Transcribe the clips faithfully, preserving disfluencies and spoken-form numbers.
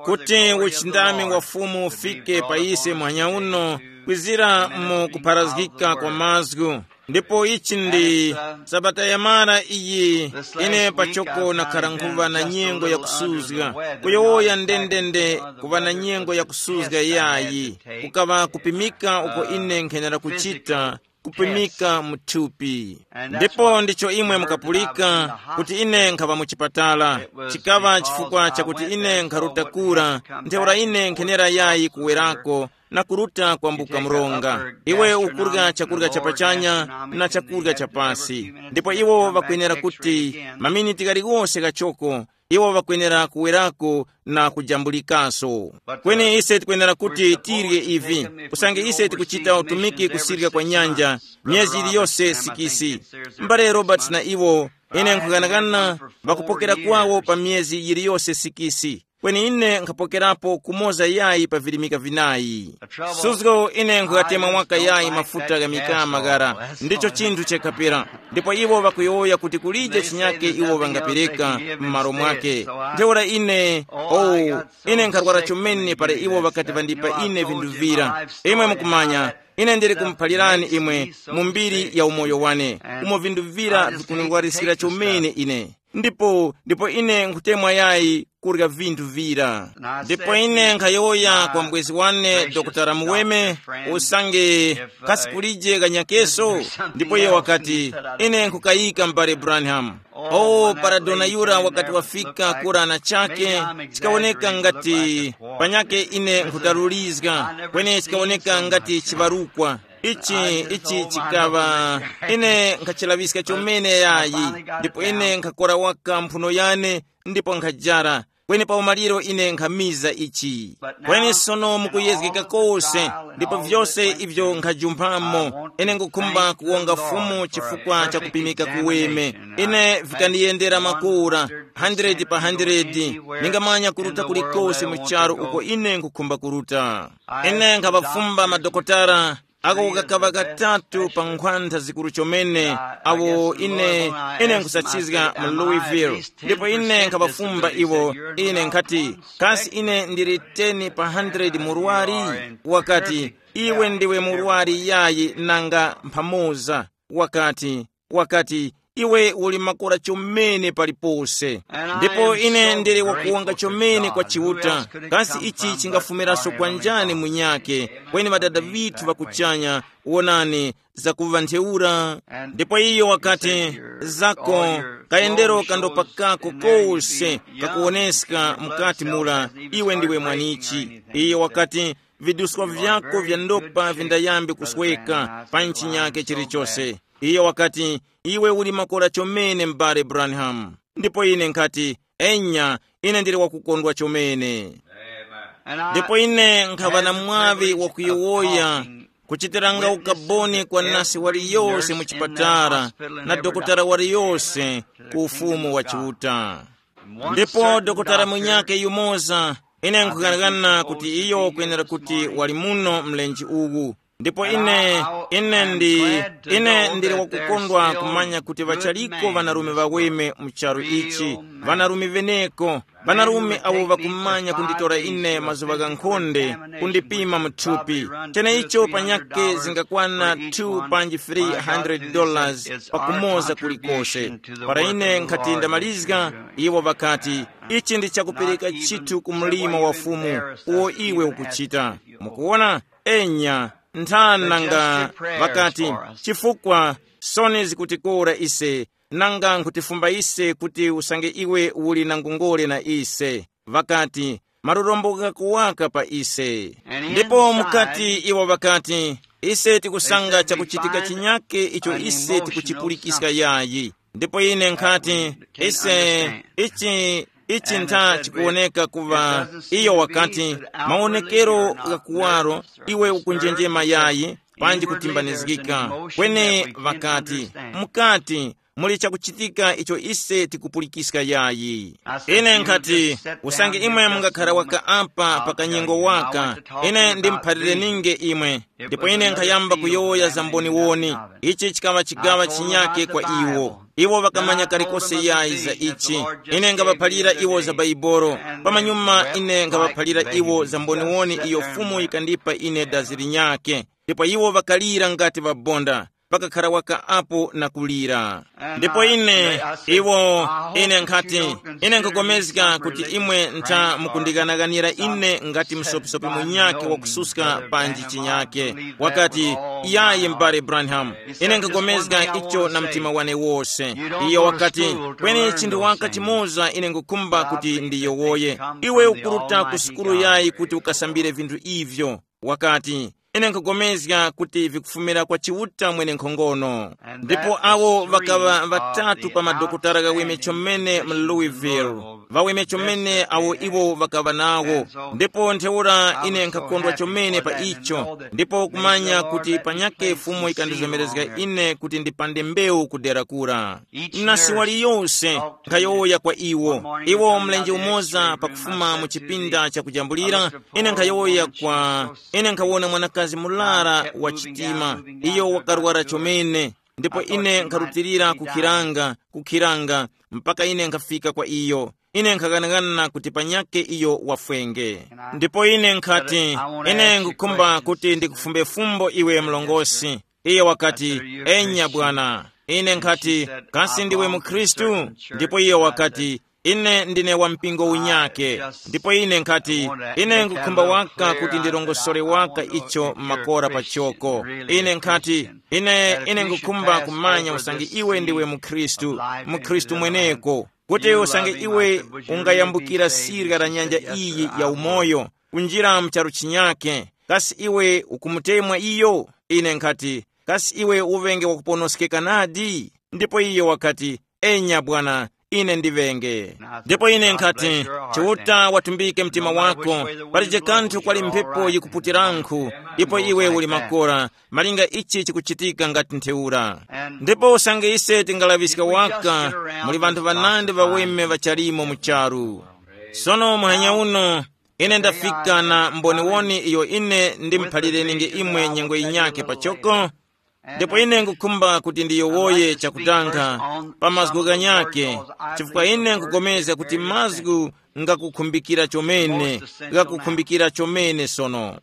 kuti uchindami wa Fumu ufike pa ise mwanya uno, kwizira mu kupharazgika kwa mazgu. Ndipo ichi ndi sabata yamara iyi, ine pachoko nakhara nkhuŵa na nyengo ya kusuzga, kuyowoya ndendende, kuŵa na nyengo ya kusuzga yayi, kukaŵa kupimika uko ine nkhenera kuchita, kupimika mu thupi. Ndipo ndicho imwe mukapulika kuti ine nkhaŵa mu chipatala. Chikaŵa chifukwa chakuti ine nkharuta kura, ntheura ine nkhenera yayi kuwerako na kuruta kwambuka mronga. Iwe ukurya chakurya cha pachanya na chakurya cha pasi, ndipo iwo ŵakwenera kuti maminiti ghaliwose ghachoko, iwo ŵakwenera kuwerako na kujambulikaso. Kweni ise tikwenera kuti tirye ivi, usange ise tikuchita utumiki kusirya kwa nyanja myezi yiliyose sikisi. Mbale Roberts na iwo, ine nkughanagana, ŵakupokera kwawo pa myezi yiliyose sikisi. Kweni ine nkhapokerapo kumoza yayi pa virimika vinayi. Suzgo ine nkhugatema waka yayi mafuta gha mikama ghara, ndicho chinthu chekhapera. Ndipo iwo ŵakuyowoya kuti kulije chinyake iwo ŵangapereka m'malo mwake. Ntheura ine, oh, ine nkharwara chomene para iwo ŵakati ŵandipa ine vinthu vira. Imwe mukumanya, ine ndili kumuphalirani imwe mu mbiri ya umoyo wane, umo vinthu vira vikunirwariskira chomene ine. Ndipo ndipo ine nkhutemwa yayi kurya vinthu vira. Ndipo ine nkhayowoya kwa mbwezi wane, Dokotala Muweme, usange kasi kulije kanyakeso? Ndipo iye wakati, ine nkhukayika m'bale Branham. Oh, para dona yura wakati wafika kura na chake, chikawoneka ngati panyake ine nkhutalulizga, kweni chikawoneka ngati chibarukwa. Ichi ichi chikaŵa, ine nkhachilaŵiska chomene yayi. Ndipo ine nkhakora waka mphuno yane, ndipo nkhajara. Kweni pa umaliro ine nkhamiza ichi. Kweni sono mukuyezgeka kose, ndipo vyose ivyo nkhajumphamo, ine ngukhumba kuwonga Fumu chifukwa cha kupimika kuweme. Ine vikandiyendera makura, hundred pa hundred, ningamanya kuruta kulikose mu charu uko ine nkukhumba kuruta. Ine nkhaŵafumba madokotala ako kakaŵa katatu pa nkhwantha zikuru chomene, awo ine ine nkhusachizga mu Louisville. Ndipo ine nkhaŵafumba iwo, ine nkhati, kasi ine ndili ten pa hundred murwari? Wakati, iwe ndiwe murwari yayi nanga mphamoza. Wakati, wakati, iwe uli makora chomene palipose. Ndipo ine ndili wakuwonga chomene kwa Chiuta. Kasi ichi chingafumiraso kwa njani munyake? Kweni ŵadada ŵithu ŵa kuchanya, wonani, zakuŵa ntheura. Ndipo iyo wakati, zako, kayendero kandopakako kose kakuwoneska mukati mura, iwe ndiwe mwanichi. Iyo wakati, vidusko vyako vya ndopa vindayambe kusweka pa nchinyake chilichose. Iyo wakati, iwe uli makora chomene m'bale Branham. Ndipo ine nkhati, enya, ine ndili wakukondwa chomene. Ndipo ine nkhaŵa na mwaŵi wakuyowoya kuchitiranga ukaboni kwa nasi waliyose mu chipatala na dokotala waliyose ku Ufumu wa Chiuta. Ndipo dokotala munyake yumoza, ine nkughanagana kuti iyo kwenera kuti wali muno mlenje uwu. Ndipo ine, ine ndi, ine ndili wakukondwa kumanya kuti ŵachaliko ŵanarume ŵaweme mu charu ichi, ŵanarume ŵeneko, ŵanarume awo ŵakumanya kunditora ine mazuŵa ghankhonde, kundipima mu thupi. Cheneicho panyakhe zingakwana two panji three hundred dollars pakumoza kulikose. Para ine nkhati ndamalizga, iwo ŵakati, ichi ndi chakupereka chithu ku mlimo wa Fumu uwo iwe ukuchita. Mukuwona? Enya, nthani nanga ŵakati, chifukwa soni zikutikora ise, nanga nkhutifumba ise kuti usange iwe uli na ngongole na ise. Ŵakati, malurombo ghako waka pa ise. Ndipo mukati iwo ŵakati, ise tikusanga chakuchitika chinyake icho ise tikuchipulikiska yayi. Ndipo ine nkhati, ise, ichi ichi ntha chikuwoneka kuŵa, iyo wakati, mawonekero gha kuwaro, iwe ukunjenjema yayi, panji kutimbanizgika. Kweni ŵakati, mukati, muli chakuchitika icho ise tikupulikiska yayi. Ine nkhati, usange imwe mungakhara waka apa pa kanyengo waka, ine ndimuphalirininge imwe. Ndipo ine nkhayamba kuyowoya za mboniwoni. Ichi chikaŵa chigaŵa chinyake kwa iwo. Iwo ŵakamanya kalikose yayi za ichi. Ine ngaŵaphalira iwo za Baibolo. Pamanyuma ine ngaŵaphalira iwo za mboniwoni iyo Fumu yikandipa ine dazi linyake. Ndipo iwo ŵakalira ngati ŵabonda, pakakhala waka apo na kulira. Ndipo ine, iwo, ine nkhati, ine nkugomezga kuti imwe ntha mukundikanaganira ine ngati msopisopis munyakhe wakususka panji chinyakhe. Wakati, iyayi m'bale Branham, ine nkugomezga icho na mtima wane wose. Iyo wakati, kweni chinthu waka chimoza ine ngukhumba kuti ndiyowoye. Iwe ukuruta ku sukulu yayi kuti ukasambire vinthu ivyo? Wakati, ine nkugomezga kuti vikufumira kwa Chiuta mwenenkhongono. Ndipo awo ŵakaŵa ŵatatu pa madokotala ghaweme chomene mu Louisville, ŵaweme chomene awo iwo ŵakaŵa nawo. Ndipo ntheura ine nkhakondwa chomene pa icho, ndipo kumanya kuti panyakhe Fumu yikandizomerezga ine kuti ndipande mbewu kudera kura. Na siwali yose nkhayowoya kwa iwo. Iwo mlenje umoza pakufuma mu chipinda chakujambulira, ine nkhayowoya kwa, ine nkhawona mwanakazi mulara wa chitima, iyo wakarwara chomene, ndipo ine nkharutilira kukhiranga, kukhiranga, mpaka ine nkhafika kwa iyo. Ine nkhaghanagana kuti panyakhe iyo wafwenge. Ndipo ine nkhati, ine ngukhumba kuti ndikufumbe fumbo iwe mlongosi. Iye wakati, enya bwana. Ine nkhati, kasi ndiwe mukhristu? Ndipo iye wakati, ine ndine wa mpingo unyake. Ndipo ine nkhati, ine ngukhumba waka kuti ndirongosore waka icho makora pachoko. Ine nkhati, ine ine ngukhumba kumanya usange iwe ndiwe mukhristu, mukhristu mweneko, kuti usange iwe ungayambukira sirya la nyanja iyi ya umoyo, kunjira mu charu chinyake. Kasi iwe ukumutemwa iyo? Ine nkhati, kasi iwe uŵenge wakuponoskeka nadi? Ndipo iyo wakati, enya bwana, ine ndiŵenge. Ndipo ine nkhati, Chiuta watumbike mtima wako, palije kanthu kwali mphepo yikuputirankhu, ipo iwe uli makora, malinga ichi chikuchitika ngati ntheura. Ndipo usange ise tingalaŵiska waka, muli ŵanthu ŵanandi ŵaweme ŵachalimo mu charu. Sono muhanya uno, ine ndafika na mboniwoni iyo ine ndimuphalirenge imwe nyengo yinyake pachoko. Ndipo ine nkukhumba kuti ndiyowoye chakutanga pa mazgu ghanyake, chifukwa ine nkupulikana kuti mazgu ngakukhumbikira chomene, ngakukhumbikira chomene sono.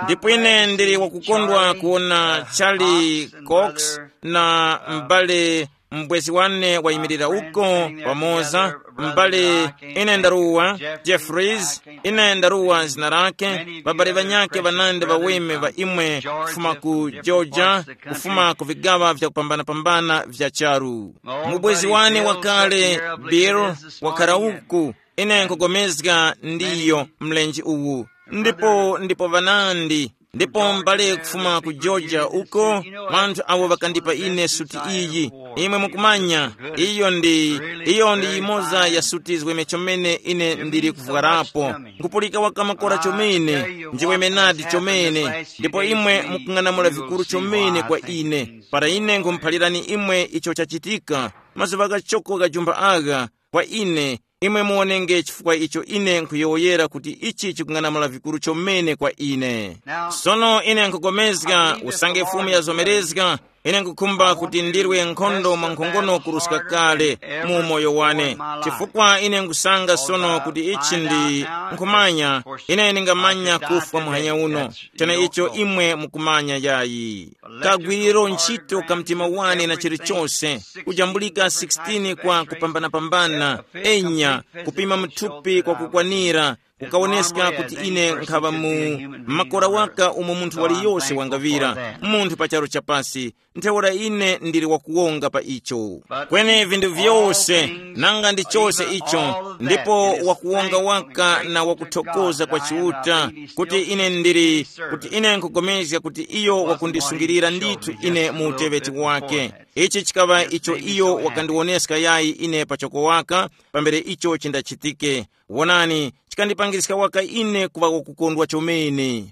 Ndipo ine ndili wakukondwa kuwona Charlie Cox na m'bale m'bwezi wane wayimirira uko pamoza, m'bale, ine ndaruwa, Jeffries, ine ndaruwa zina lake, ŵabale ŵanyakhe ŵanandi ŵaweme ŵa imwe kufuma ku Georgia, kufuma ku vigaŵa vyakupambanapambana vya charu. Mubwezi wane wakale, Bill, wakhala uku, ine nkupulikana ndiyo mlenje uwu. Ndipo ndipo ŵanandi, ndipo m'bale kufuma ku Georgia uko, ŵanthu awo ŵakandipa ine suti iyi. Imwe mukumanya, iyo ndi, iyo ndi yimoza ya suti ziweme chomene ine ndili kuvwarapo. Nkupulika waka makora chomene, njiweme nadi chomene. Ndipo imwe mukung'anamula vikuru chomene kwa ine. Para ine nkhumuphalirani imwe icho chachitika, mazuŵa ghachoko ghajumba agha, kwa ine, imwe muwonenge chifukwa icho ine nkhuyowoyera kuti ichi chikung'anamula vikuru chomene kwa ine. Sono ine nkhupulikana usange Fumu yazomerezga, ine nkhukhumba kuti ndirwe nkhondo mwankhongono kuruska kale mu umoyo wane, chifukwa ine nkhusanga sono kuti ichi ndi, nkhumanya, ine ndingamanya kufwa muhanya uno, chene icho imwe mukumanya yayi. Kagwiriro ntchito ka mtima wane na chilichose, kujambulika sixteen kwa kupambanapambana, enya, kupima muthupi kwa kukwanira, kukawoneska kuti ine nkhaŵa mu makora waka umo munthu waliyose wangaŵira, munthu pa charu chapasi, ntheura ine ndili wakuwonga pa icho. Kweni vinthu vyose, nanga ndi chose icho, ndipo wakuwonga waka na wakuthokoza kwa Chiuta, kuti ine ndili, kuti ine nkupulikana kuti iyo wakundisungilira ndithu ine mu uteŵeti wake. Ichi chikaŵa icho iyo wakandiwoneska yayi ine pachoko waka, pambere icho chindachitike. Wonani, chikandipangiriska waka ine kuŵa wakukondwa chomene.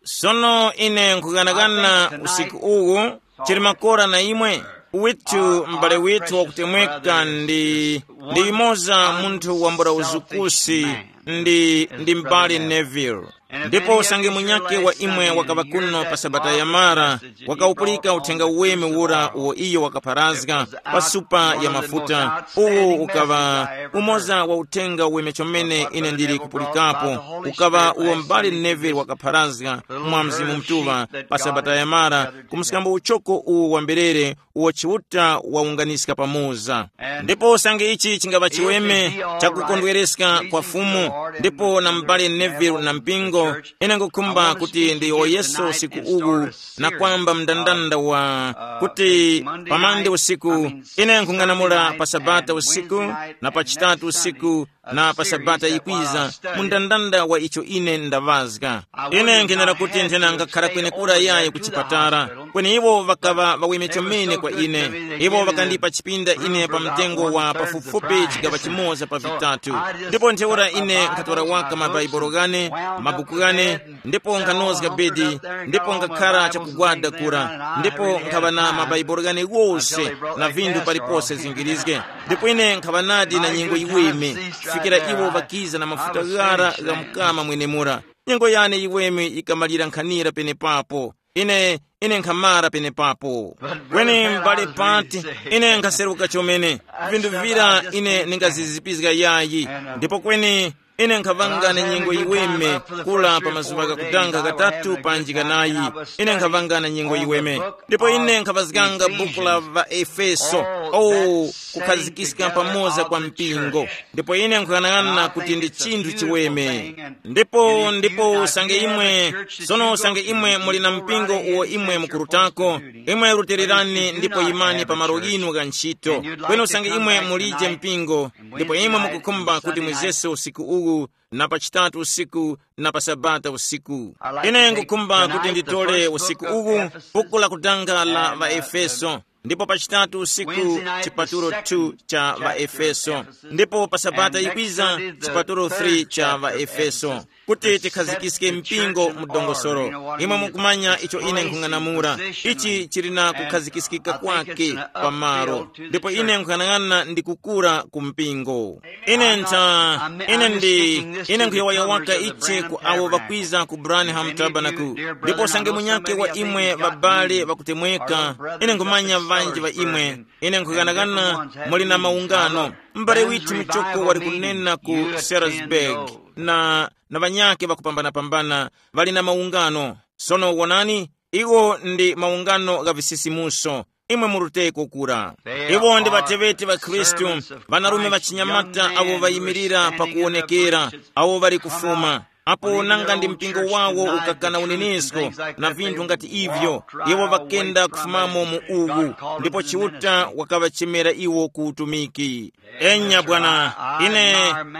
Sono ine nkughanagana usiku uwu, chili makora na imwe, Withu, m'bale withu wakutemweka ndi, ndi yumoza munthu wambula uzukusi, ndi, ndi m'bale Neville. Ndipo usange munyakhe wa imwe wakaŵa kuno pa Sabata yamara, wakawupulika uthenga uweme ura uwo iyo wakapharazga pa supa ya mafuta, uwu ukaŵa umoza wa uthenga uweme chomene ine ndili kupulikapo, ukaŵa uwo m'bale Neville wakapharazga mwa Mzimu Mutuŵa pa Sabata yamara, ku mskambo uchoko uwu wamberere uwo Chiuta wawunganiska pamoza. Ndipo usange ichi chingaŵa chiweme chakukondwereska kwa Fumu, ndipo na m'bale Neville na mpingo, ine ngukhumba kuti ndiyowoyeso usiku uwu na kwamba mndandanda wa kuti pamande usiku, ine nkhung'anamula pa Sabata usiku, na pa Chitatu usiku, na pa Sabata yikwiza, mundandanda wa icho ine ndaŵazga. Ine nkhenera kuti nthena ngakhara kwenekura yayi ku chipatala, kweni iwo ŵakaŵa ŵaweme chomene kwa ine. Iwo ŵakandipa chipinda ine pa mtengo wa pafupifupi chigaŵa chimoza pa vitatu. Ndipo ntheura ine nkhatora waka mabaibulo ghane, mabuku ghane, ndipo nkhanozga bedi, ndipo ngakhara chakugwada kura, ndipo nkhaŵa na mabaibulo ghane ghose na vinthu palipose zingirizge. Ndipo ine nkhaŵa nadi na nyengo yiweme, kufikira iwo ŵakiza na mafuta ghara gha mukama mwenemura. Nyengo yane yiweme yikamalira nkhanira penepapo. Ine, ine nkhamara penepapo. Kweni m'bale Pati, ine nkhaseruka chomene. Vinthu vira ine ningazizipizga yayi. Ndipo kweni ine nkhavanga na nyengo yiweme kula pa mazuŵa ghakutanga ghatatu panji ghanayi. Ine nkhavanga na nyengo yiweme. Ndipo ine nkhavazganga buku la ŵaefeso. Oh, kukhazikiska pamoza kwa mpingo. Ndipo ine nkuyang'ana kuti ndi chinthu chiweme. Ndipo ndipo usange imwe, sono usange imwe muli na mpingo uwo imwe mukurutako, imwe rutererani ndipo yimani pa malo ghinu gha ntchito. Kweni usange imwe mulije mpingo, ndipo imwe mukukhumba kuti mwizese usiku uwu, na pa Chitatu usiku, na pa Sabata usiku. Ine ngukhumba kuti nditole usiku uwu buku lakutanga la ŵaefeso, ndipo pa Chitatu usiku chipatulo two cha ŵaefeso, ndipo pa Sabata yikwiza chipatulo three cha ŵaefeso, kuti tikhazikiske mpingo mu dongosolo. Imwe mukumanya icho ine nkhung'anamula. Ichi chili na kukhazikiskika kwake pamalo, ndipo ine nkhuyang'ana ndi kukura ku mpingo. Ine ntha, ine ndi, ine nkhuyawayawaka ichi ku awo ŵakwiza ku Branham Tabernacle. Ndipo usange munyake wa imwe ŵabale ŵakutemweka, ine nkhumanya ŵanji ŵa imwe. Ine nkhughanaghana muli na maungano. M'bale withu muchoko wali kunena ku Salisbury, na, na ŵanyakhe ŵakupambanapambana ŵali na maungano. Sono wonani, iwo ndi maungano gha visisimuso. Imwe muruteko kura. Iwo ndi ŵateŵeti ŵa Khristu, ŵanarume ŵachinyamata awo ŵayimirira pakuwonekera, awo ŵali kufuma. Apo nanga ndi mpingo wawo ukakana unenesko na vinthu ngati ivyo, iwo ŵakenda kufumamo mu uwu, ndipo Chiuta wakaŵachemera iwo ku utumiki. Enya bwana, ine,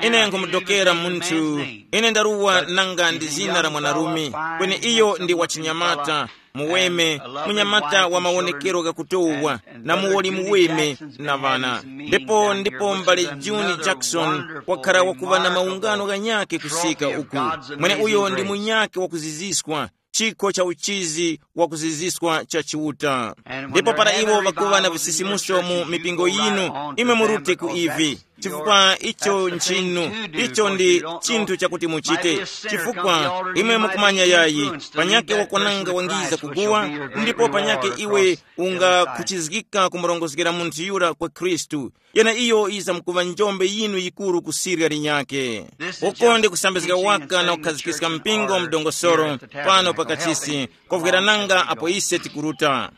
ine nkhumudokera munthu, ine ndaruwa nanga ndi zina la mwanarume, kweni iyo ndi wachinyamata, muweme, munyamata wa mawonekero ghakutowa, na muwoli muweme, na ŵana. Ndipo ndipo m'bale Juni Jackson wakhala wakuŵa na maungano ghanyakhe kusika uku. Mwene uyo ndi munyakhe wakuziziswa, chikho cha uchizi wakuziziswa cha Chiuta. Ndipo para iwo ŵakuŵa na visisimuso mu mipingo yinu, imwe murute ku ivi, chifukwa icho nchinu, icho ndi chinthu chakuti muchite. Chifukwa imwe mukumanya yayi, panyake wakwananga wangiza kuguwa, ndipo panyake iwe ungakhuchizgika kumurongozgera munthu yura kwa Khristu. Yena iyo yizamkuŵa njombe yinu yikuru kusirya linyakhe. Uko ndi kusambizga waka na kukhazikiska mpingo mdongosoro pano pakachisi, kovwera nanga apo ise tikuruta.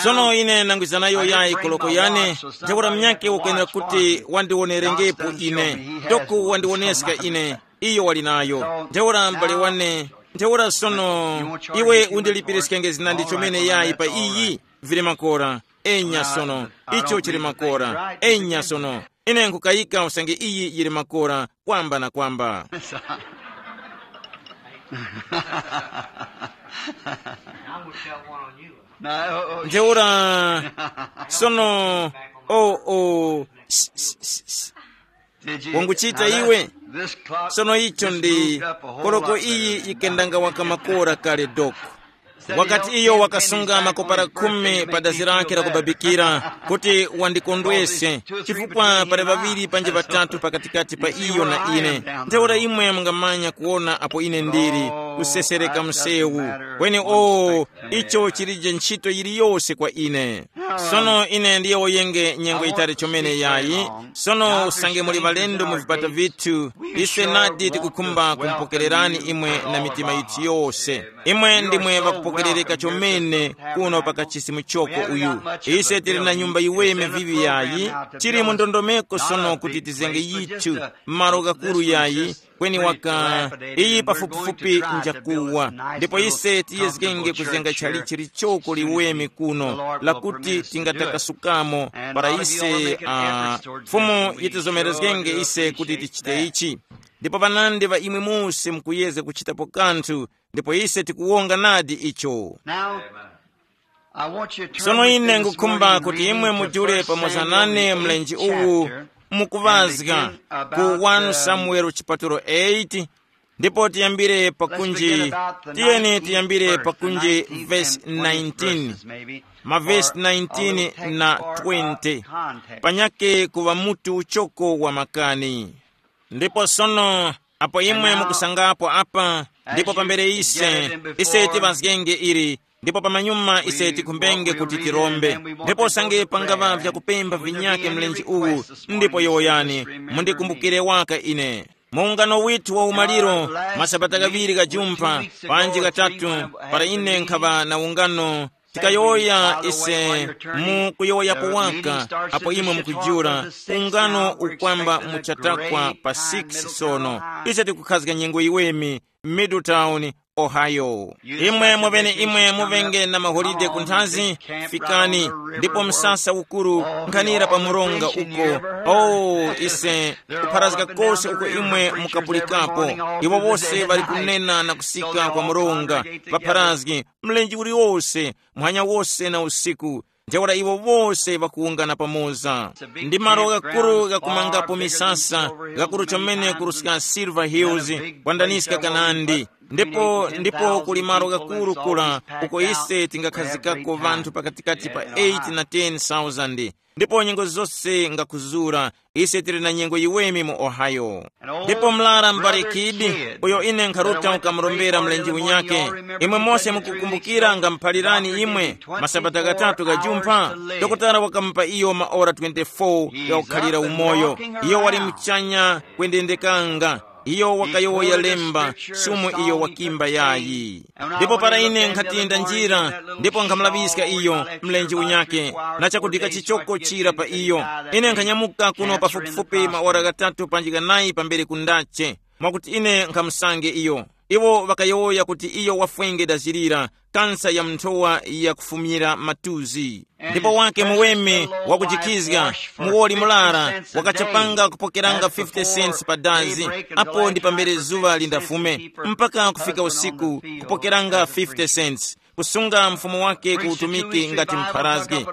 Sono ine nangwiza nayo yayi koloko yane, ntheura munyakhe ukwenera kuti wandiwonerengepo ine, toko wandiwoneska ine, iyo wali nayo. Ntheura m'bale wane, ntheura sono, iwe undilipiriskenge zinandi chomene yayi pa iyi? Vili makora. Enya sono, icho chili makora. Enya sono, ine nkukayika usange iyi yili makora kwamba na kwamba. Ntheura sono, o o s- s- s- s- wanguchita iwe. Sono icho ndi, koloko iyi yikendanga waka makora kale doko. Wakati iyo wakasunga makopara khumi pa dazi lake lakubabikira, kuti wandikondwese, chifukwa pali ŵaŵiri panji ŵatatu pakatikati pa iyo na ine, ntheura imwe mungamanya kuwona apo ine ndili, kusesereka msewu. Kweni o, icho chilije ntchito yiliyose kwa ine. Sono ine ndiye woyenge nyengo yitali chomene yayi. Sono usange muli ŵalendo mu vipata vithu, ise nadi tikukhumba kumupokererani imwe na mitima yithu yose. Imwe ndimwe ŵakupokerereka chomene kuno pa kachisimu choko uyu. Ise tili na nyumba yiweme vivi yayi, tili mu ndondomeko sono kuti tizenge yithu, malo ghakuru yayi, kweni waka iyi pafupifupi njakuwa. Ndipo ise tiyezgenge kuzenga chalichi lichoko liweme kuno lakuti tingatakasukamo para ise, ah, Fumu yitizomerezgenge ise kuti tichite ichi. Ndipo panandi ŵa imwe mose mukuyezga kuchitapo kanthu, ndipo ise tikuwonga nadi icho. Now, I want you to turn sono with me ine this ngukhumba morning kuti reading imwe to mujule First pamoza Samuel, nane the mlenji eighth uwu chapter, mukuŵazga about ku wanu the Samuel chipatulo eight, ndipo tiyambire pakunji, tiyeni tiyambire pakunji vesi nineteen, mavesi nineteen na twenty, panyake kuŵa mutu uchoko wa makani. Ndipo sono, apo imwe mukusangapo apa, ndipo pambere ise, ise tiŵazgenge ili, ndipo pamanyuma ise tikhumbenge kuti tirombe. Ndipo usange pangava vyakupemba vinyake mlenje uwu, ndipo yowoyani, mundikumbukire waka ine. Mu ungano withu wa umaliro, masabata ghaŵiri ghajumpha, panji ghatatu, para ine nkhaŵa na ungano, tikayowoya ise mu kuyowoyapo waka, apo imwe mukujula, ungano ukwamba muchatakwa pa six sono. Ise tikukhazga nyengo iweme, Middletown, Ohio. Imwe muvene imwe muvenge na maholide kunthazi, fikani, ndipo msasa ukuru nkhanira pa muronga uko. Oh, ise kupharazga kose uko imwe mukapulikapo. Iwo wose ŵali kunena na kusika kwa muronga, ŵapharazgi, mlenje uliwose, muhanya wose na usiku. Ntheura iwo wose ŵakuwungana pamoza. Ndi malo ghakuru ghakumangapo misasa, ghakuru chomene kuruska Silver Hills, kwandaniska kanandi. Ndipo ndipo kuli malo ghakuru kula, uko ise tingakhazikako ŵanthu pakatikati pa eight na ten thousand. Ndipo nyengo zose ngakuzura, ise tili na nyengo yiweme mu Ohio. Ndipo mlara mbale Kidi, uyo ine nkharuta ukamurombera mlenje unyake, imwe mose mukukumbukira ngamuphalirani imwe, masabata ghatatu ghajumpha, dokotala wakamupa iyo maora twenty-four ghakukhalira umoyo. Iyo wali muchanya kwendendekanga. Iyo wakayowoya lemba, sumo iyo wakimba yayi. Ndipo para ine nkhati ndanjira, ndipo nkhamulaŵiska iyo mlenje unyake, na chakudika chichoko chira pa iyo. Ine nkhanyamuka kuno pafupifupi maora ghatatu panji ghanayi pambere kundache, mwakuti ine nkhamusange iyo. Iwo ŵakayowoya kuti iyo wafwenge dazirira, kansa ya mnthowa yakufumira matuzi. Ndipo wake muweme wakujikhizga, muwoli mulara, wakachapanga kupokeranga fifty cents pa dazi, apo ndi pambere zuŵa lindafume, mpaka kufika usiku, kupokeranga fifty cents, kusunga mfumu wake ku utumiki ngati mpharazgi.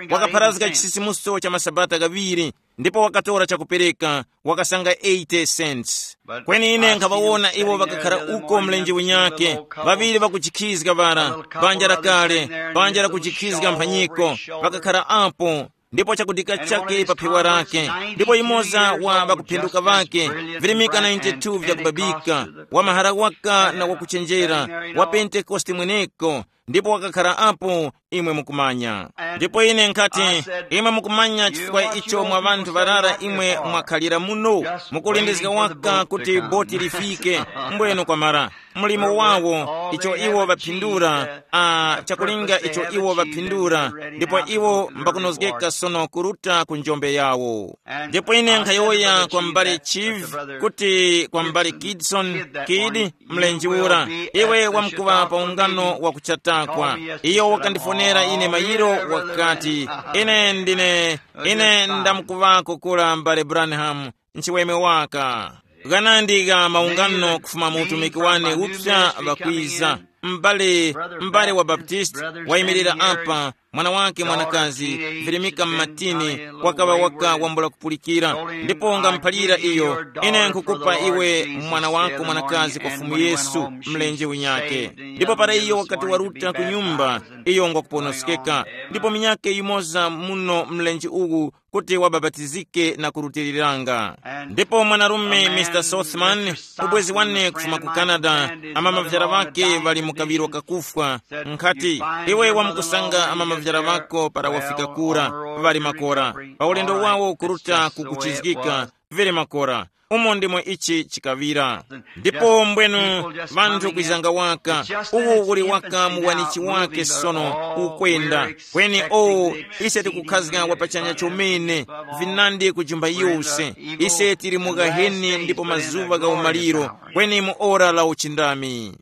Wakapharazga chisisimuso cha masabata ghaŵiri, ndipo wakatora chakupereka, wakasanga eighty cents. Kweni ine nkhaŵawona iwo ŵakakhara uko mlenje unyake, ŵaŵiri ŵakujikhizga ŵara, banja lakale, banja lakujikhizga mphanyiko, ŵakakhara apo, ndipo chakudika chake pa phewa lake, ndipo yumoza wa ŵakuphenduka ŵake, virimika ninety-two vyakubabika, wa mahara waka na wakuchenjera, wa Pentekoste mweneko, ndipo wakakhara apo, imwe mukumanya. Ndipo ine nkhati, imwe mukumanya chifukwa icho mwa ŵanthu ŵarara imwe mwakhalira muno, mukulindizga waka kuti boti lifike, mbweno kwamara. Mlimo wawo, icho iwo ŵaphindura, a, chakulinga icho iwo ŵaphindura, ndipo iwo mbakunozgeka sono kuruta ku njombe yawo. Ndipo ine nkhayowoya kwa m'bale Chief, kuti kwa m'bale Kidson, Kidi, mlenje ura, iwe wamkuŵa pa ungano wa kuchatakwa. Iyo wakandifonera ine mayiro wakati, ine ndine, ine ndamkuŵako kura m'bale Branham, nchiweme waka. Ghanandi gha maungano kufuma mu utumiki wane upsa ŵakwiza. M'bale, m'bale wa Baptist wayimirira apa, mwana wake mwanakazi, virimika m'matini, wakaŵa waka wambula kupulikira, ndipo ngamuphalira iyo, ine nkhukupa iwe mwana wako mwanakazi kwa Fumu Yesu, mlenje winyake. Ndipo para iyo wakati waruta ku nyumba, iyo ngwakuponoskeka, ndipo minyake yimoza muno mlenje uwu kuti wabapatizike na kurutiriranga. Ndipo mwanarume Mister Sothman, ubwezi wane kufuma ku Canada, amamavyara ŵake ŵali mu kaŵiro kakufwa, nkhati, iwe wamukusanga amamavyara ŵako para wafika kura, ŵali makora, pa ulendo wawo kuruta kukuchizgika, vili makora. Umo ndimo ichi chikaŵira. Ndipo mbwenu, vanthu kwizanga waka, uwu uli waka muwanichi wake sono ukwenda. Kweni o, ise tikukhazga wapachanya chomene, vinandi kujumba yose. Ise tili mu gaheni ndipo mazuŵa gha umaliro, kweni mu ora la uchindami.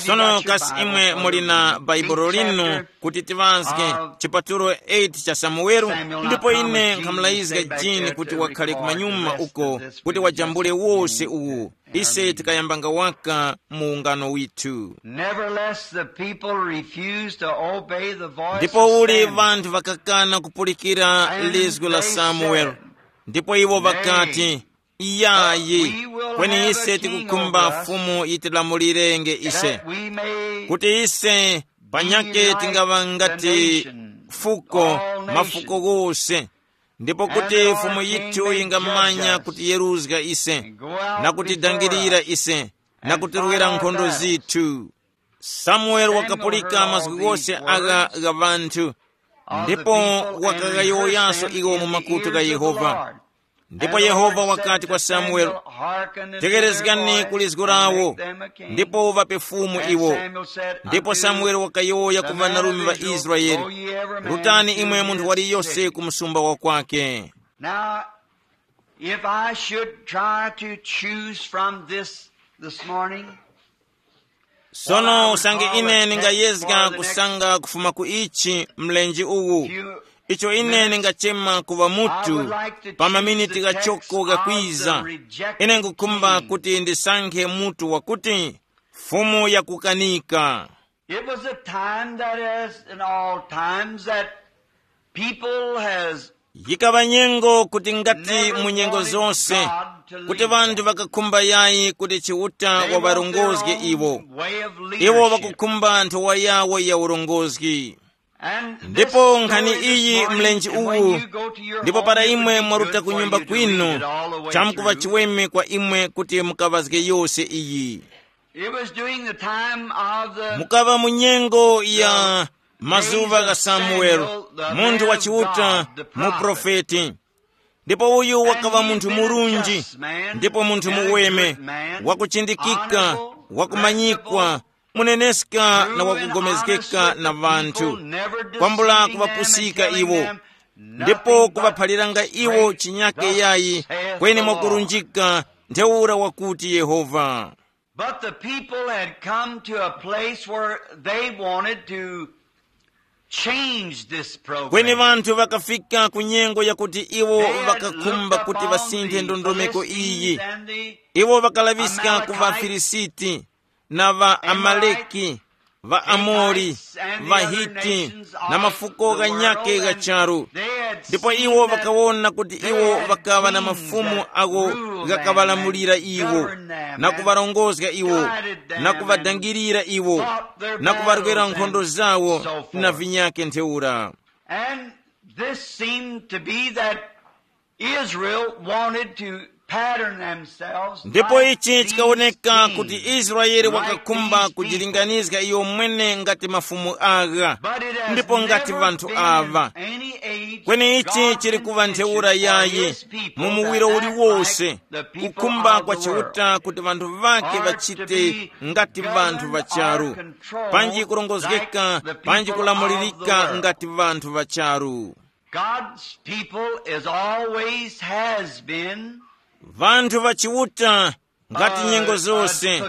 Sono kasi imwe muli na Baibulo linu kuti tiŵazge chipatulo eight cha Samuwelo, ndipo ine nkhamulayizga Jini kuti wakhale kumanyuma uko, kuti wajambule wose uwu. Ise tikayambanga waka mu ungano withu. Nevertheless, the people refused to obey the voice. Ndipo of uli Samuel. Vanthu vakakana kupulikira lizgu la Samuel, ndipo iwo vakati, iyayi, kweni ise tikukhumba Fumu yitilamulirenge ise, kuti ise panyake tingaŵa ngati fuko, mafuko ghose, ndipo kuti Fumu yithu yingamanya kutiyeruzga ise, na kutidangirira ise, na kutirwera nkhondo zithu. Samueli wakapulika mazgu ghose agha gha ŵanthu, ndipo wakaghayowoyaso iwo mu makutu gha Yehova. Ndipo Yehova wakati kwa Samueli, tekerezgani ku lizgu lawo, ndipo uŵape fumu iwo. Ndipo Samueli wakayowoya ku ŵanarume ŵa Israele, rutani imwe munthu waliyose ku msumba wa kwake. Now, if I should try to choose from this this morning, sono usange ine ningayezga kusanga kufuma ku ichi mlenje uwu, icho ine ningachema kuŵa mutu pa maminiti ghachoko ghakwiza, ine ngukhumba kuti ndisankhe mutu wakuti, Fumu yakukanika. It was a time that, as in all times, that people has yikaŵa nyengo kuti ngati mu nyengo zonse, kuti ŵanthu ŵakakhumba yayi kuti Chiuta waŵarongozge iwo. Iwo ŵakukhumba nthowa yawo ya urongozgi. Ndipo nkhani iyi mlenje uwu, ndipo para imwe mwaruta ku nyumba kwinu, chamkuŵa chiweme kwa imwe kuti mukaŵazge yose iyi. It was during the time of the mukaŵa mu nyengo ya mazuŵa gha Samueli, munthu wa Chiuta, muprofeti. Ndipo uyu wakaŵa munthu murunji, ndipo munthu muweme, wakuchindikika, wakumanyikwa, muneneska na wakugomezgeka na ŵanthu, kwambula kuŵapusika iwo. Ndipo kuŵaphaliranga iwo chinyake yayi, kweni mwakurunjika, ntheura wakuti Yehova. But the people had come to a place where they wanted to change this program. Kweni ŵanthu ŵakafika ku nyengo yakuti iwo ŵakakhumba kuti ŵasinthe ndondomeko iyi. Iwo ŵakalaŵiska ku ŵaFilisiti na ŵaAmaleki, ŵaAmori, ŵaHiti, na mafuko ghanyakhe gha charu. Ndipo iwo ŵakawona kuti iwo ŵakaŵa na mafumu agho ghakaŵalamulira iwo, na kuŵarongozga iwo, na kuŵadangirira iwo, na kuŵarwera nkhondo zawo, na vinyakhe ntheura. And this seemed to be that Israel wanted to pattern themselves. Ndipo like ichi these chikawoneka kings, kuti Israeli like wakakhumba these people. Kujilinganizga iyo mwene ngati mafumu agha, but it has ndipo ngati never vanthu been ava. In any age kweni ichi God's chili kuva ntheura intention for yayi his people mu muwiro that act uliwonse, like the people kukhumba of kwa the world. Chiuta kuti vanthu vake are to vachite be ngati vanthu governed vacharu or controlled panji kurongozgeka like the panji people of the kulamulirika world. Ngati vanthu vacharu. God's people is always has been. Vanthu va Chiuta ngati nyengo zose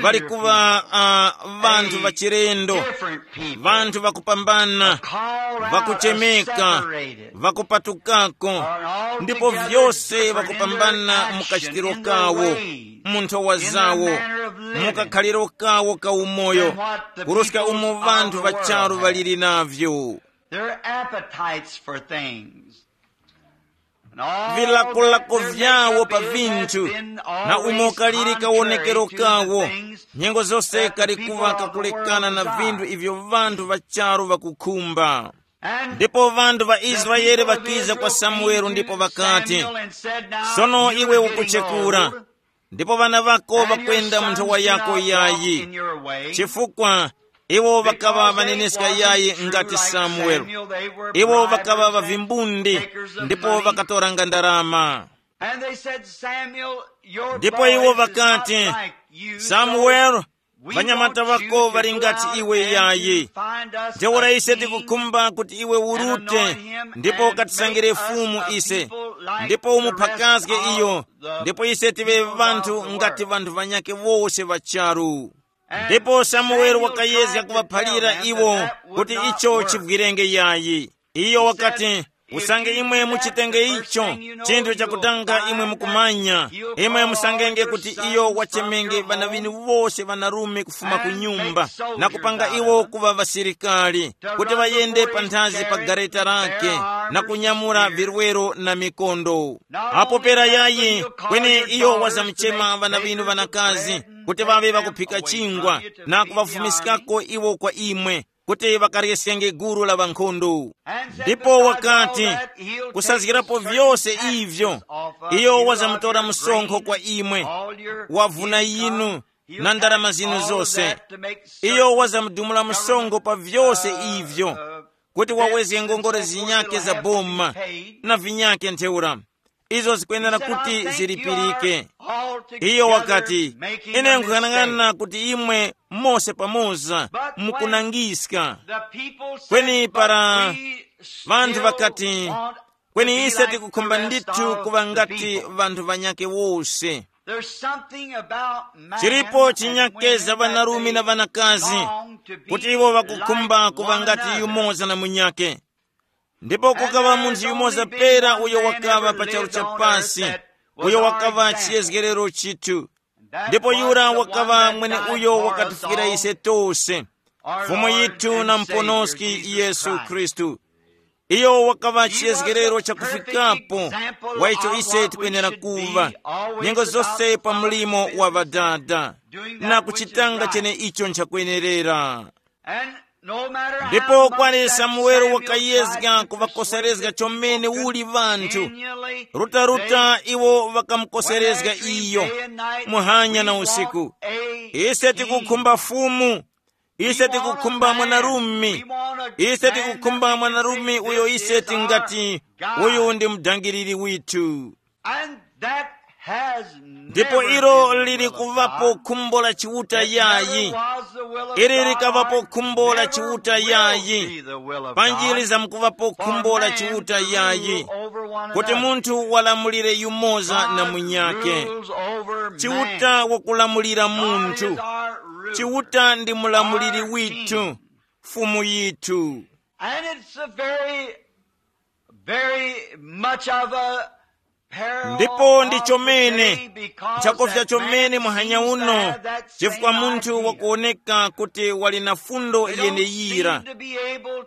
ŵali kuŵa uh, vanthu vachilendo, vanthu vakupambana, vakuchemeka, vakupatukako, ndipo vyose vakupambana mu kachitiro kawo. mu nthowa zawo, mu kakhaliro kawo ka umoyo, kuruska umo vanthu ŵa charu ŵaliri navyo. Their appetites for things. Vilakolako vyawo pa vinthu, na umo kali kawonekero kawo, nyengo zose kali kuŵa kakulekana na vinthu ivyo vanthu ŵa charu ŵakukhumba. Ndipo vanthu ŵa Israele ŵakiza kwa Samuele ndipo ŵakati, "Sono iwe ukuchekura, ndipo ŵana ŵako ŵakwenda mu nthowa yako yayi, chifukwa iwo ŵakaŵa ŵaneneska yayi ngati Samuele. Iwo ŵakaŵa ŵavimbundi ndipo ŵakatoranga ndarama." Ndipo iwo ŵakati, "Samuele, ŵanyamata ŵako ŵali ngati iwe yayi. Ntheura ise tikukhumba kuti iwe urute ndipo ukatisangire fumu ise, ndipo umuphakaske iyo, ndipo ise tive ŵanthu ngati ŵanthu ŵanyakhe wose ŵa charu." Ndipo Samuele wakayezga kuŵaphalira iwo kuti icho chivwirenge yayi. Iyo wakati, "Usange imwe muchitenge icho, chinthu chakutanga imwe mukumanya, imwe musangenge kuti iyo wachemenge ŵana ŵinu wose ŵanarume kufuma ku nyumba, na kupanga iwo kuŵa ŵasilikali, kuti ŵayende panthazi pa gareta lake, na kunyamula virwero na mikondo. Apo pera yayi, kweni iyo wazamuchema ŵana ŵinu ŵanakazi, kuti ŵaŵe ŵakuphika chingwa, na kuŵafumiskako iwo kwa imwe, kuti ŵakaryeskenge gulu la ŵankhondo." Ndipo wakati, "Kusazgirapo vyose ivyo, iyo wazamutora msonkho kwa imwe, wavuna yinu na ndarama zinu zose. Iyo wazamudumula msonkho pa vyose ivyo, kuti wawezge ngongole zinyake za boma na vinyake ntheura, izo zikwenera kuti zilipirike." Iyo wakati, "Ine nkuyang'ana kuti imwe mose pamoza mukunangiska." Kweni para vanthu vakati, "Kweni ise tikukhumba ndithu kuŵa ngati vanthu vanyakhe wose." Chilipo chinyakeza ŵanarume na ŵanakazi kuti iwo ŵakukhumba kuŵa ngati yumoza na munyakhe. Ndipo kukaŵa munthu yumoza pera uyo wakaŵa pa charu cha pasi, uyo wakaŵa chiyezgerero chithu. Ndipo yura wakaŵa mwene uyo wakatifikira ise tose, Fumu yithu na Muponoski Yesu Khristu. Iyo wakaŵa chiyezgerero chakufikapo wa icho ise tikwenera kuva nyengo zose pa mlimo wa Ŵadada, na kuchitanga chene icho nchakwenerera. Ndipo kwali Samuele wakayezga kuŵakoserezga chomene uli ŵanthu. Rutaruta iwo ŵakamukoserezga iyo, muhanya na usiku. Ise tikukhumba Fumu, ise tikukhumba mwanarume, ise tikukhumba mwanarume uyo ise tingati, uyu ndi mudangiriri withu. And that has ndipo never ilo been the lili will of kuvapo God. Khumbo la Chiuta It never yayi. Was the will of ili God likawapo khumbo la never chiuta will yayi be the will of panjili God za mkuvapo for khumbo la man chiuta to yayi rule over one kuti another. Munthu walamulire yumoza na God munyake. Rules over chiuta man. Wakulamulira God munthu is our ruler. Chiuta ndi mulamuliri our withu king. Fumu yithu. And it's a very very much of a ndipo ndi chomene nchakofya chomene muhanya uno chifukwa munthu wakuoneka kuti wali na fundo yeneyira.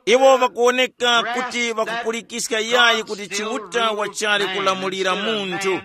Iwo wakuoneka kuti wakupulikiska yayi kuti chiuta wachali kulamulira munthu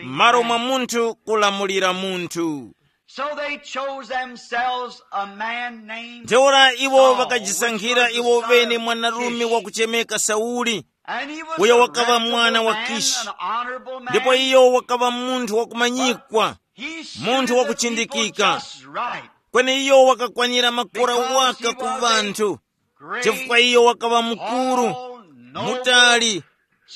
m'malo mwa munthu kulamulira munthu. So they chose themselves a man named ntheura iwo Saul, vakajisankhira which was iwo the son vene of mwanarume Kish. Wakuchemeka Sauli. And he was uyo a wakaŵa mwana reputable wa man, Kishi. An honorable man. Ndipo iyo wakaŵa munthu wakumanyikwa. He suited munthu the wakuchindikika people just right. Kweni iyo wakakwanira makora because waka he ku was a vanthu great, chifukwa iyo wakaŵa mukuru, tall, noble mutali,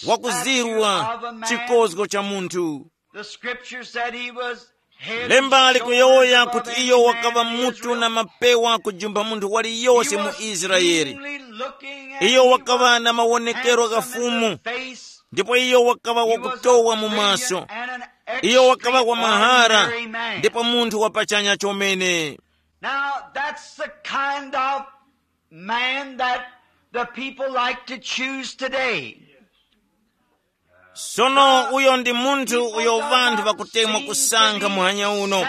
wakuzirwa stature of a man. Chikozgo cha munthu. The scripture said he was head and lemba shoulders likuyowoya above kuti any iyo man wakaŵa in mutu Israel. Na mapewa kujumba munthu waliyose mu Israeli. Iyo wakaŵa na mawonekero ghafumu ndipo iyo wakaŵa wakutowa mu maso. Iyo wakaŵa wa mahara ndipo munthu wapachanya chomene. Now that's the kind of man that the people like to choose today. Sono uyo ndi munthu uyo vanthu vakutemwa kusankha muhanya uno.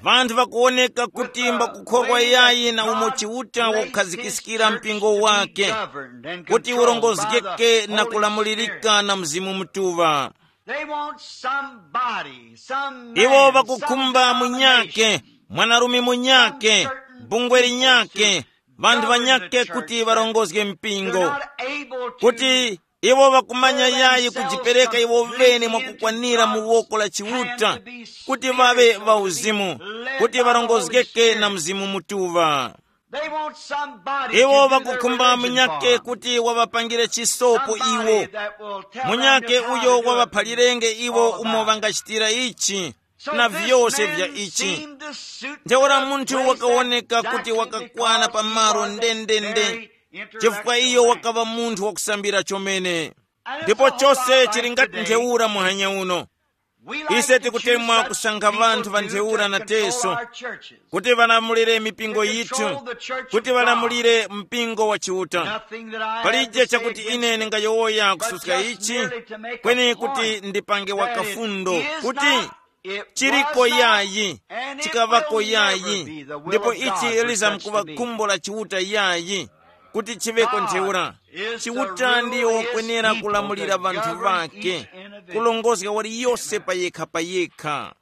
Vanthu vakuwoneka kuti mbakukhorwa yayi na umo Chiuta wakukhazikiskira mpingo wake, kuti urongozgeke na kulamulirika na Mzimu Mutuŵa. They want somebody, some iwo man, vakukhumba some munyake denomination, mwanarume munyake, some certain bungwe people linyake, to vanthu govern the vanyake church kuti that varongozge mpingo, they're not able to kuti iwo vakumanya yayi kujipereka iwo vene mwakukwanira mu woko la Chiuta, kuti vaŵe vauzimu, kuti varongozgeke na Mzimu Mutuŵa. They want somebody iwo to do their vakukhumba religion munyake for 'em. Kuti wavapangire chisopo iwo, munyake uyo wavaphalirenge iwo umo vangachitira ichi na vyose vya ichi. Ntheura munthu wakawoneka kuti wakakwana pa malo ndendende, chifukwa iyo wakaŵa munthu wakusambira chomene. Ndipo chose chili ngati ntheura muhanya uno. Ise tikutemwa kusankha vanthu va ntheura na teso kuti ŵalamulire mipingo yithu, kuti ŵalamulire mpingo wa Chiuta. Palije chakuti ine ndingayowoya kususka ichi, kweni kuti ndipange wakafundo kuti chiriko yayi, chikaŵako yayi, ndipo ichi lizamkuŵa khumbo la Chiuta yayi, kuti chiŵeko ntheura. Chiuta ndiyo wakwenera kulamulira vanthu vake, kulongozga waliyose payekha payekha.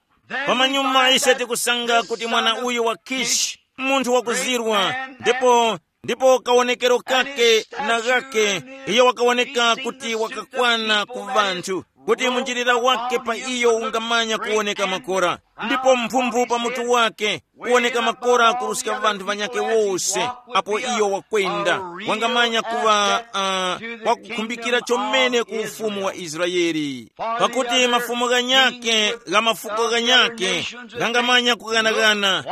Pamanyuma ise tikusanga kuti mwana uyu wa Kishi, munthu wakuzirwa, ndipo ndipo kawonekero kake na ghake, iyo wakawoneka kuti wakakwana ku vanthu, kuti munjilira wake pa iyo ungamanya kuwoneka makora, ndipo mphumphu pa mutu wake kuwoneka makora kuruska vanthu vanyake wose. Apo iyo wakwenda, wangamanya kuŵa uh, wakukhumbikira chomene ku ufumu wa Israeli, pakuti mafumu ghanyake gha mafuko ghanyake ghangamanya kughanaghana.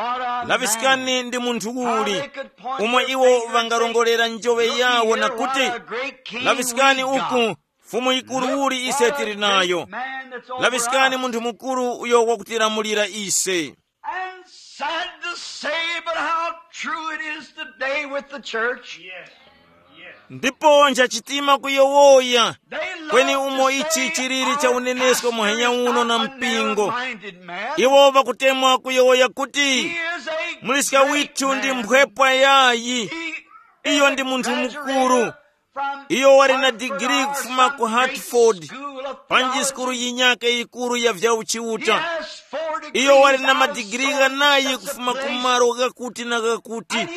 Laŵiskani ndi munthu uli, umwe iwo ŵangarongolera njoŵe yawo na kuti, laŵiskani uku, fumu yikuru uli ise tili nayo. Laŵiskani munthu mukuru uyo wakutilamulira ise. And sad to say, but how true it is today with the church. Ndipo nchachitima kuyowoya, kweni umo ichi chilili cha UNESCO muhanya uno na mpingo. Iwo vakutemwa kuyowoya kuti muliska withu ndi mphwepwa yayi. Iyo ndi munthu mukuru. Iyo wali na digiri kufuma ku Hartford, panji sukulu yinyake yikuru ya vya uchiuta. Iyo wali na madigiri ghanayi kufuma ku malo ghakuti na ghakuti.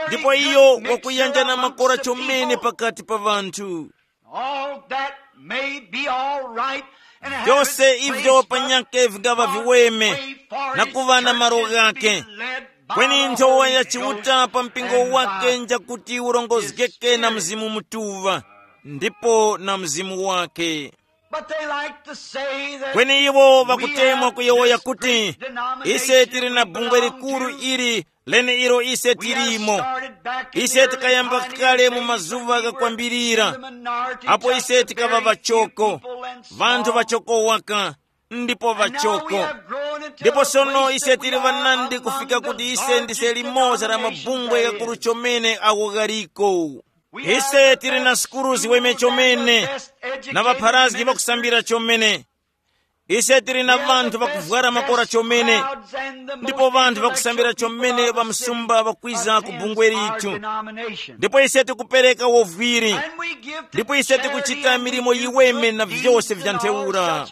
Ndipo iyo wakuyanja na makora chomene pakati pa vanthu. All that may be all right. Vyose ivyo panyake vingava viweme na kuva na malo ghake. Kweni nthowa ya Chiuta pa mpingo wake njakuti urongozgeke na Mzimu Mutuŵa, ndipo na Mzimu wake. But they like to say that kweni iwo vakutemwa kuyowoya kuti ise tili na bungwe likuru ili lene ilo ise tilimo. Ise tikayamba kale mu mazuva ghakwambirira, apo ise tikaŵa vachoko, vanthu vachoko waka, ndipo vachoko. Ndipo sono ise tili vanandi kufika kuti ise ndise limoza la mabungwe ghakuru chomene agho ghaliko. Ise tili na sukulu ziweme chomene, na ŵapharazgi ŵakusambira chomene. Ise tili na vanthu vakuvwara makora chomene, ndipo vanthu vakusambira chomene ŵamsumba ŵakwiza ku bungwe lithu. Ndipo ise tikupereka wovwiri, ndipo ise tikuchita milimo yiweme na vyose vya ntheura.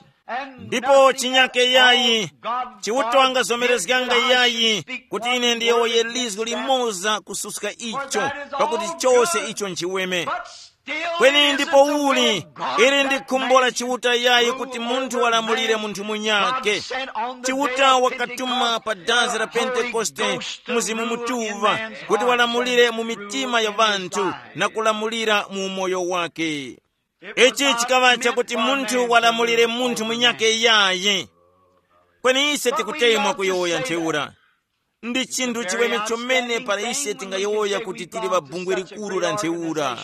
Ndipo chinyake yayi, Chiuta wangazomerezganga yayi kuti ine ndiyowoye lizgu limoza kususka icho, pakuti chose icho nchiweme. Kweni ndipo uli, ili ndi khumbo la Chiuta yayi kuti munthu walamulire munthu munyake. Chiuta wakatuma pa dazi la Pentekoste Mzimu Mutuŵa kuti walamulire mu mitima ya vanthu na kulamulira mu umoyo wake. Ichi chikaŵa chakuti munthu walamulire munthu munyake yayi. Kweni ise tikutemwa kuyowoya ntheura. Ndi chinthu chiweme chomene para ise tingayowoya kuti tili pa bungwe likuru la ntheura.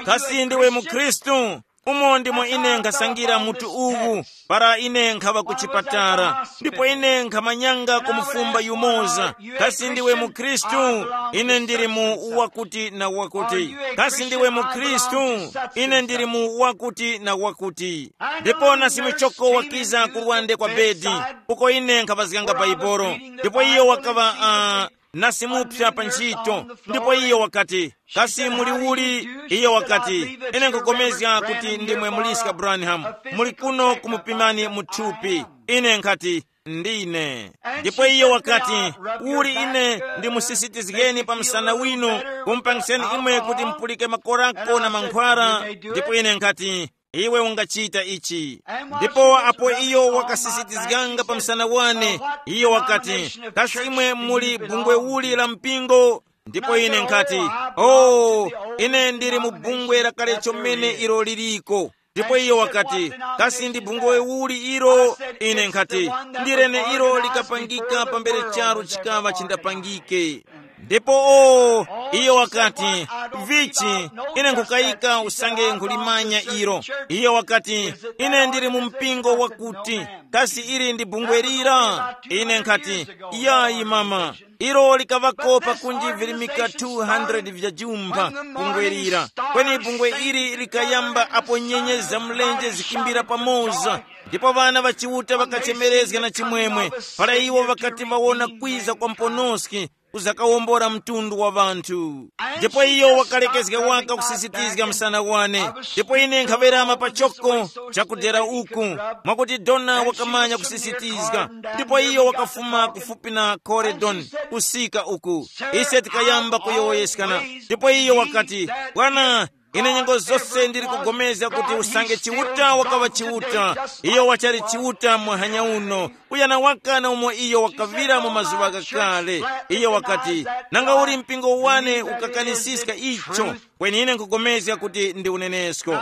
Kasi ndiwe mukhristu? Umo ndimo ine nkhasangira mutu uwu, para ine nkhaŵa ku chipatala, ndipo ine nkhamanyanga kumufumba yumoza, kasi ndiwe mukhristu? Ine ndili mu wakuti na wakuti. Kasi ndiwe mukhristu? Ine ndili mu wakuti na wakuti. Ndipo nasimuchoko wakiza kurwande kwa bedi, uko ine nkhaŵazganga baibolo. Ndipo iyo wakaŵa uh, nasimupsa pa ntchito. Ndipo iyo wakati, kasi muli uli? Iyo wakati, ine nkupulikana kuti ndimwe muliska Branham, muli kuno kumupimani mu thupi. Ine nkhati, ndine. Ndipo iyo wakati, uli ine ndimusisitizgeni pa msana winu, kumupangiseni imwe kuti mupulike makorako na mankhwara. Ndipo ine nkhati, iwe ungachita ichi. Ndipo apo iyo wakasisitizganga pa msana wane, iyo wakati, kasi imwe muli bungwe uli la mpingo? Ndipo ine nkhati, oh, ine ndili mu bungwe lakale chomene ilo liliko. Ndipo iyo wakati, kasi ndi bungwe uli ilo? Ine nkhati, ndi lene ilo likapangika pambere charu chikaŵa chindapangike. Ndipo o, iyo wakati, vichi, ine nkhukayika usange nkhulimanya ilo. Iyo wakati, ine ndili mu mpingo wakuti, kasi ili ndi bungwe lira? Ine nkhati, yayi mama, ilo likaŵako pakunji virimika two hundred vya jumpha bungwe lira. Kweni bungwe ili likayamba apo nyenye za mlenje zikimbira pamoza, ndipo ŵana ŵa Chiuta ŵakachemerezga na chimwemwe, para iwo ŵakati ŵawona kwiza kwa mponoski kuzakawombora mtundu wa ŵanthu. Ndipo iyo wakalekezga waka kusisitizga msana wane, ndipo ine nkhawerama pachoko chakudera uku, mwakuti dona wakamanya kusisitizga. Ndipo iyo wakafuma kufupi na Coredon kusika uku, ise tikayamba kuyowoyeskana. Ndipo iyo wakati, bwana, ine nyengo zose ndili kugomezga kuti usange Chiuta wakaŵa Chiuta, iyo wachali Chiuta muhanya uno, kuyana waka na umo iyo wakaŵira mu mazuŵa ghakale. Iyo wakati, nanga uli mpingo wane ukakanisiska icho, kweni ine nkugomezga kuti ndi unenesko.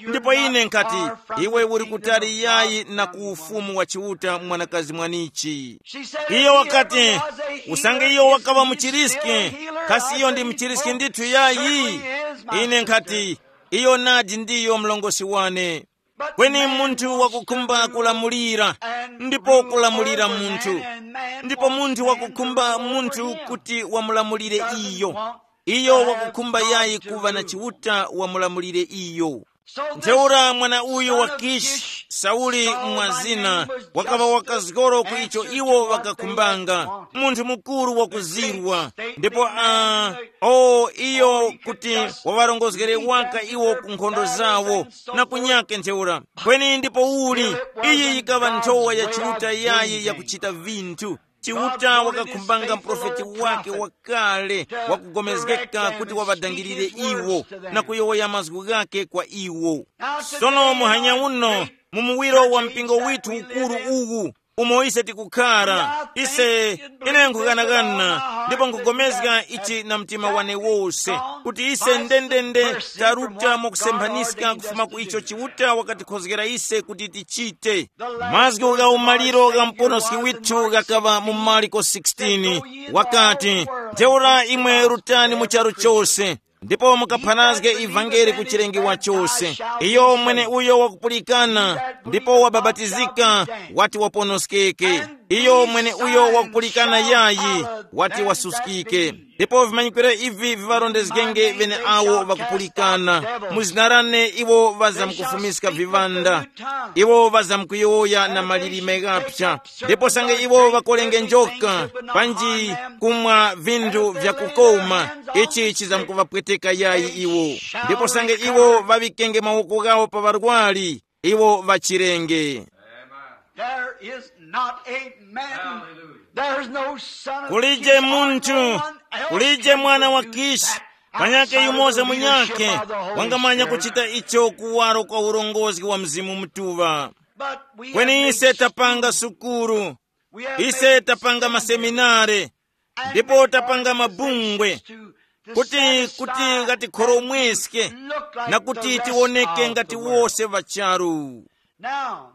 Ndipo ine nkati, iwe uli kutali yayi na ku ufumu wa Chiuta, mwanakazi mwanichi. Iyo wakati, usange iyo wakaŵa muchiriski, kasi iyo ndi muchiriski ndithu yayi? Ine nkhati, iyo nadi ndiyo mlongosi wane. Kweni munthu wakukhumba kulamulira, ndipo kulamulira munthu, ndipo munthu wakukhumba munthu kuti wamulamulire iyo. Iyo wakukhumba yayi kuva na Chiuta wamulamulire iyo. Ntheura mwana uyu wa Kishi, Sauli mwa zina, wakaŵa wakazgoro ku icho iwo ŵakakhumbanga, munthu mukuru wakuzirwa. Ndipo a o iyo kuti waŵarongozgere waka iwo ku nkhondo zawo na kunyake ntheura. Kweni ndipo uli, iyi yikaŵa nthowa ya Chiuta yayi yakuchita vinthu. Chiuta wakakhumbanga mprofeti wake wakale wakugomezgeka kuti waŵadangirire iwo na kuyowoya mazgu ghake kwa iwo. Sono muhanya uno, mu muwiro wa mpingo withu ukuru uwu, umo ise tikukhara, ise, ine nkughanagana ndipo nkugomezga ichi na mtima wane wose, kuti ise ndendende taruta mwakusemphanika kufuma ku icho Chiuta wakatikhozgera ise kuti tichite. Mazgu gha umaliro gha muponoski withu ghakaŵa mu Marko sixteen, wakati, ntheura imwe rutani mu charu chose, ndipo mukaphanazge ivangeli ku chilengewa chose. Iyo mwene uyo wakupulikana ndipo wabapatizika, wati waponoskeke. Iyo mwene uyo wakupulikana yayi, wati wasuskike. Ndipo vimanyikiro ivi viŵarondezgenge ŵeneawo ŵakupulikana. Mu zina lane iwo ŵazamkufumiska viŵanda. Iwo ŵazamkuyowoya na malilime ghapsa. Ndipo sange iwo ŵakolenge njoka, panji kumwa vinthu vyakukoma, ichi chizamkuvapweteka yayi iwo. Ndipo sange iwo ŵaŵikenge mawoko ghawo pa ŵarwari, iwo ŵachirenge. There is not a man. There's no son of Kulije Kish or munthu, no one else kulije can mwana wa produce Kishi, that kanyake outside of yumoza the munyakhe leadership of the Holy wangamanya Spirit. Kuchita icho kuwaro kwa urongozi wa Mzimu Mutuŵa. But we have Kweni made ise tapanga school. Sukulu, We have ise made tapanga seminary. Maseminare, And ndipo made tapanga organizations mabungwe, to, to kuti satisfy kuti and ngatikhoromweske look like na the kuti rest tioneke of ngati the world. Wose ŵacharu. Now,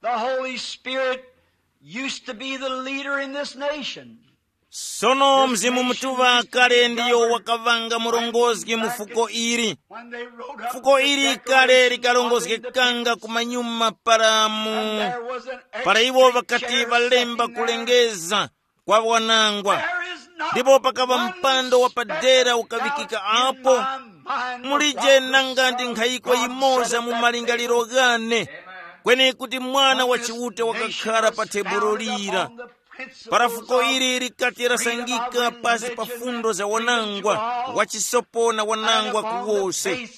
the Holy Spirit used to be the leader in this nation. Sono Mzimu Mutuŵa kale ndiyo wakavanga murongozgi mu fuko ili. Fuko ili kale likarongozgekanga kumanyuma para mu para iwo ŵakati ŵalemba kulengeza kwa wanangwa. Ndipo pakava mpando wapadera ukaŵikika apo. Mulije nanga ndi nkhayiko yimoza mu malingaliro ghane, kweni kuti Mwana wa Chiuta wakakhara pa tebulo lira. Para fuko ili likati lasangika pasi pa fundo za wanangwa, wachisopo na wanangwa kuwose,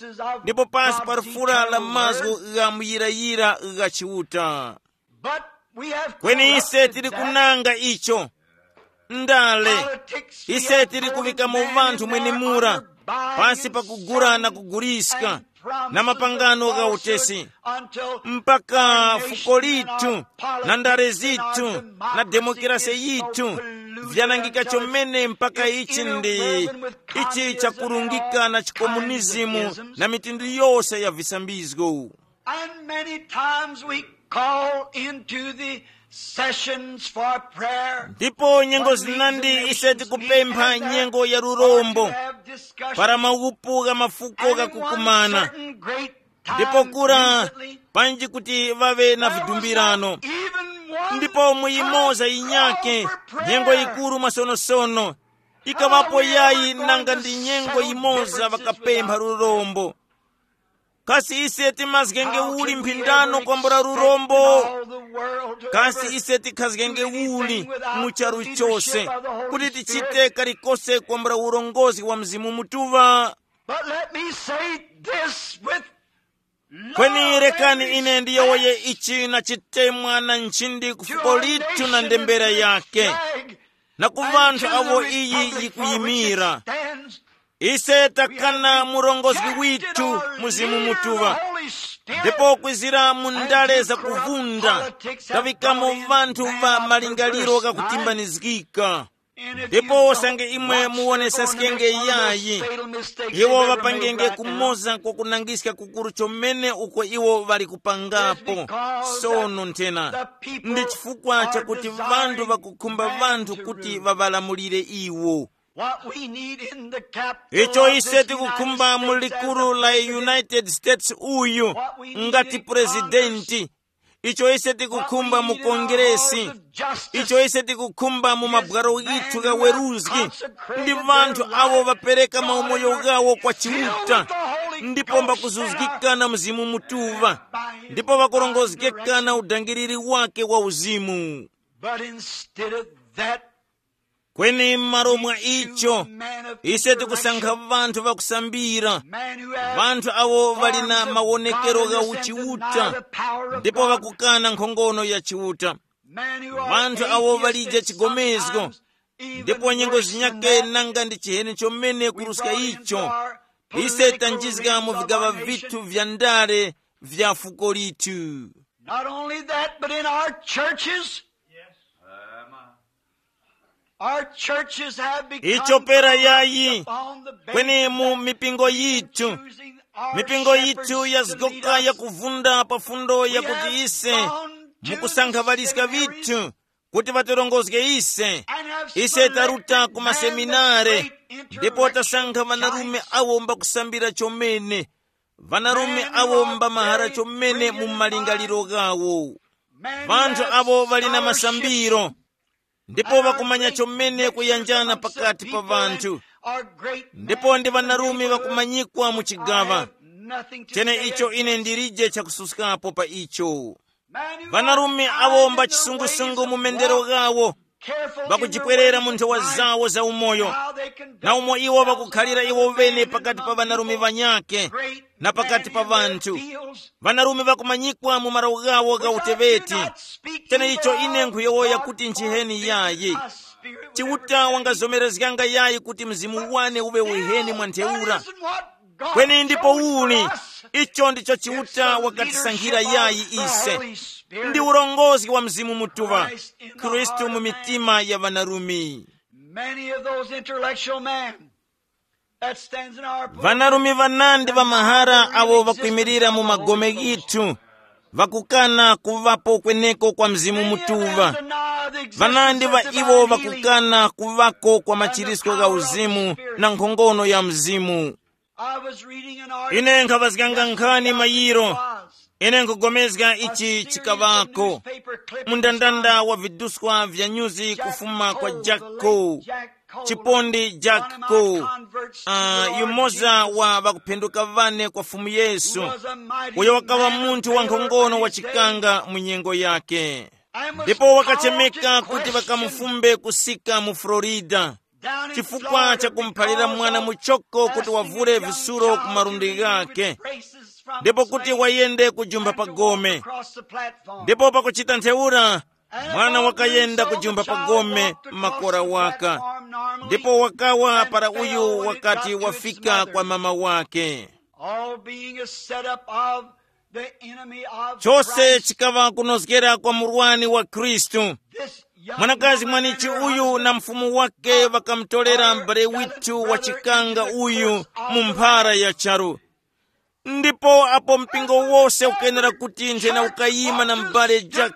ndipo pasi pa lufura la mazgu gha muyirayira gha Chiuta. But we have kweni ise corrupted tili that. Kunanga icho ndale politics, we ise have tili voted kuvikamo men vanthu in mwenimura our honor by pasi pa kugura na insulting kuguliska and na promises mapangano of gha falsehood utesi, until mpaka our nation fuko and lithu our na ndale politics and our zithu na democracy demokirasi is so yithu polluted vyanangika until it's chomene mpaka it's ichi ndi interwoven with ichi communism and chakurungika all na kinds of chikomunizimu isms. Na mitundu yose ya visambizgo. And many times we call into the sessions for prayer. Ndipo nyengo zinandi ise tikupempha nyengo ya lurombo para mawupu gha mafuko ghakukumana. Ndipo kura panji kuti ŵaŵe na vidumbirano. Ndipo muyimoza yinyake nyengo yikuru masonosono ikaŵapo yayi nanga ndi nyengo yimoza ŵakapempha lurombo. Kasi ise timazgenge uli mphindano kwambula lurombo? Kasi ise tikhazgenge uli mu charu chose kuti tichite kalikose kwambula urongozi wa Mzimu Mutuŵa? But let me say this with kweni love rekani and ine ndiyowoye respect ichi na chitemwa na nchindi ku to fuko our lithu na nation ndembera and yake flag na ku and vanthu to the avo iyi republic for which it yikuyimira. Stands. Ise takana murongozi withu Mzimu Mutuŵa ndipo kwizira mu ndale zakuvunda taŵikamo vanthu va malingaliro ghakutimbanizgika. Ndipo usange imwe muwonesaskenge yayi iwo ŵapangenge kumoza kwa kunangiska kukuru chomene uko iwo ŵali kupangapo. Sono nthena ndi chifukwa chakuti vanthu ŵakukhumba vanthu kuti ŵaŵalamulire iwo. What we need in the capital icho of ise this tikukhumba United mu States as a likulu la president, United States uyu what we need ngati in purezidenti Congress, icho ise tikukhumba mu kongeresi, icho ise tikukhumba mu mabwalo ghithu gha weruzgi ndi vanthu avo vapereka maumoyo ghawo kwa Chiuta ndipo mbakuzuzgika na Mzimu Mutuŵa ndipo vakurongozgeka na udangiriri wake wa uzimu. But instead of that, kweni m'malo mwa icho ise tikusankha vanthu vakusambira, vanthu awo ŵali na mawonekero gha uchiuta ndipo ŵakukana nkhongono ya Chiuta, vanthu awo ŵalije chigomezgo ndipo nyengo zinyake nanga ndi chiheni chomene kuruska icho. Ise tanjizga mu vigaŵa vithu vya ndale vya fuko lithu. Not only that, but in our churches, our churches have become icho pera yayi upon the kweni mu mipingo yithu choosing our mipingo yithu shepherds to lead yazgoka us. Yakuvunda pa fundo yakuti ise mukusankha valiska vithu kuti vatirongozge ise. Ise taruta ku maseminare ndipo tasankha vanarume awo mbakusambira chomene, vanarume awo mbamahara chomene mu malingaliro ghawo, vanthu avo ŵali na masambiro ndipo ŵakumanya chomene kuyanjana pakati pa vanthu. Ndipo ndi vanarume ŵakumanyikwa mu chigaŵa chene icho ine ndilije chakususkapo pa icho. Vanarume awo mba chisungusungu mu mendero ghawo, ŵakujipwerera mu nthowa zawo za umoyo, na umo iwo ŵakukhalira iwo ŵene pakati pa vanarume ŵanyakhe na pakati pa vanthu. Vanarume ŵakumanyikwa mu mawu ghawo gha uteweti. Tena icho ine nkhuyowoya kuti nchiheni yayi. Chiuta wangazomerezganga yayi kuti mzimu wane uŵe uheni mwa ntheura. Kweni ndipo uli, icho ndicho Chiuta wakatisankhira yayi ise. Ndi urongozi wa Mzimu Mutuŵa, Khristu mu mitima ya ŵanarume. Many of those intellectual men that stands in our pulpit, ŵanarume ŵanandi ŵa mahara awo ŵakwimirira mu magome ghithu, ŵakukana kuŵapo kweneko kwa Mzimu Mutuŵa. Vanandi ŵa iwo ŵakukana kuŵako kwa machirisko gha uzimu na nkhongono ya mzimu. I was reading an article. Ine nkhaŵazganga nkhani mayiro. Ine nkugomezga ichi chikaŵako mundandanda wa viduswa vya nyuzi kufuma kwa Jack Cole, chipondi Jack Cole, uh, yumoza wa ŵakuphenduka ŵane kwa Fumu Yesu, uyo wakaŵa munthu wankhongono wachikanga mu nyengo yake. Ndipo wakachemeka kuti ŵakamufumbe kusika mu Florida chifukwa cha kumuphalira mwana muchoko kuti wavule visuro ku malundi ghake, ndipo kuti wayende kujumba pa gome. Ndipo pakuchita ntheura, mwana wakayenda kujumba pa gome makora waka, ndipo wakawa para uyu wakati wafika kwa mama wake. All being a setup of the enemy of chose Christ. Chikaŵa kunozgera kwa murwani wa Khristu. This young mwanakazi woman mwanichi and her uyu husband na mfumu wake ŵakamutolera m'bale withu wachikanga uyu mu mphara ya charu. Ndipo apo mpingo wose ukenera kuti nthena ukayima na m'bale Jack,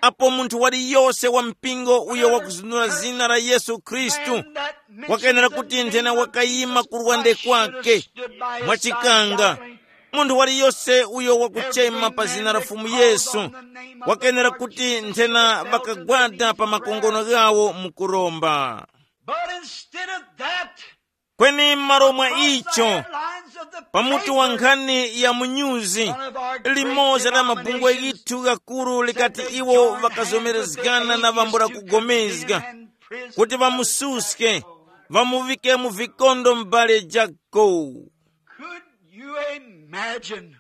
apo munthu waliyose wa mpingo uyo wakuzunura zina la Yesu Khristu wakenera kuti nthena wakayima ku lwande kwake mwachikanga. Munthu waliyose uyo wakuchema pa zina la Fumu Yesu wakenera kuti nthena ŵakagwada pa makongono ghawo mukuromba. But instead of that, kweni m'malo mwa icho, pamutu wa nkhani ya munyuzi, limoza la mabungwe ghithu ghakuru likati iwo ŵakazomerezgana na ŵambula kugomezga kuti ŵamususke, ŵamuŵike mu vikondo m'bale Jack Cole. Could you imagine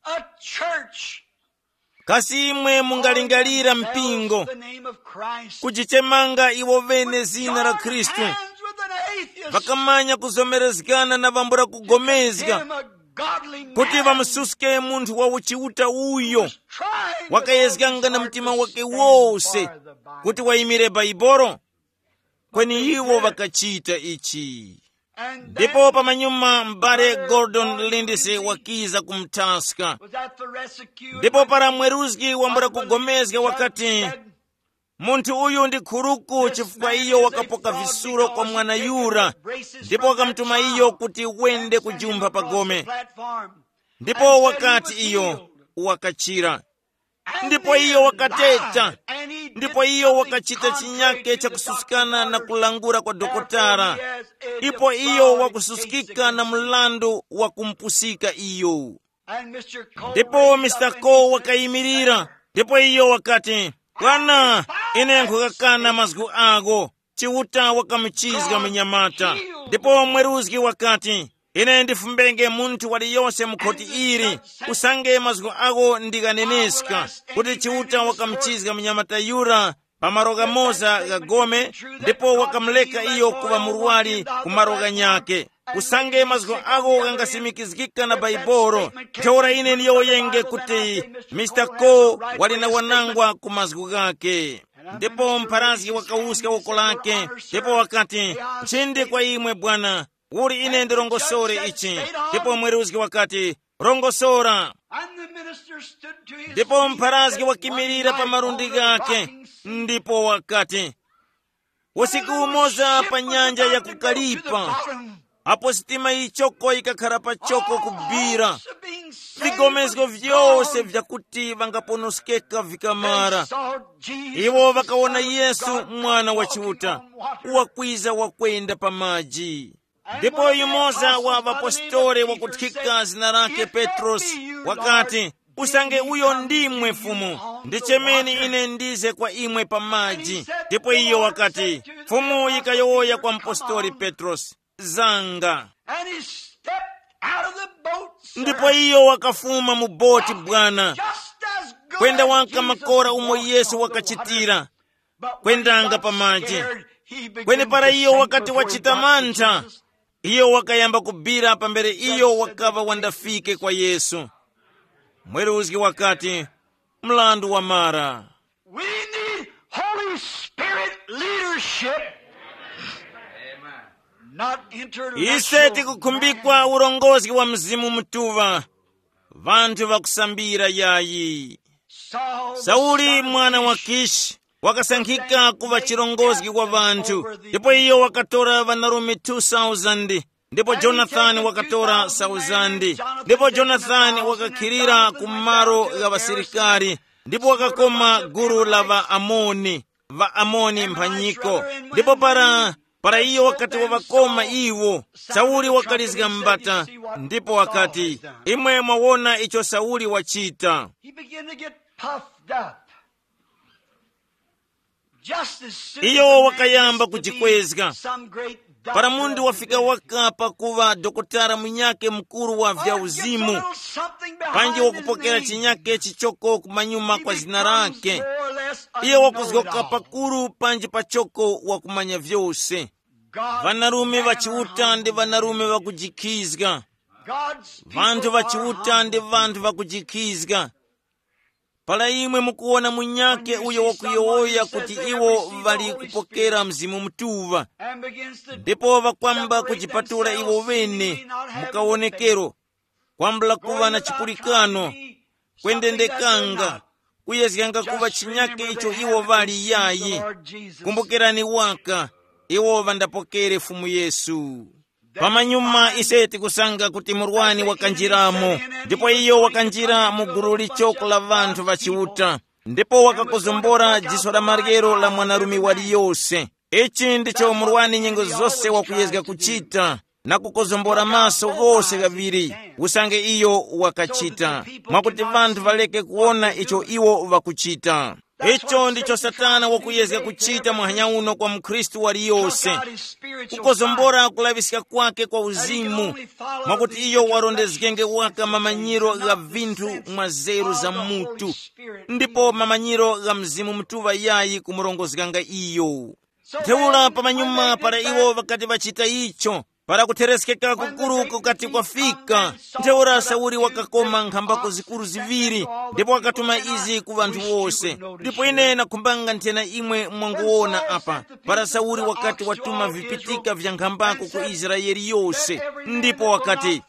a church? Kasi imwe mungalingalira mpingo the name of Christ kujichemanga iwo vene zina la Khristu, hands with an atheist, vakamanya kuzomerezgana na vambula kugomezga him a godly kuti man vamususke munthu wa uchiuta uyo trying with all wakayezganga his na heart mtima to wake stand wose for the Bible. Kuti wayimire Baibolo? Kweni iwo ŵakachita ichi. Ndipo pamanyuma m'bale Gordon Lindsay wakiza kumuthaska. Ndipo para mweruzgi wambula kugomezga wakati, munthu uyu ndi khuruku chifukwa iyo wakapoka visuro kwa mwana yura, ndipo wakamutuma iyo kuti wende kujumpha pa gome. Ndipo wakati iyo wakachira. Ndipo iyo wakateta, ndipo iyo wakachita chinyake chakususkana na kulangula kwa dokotala. Ipo iyo wakususkika na mlandu wa kumpusika iyo. Ndipo Mr Cole wakayimirira, ndipo iyo wakati, bwana, ine nkhukakana mazgu ako. Chiuta wakamuchizga munyamata. Ndipo mweruzgi wakati, ine ndifumbenge munthu waliyose mu khoti ili, usange mazgu ako ndi ghaneneska, kuti Chiuta wakamuchizga munyamata yura pa malo ghamoza gha gome, ndipo wakamuleka iyo kuŵa murwari ku malo ghanyakhe. Usange mazgu ako ghangasimikizgika na Baibolo, ntheura ine ndiyowoyenge kuti Mr Cole wali na wanangwa ku mazgu ghakhe. Ndipo mpharazgi wakawuska woko lake, ndipo wakati, nchindi kwa imwe bwana, uli ine ndirongosore ichi. Ndipo mweruzgi wakati, rongosora. Ndipo mpharazgi wakimirira pa malundi ghake, ndipo wakati, usiku umoza pa nyanja ya kukalipa, apo sitima yichoko yikakhara pachoko kubira, vigomezgo vyose vyakuti vangaponoskeka vikamara, iwo vakawona Yesu, Mwana wa Chiuta, wakwiza wakwenda pa maji. Ndipo yumoza wa ŵapostoli wakuthika zina lake Petrosi, wakati, usange uyo ndimwe Fumu, ndichemeni ine ndize kwa imwe pa maji. Ndipo iyo wakati, Fumu yikayowoya kwa mpostoli Petrosi, zanga. And he stepped out of the boat, sir. Ndipo iyo wakafuma mu boti bwana, just as good kwenda as wanka Jesus makora umo walked Yesu on the water. Wakachitira, but when he kwendanga got pa maji. Scared, he began kweni para to iyo sink wakati before he wachita got to mantha, Jesus. Iyo wakayamba kubira pambere iyo wakaŵa wandafike kwa Yesu. Mweruzgi wakati, mlandu wamara. We need Holy Spirit leadership, not intellectual ise tikukhumbikwa man. Urongozi wa Mzimu Mutuŵa, vanthu vakusambira yayi. Sauli mwana wa Kishi wakasankhika kuŵa chirongozgi wa ŵanthu, ndipo iyo wakatora ŵanarume two thousand, ndipo Jonathani wakatora thousand, ndipo Jonathani wakakhilira ku malo gha ŵasilikari, ndipo wakakoma gulu la ŵaAmoni, ŵaAmoni mphanyiko. Ndipo para para iyo wakati waŵakoma iwo, Sauli wakalizga mbata, ndipo wakati, "Imwe mwawona icho Sauli wachita." He began to get puffed up. Just as soon as Iyo a man wakayamba gets to be kujikwezga. Some great para doctor munthu of wafika divinity, waka pakuva dokotala munyake mkuru wa or vya gets a uzimu, little something behind panji his wakupokera name, chinyake chichoko kumanyuma he kwa zina becomes lake, more or less a iye wakuzgoka know-it-all. Pakuru panji pachoko wakumanya vyose. God's vanarume men are vachiuta ndi humble vanarume men. Vakujikhizga. God's people vanthu are vachiuta ndi humble. Vanthu vakujikhizga. Para imwe mukuwona munyake uyo wakuyowoya kuti iwo vali kupokera Mzimu Mutuŵa, ndipo vakwamba kujipatula iwo vene mukaonekero, kwambula kuŵa na chipulikano, kwendendekanga, kuyezganga kuŵa chinyake icho iwo vali yayi. Kumbukirani waka, iwo vandapokere Fumu Yesu. Pamanyuma ise tikusanga kuti murwani wakanjiramo, ndipo iyo wakanjira mu gulu lichoko la ŵanthu ŵa Chiuta, ndipo wakakozombora jiso la maryero la mwanarume waliyose. Ichi ndicho murwani nyengo zose wakuyezga kuchita, na kukozombora maso ghose ghaŵiri, usange iyo wakachita, mwakuti ŵanthu ŵaleke kuwona icho iwo ŵakuchita. Icho ndicho Satana wakuyezga kuchita muhanya uno kwa mukhristu waliyose, kukozombora kulaŵiska kwake kwa uzimu, mwakuti iyo warondezgenge waka mamanyiro gha vinthu mwa zeru za mutu, ndipo mamanyiro gha Mzimu Mutuŵa yayi kumurongozganga iyo. Ntheura pamanyuma para iwo ŵakati ŵachita icho, para kuthereskeka kukuru kukati kwafika, ntheura Sauli wakakoma nkhambako zikuru ziŵiri, ndipo wakatuma izi ku ŵanthu wose. Ndipo ine nakhumbanga nthena imwe mwanguwona apa, para Sauli wakati watuma vipitika vya nkhambako ku Israele yose, ndipo wakati,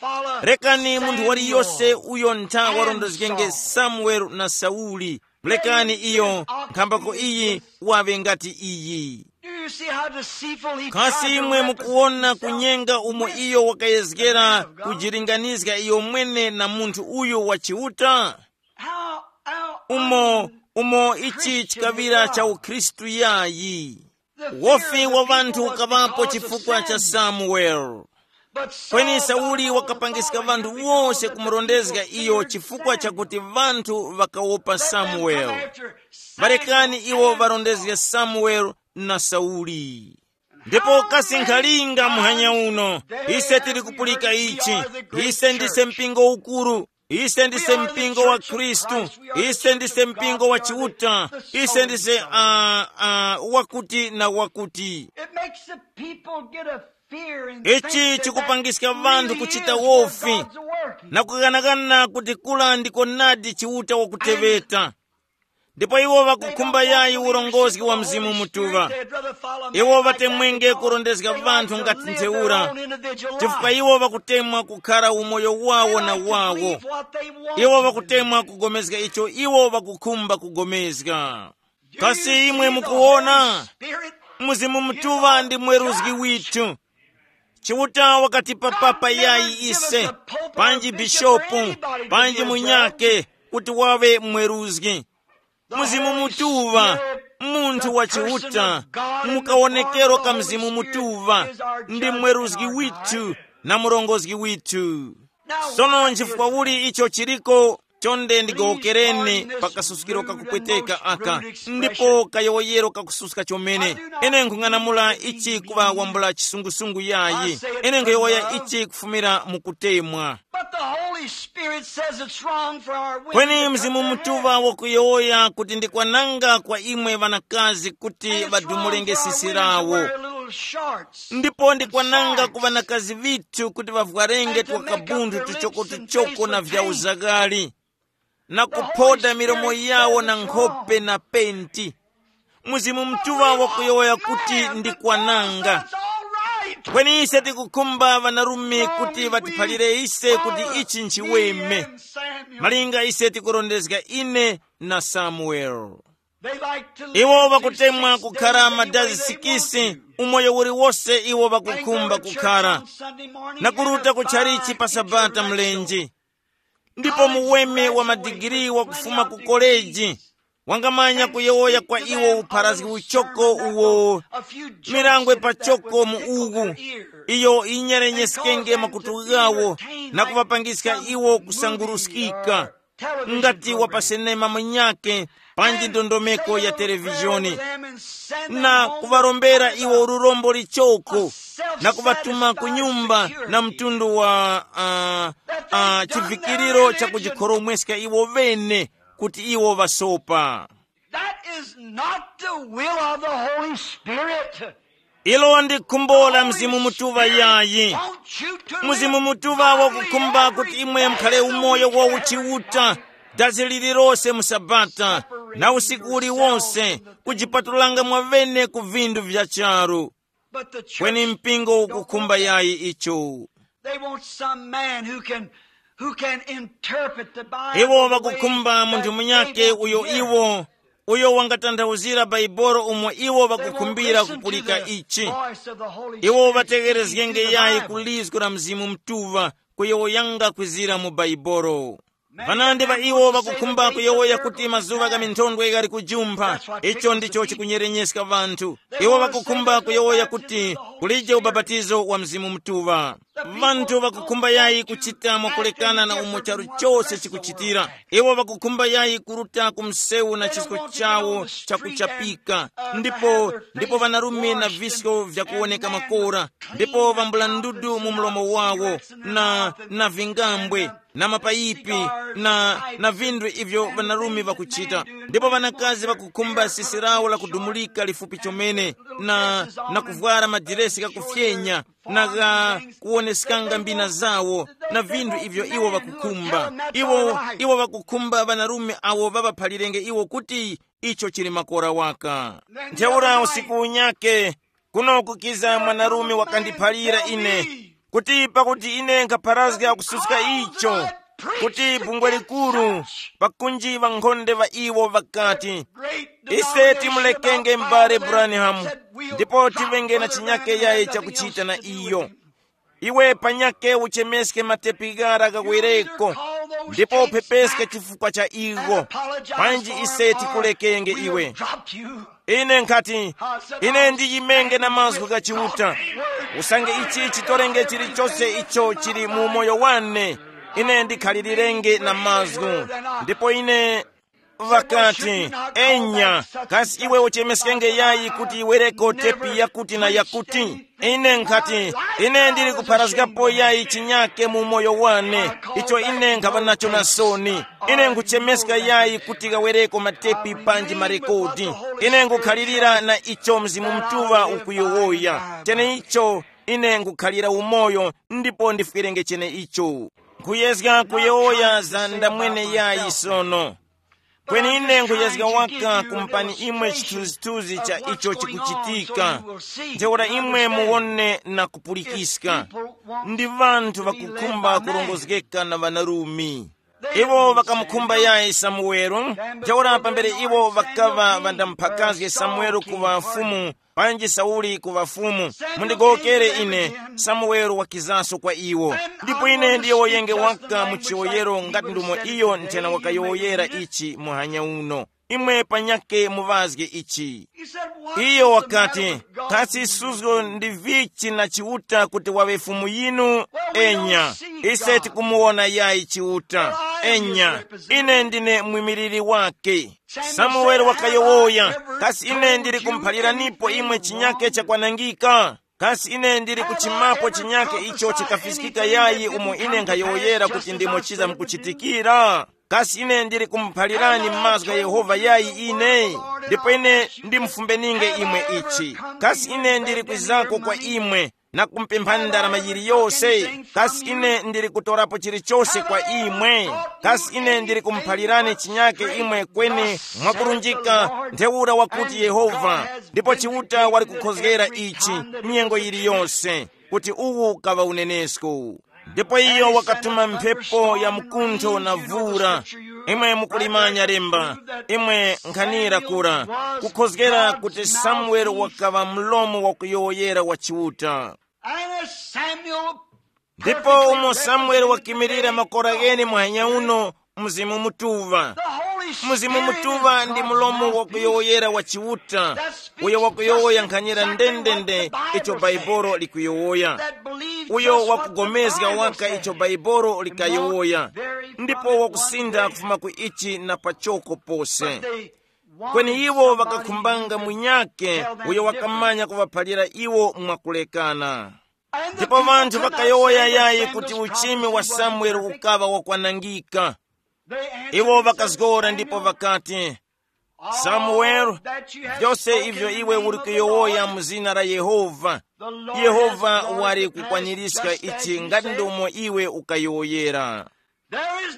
"Rekani munthu waliyose uyo ntha warondozgenge Samuele na Sauli." Mulekani iyo, nkhambako iyi waŵe ngati iyi. Do you see how deceitful he tried kasi to imwe represent mukuwona himself kunyenga umo with iyo wakayezgera the man of God? Kujilinganizga iyo mwene na munthu uyu wa Chiuta? How, how umo umo ichi Christian chikaŵira cha God. Ukhristu yayi. The fear wofi of the wa vanthu people was ukaŵapo because of chifukwa cha sin. Samuel. Kweni Sauli wakapangiska ŵanthu wose kumurondezga iyo chifukwa chakuti ŵanthu ŵakawopa Samuele. Ŵarekani iwo ŵarondezga Samuele na Sauli. Ndipo kasi nkhalinga muhanya uno, ise tili kupulika ichi, ise ndise mpingo ukuru, ise ndise mpingo wa Khristu, ise ndise mpingo wa Chiuta, ise ndise uh, uh, wakuti na wakuti. It makes the people get a fear and ichi think that chikupangiska that vanthu really kuchita is where wofi God's working. Na kukanakana kuti kula ndiko nadi Chiuta wakuteweta. Ndipo iwo vakukhumba yayi urongozgi wa Mzimu Mutuŵa. Iwo vatemwenge kurondezga vanthu ngati ntheura, chifukwa iwo vakutemwa kukhara umoyo wawo na wawo. Iwo vakutemwa kugomezga icho iwo vakukhumba kugomezga. Kasi imwe mukuwona? Mzimu Mutuŵa ndi mweruzgi withu. Chiuta wakatipa papa yayi ise, panji bishopu, panji munyake, kuti wawe mweruzgi. Mzimu Mutuŵa, munthu wa Chiuta, mukawonekero ka Mzimu Mutuŵa, ndi mweruzgi withu na murongozgi withu. Sono nchifukwa uli icho chiriko? Chonde ndigowokereni pa kasuskiro kakupweteka aka, ndipo kayowoyero kakususka chomene. Ine nkhung'anamula ichi kuŵa wambula chisungusungu yayi. Ine nkhuyowoya ichi kufumira mu kutemwa. But the Holy Spirit says it's wrong for our women kweni to cut Mzimu their Mutuŵa hair. Wakuyowoya kuti ndikwananga kwa imwe ŵanakazi kuti vadumulenge sisi lawo. Ndipo ndikwananga ku ŵanakazi vithu kuti vavwarenge twakabundu tuchoko-tuchoko na vya uzakali, na kuphoda milomo yawo na nkhope na penti. Mzimu Mutuŵa wakuyowoya kuti ndikwananga. Kweni ise tikukhumba ŵanarume kuti vatiphalire ise kuti ichi nchiweme. Malinga ise tikurondezga ine na Samuel. Iwo vakutemwa kukhara madazi sikisi, umoyo uliwose iwo vakukhumba kukhara, na kuruta ku tchalichi pa Sabata mlenje. Ndipo muweme wa madigiri wakufuma ku koleji wangamanya kuyowoya kwa iwo upharazgi uchoko uwo, mirangwe pachoko mu uwu, iyo inyerenyeskenge makutu ghawo na kuŵapangiska iwo kusanguruskika, ngati wa pa senema munyakhe panji ndondomeko ya televizhoni, na kuŵarombera iwo lurombo lichoko, na kuŵatuma ku nyumba na mtundu wa uh, uh, chivikiriro cha kujikhoromweska iwo vene kuti iwo vasopa. That is not the will of the Holy Spirit. Ilo ndi khumbo la Mzimu Mutuŵa yayi. Mzimu Mutuŵa wakukhumba kuti imwe mukhale umoyo wa uchiuta, dazi lililose mu Sabata, na usiku uliwonse, kujipatulanga mwavene ku vindu vya charu. Kweni mpingo ukukhumba yayi icho. They want some man who can who can interpret the Bible. Iwo vakukhumba munthu munyake uyo iwo uyo wangatanthauzira Baibolo umo iwo vakukhumbira kupulika ichi. Iwo vategerezgenge yayi ku lizgu la Mzimu Mtuŵa kuyowoyanga kwizira mu Baibolo. Vanandi va iwo vakukhumba kuyowoya kuti mazuŵa gha minthondwe ghali kujumpha. Icho ndicho chikunyerenyezga vanthu. Iwo vakukhumba kuyowoya kuti kulije ubapatizo wa Mzimu Mutuŵa. Vanthu vakukhumba yayi kuchita mwakulekana na umo charu chose chikuchitira. Iwo vakukhumba yayi kuruta ku msewu na chisko chawo chakuchapika, ndipo ndipo vanarume na visko vyakuwoneka makora, ndipo vambula ndudu mu mlomo wawo, na na vingambwe, na mapayipi, na na vinthu ivyo vanarume vakuchita. Ndipo vanakazi vakukhumba sisi lawo lakudumulika lifupi chomene, na na kuvwara madiresi ghakufyenya, na gha kuwoneskanga mbina zawo, na vinthu ivyo iwo vakukhumba. Iwo iwo vakukhumba vanarume awo vavaphalirenge iwo kuti icho chili makora waka. Ntheura usiku unyake, kuno kukiza mwanarume wakandiphalira ine, kuti pakuti ine nkhapharazga kususka icho, kuti bungwe likuru, pakunji ŵankhonde ŵa iwo ŵakati, ise timulekenge m'bale Branham, ndipo tivenge na chinyake yaye chakuchita na iyo. Iwe panyake uchemeske matepi ghara ghawereko, ndipo uphepeske chifukwa cha igho, panji ise tikulekenge iwe. Ine nkhati, ine ndiyimenge na mazgu gha Chiuta, usange ichi chitorenge chilichose icho chili mu umoyo wane, ine ndikhalilirenge na mazgu. Ndipo ine ŵakati, enya, kasi iwe uchemeskenge yayi kuti iwereko tepi yakuti na yakuti? Ine nkhati, ine ndili kupharazgapo yayi chinyake mu umoyo wane, icho ine nkhaŵa nacho na soni. Ine nkhuchemeska yayi kuti ghawereko matepi panji marekodi. Ine nkukhalirira na icho Mzimu Mutuŵa ukuyowoya. Cheneicho, ine nkukhalira umoyo, ndipo ndifwerenge cheneicho. Nkhuyezga kuyowoya za ndamwene yayi sono. Kweni ine nkhuyezga waka kumpani imwe chithunzithunzi cha icho chikuchitika. Ntheura imwe muwone na kupulikiska. Ndi vanthu vakukhumba kurongozgeka na ŵanarumi. Iwo ŵakamukhumba yayi Samuwelo. Ntheura pambere iwo ŵakaŵa ŵandamphakazge Samuwelo kuŵa mfumu, panji Sauli kuŵa fumu, mundigowokere ine. Samuwelo wakizaso kwa iwo, ndipo ine ndiyowoyenge waka mu chiwoyero ngati ndumo iyo nthena wakayowoyera ichi muhanya uno. Imwe panyake muŵazge ichi. Iyo wakati, kasi suzgo ndi vichi na Chiuta kuti waŵe fumu yinu? Enya, ise tikumuwona yayi Chiuta. Enya, ine ndine mwimiliri wake. Samuwele wakayowoya, kasi ine ndili kumuphaliranipo imwe chinyake chakwanangika? Kasi ine ndili kuchimapo chinyake icho chikafiskika yayi umo ine nkhayowoyera kuti ndimo chiza mukuchitikira? Kasi ine ndili kumuphalirani mazgu gha Yehova yayi ine? Ndipo ine ndimufumbeninge imwe ichi. Kasi ine ndili kwizako kwa imwe na kumupemphani ndarama yiliyose? Kasi ine ndili kutorapo chilichose kwa imwe? Kasi ine ndili kumuphalirani chinyake imwe kweni mwakurunjika? Ntheura wakuti Yehova, ndipo Chiuta wali kukhozgera ichi nyengo yiliyose, kuti uwu kaŵa unenesko. Ndipo iyo wakatuma mphepo ya mkuntho na vura. Imwe mukulimanya lemba, imwe nkhanira kura, kukhozgera kuti Samueli wakaŵa mlomo wakuyowoyera wa Chiuta. And as Samuel ndipo umo samueli wakimirira makora ghene muhanya uno, mzimu mutuŵa. Mzimu mutuŵa ndi mulomo wakuyowoyera wa Chiuta, uyo wakuyowoya nkhanyira ndendende icho Baibolo likuyowoya, uyo wakugomezga waka icho Baibolo likayowoya, ndipo wakusintha kufuma ku ichi na pachoko pose. Kweni iwo ŵakakhumbanga munyakhe uyo wakamanya kuŵaphalira iwo mwakulekana. Ndipo vanthu vakayowoya yayi kuti uchimi wa Samueli ukaŵa wakwanangika. Iwo ŵakazgora ndipo ŵakati, Samueli, vyose ivyo iwe uli kuyowoya mu zina la Yehova, Yehova wali kukwaniska ichi ngati ndomo iwe ukayowoyera.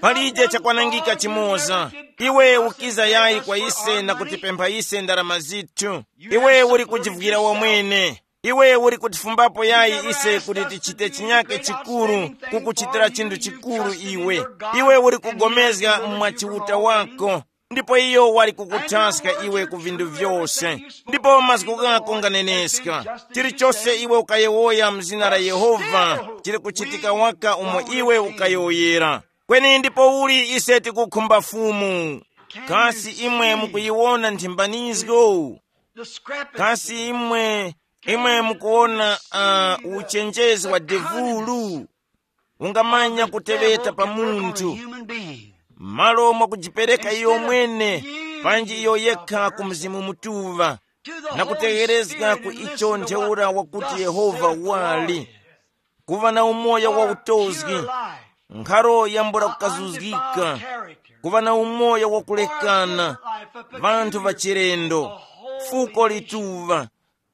Palije chakwanangika chimoza. Iwe ukiza yayi kwa ise na kutipempha ise ndarama zithu. Iwe uli kujivukira wamwene. Iwe uli kutifumbapo yayi ise kuti tichite chinyake chikuru, kukuchitira chinthu chikuru iwe. Iwe uli kugomezga mwa chiuta wako, ndipo iyo wali kukuthaska iwe ku vinthu vyose. Ndipo mazgu ghako nganeneska. Chilichose iwe ukayewoya mzina la Yehova, chili kuchitika waka umo iwe ukayowoyera. Kweni ndipo uli ise tikukhumba Fumu? Kasi imwe mukuyiwona nthimbanizgo? Kasi imwe, imwe mukuwona uh, uchenjezi wa devulu? Ungamanya kuteŵeta pa munthu, malo mwakujipereka iyo mwene, panji iyo yekha ku Mzimu Mutuŵa, na kutegherezga ku icho ntheura wakuti Yehova wali. Kuŵa na umoyo wa utozgi, nkharo yambula kukazuzgika, kuŵa na umoyo wa kulekana, vanthu va chilendo, fuko lituŵa,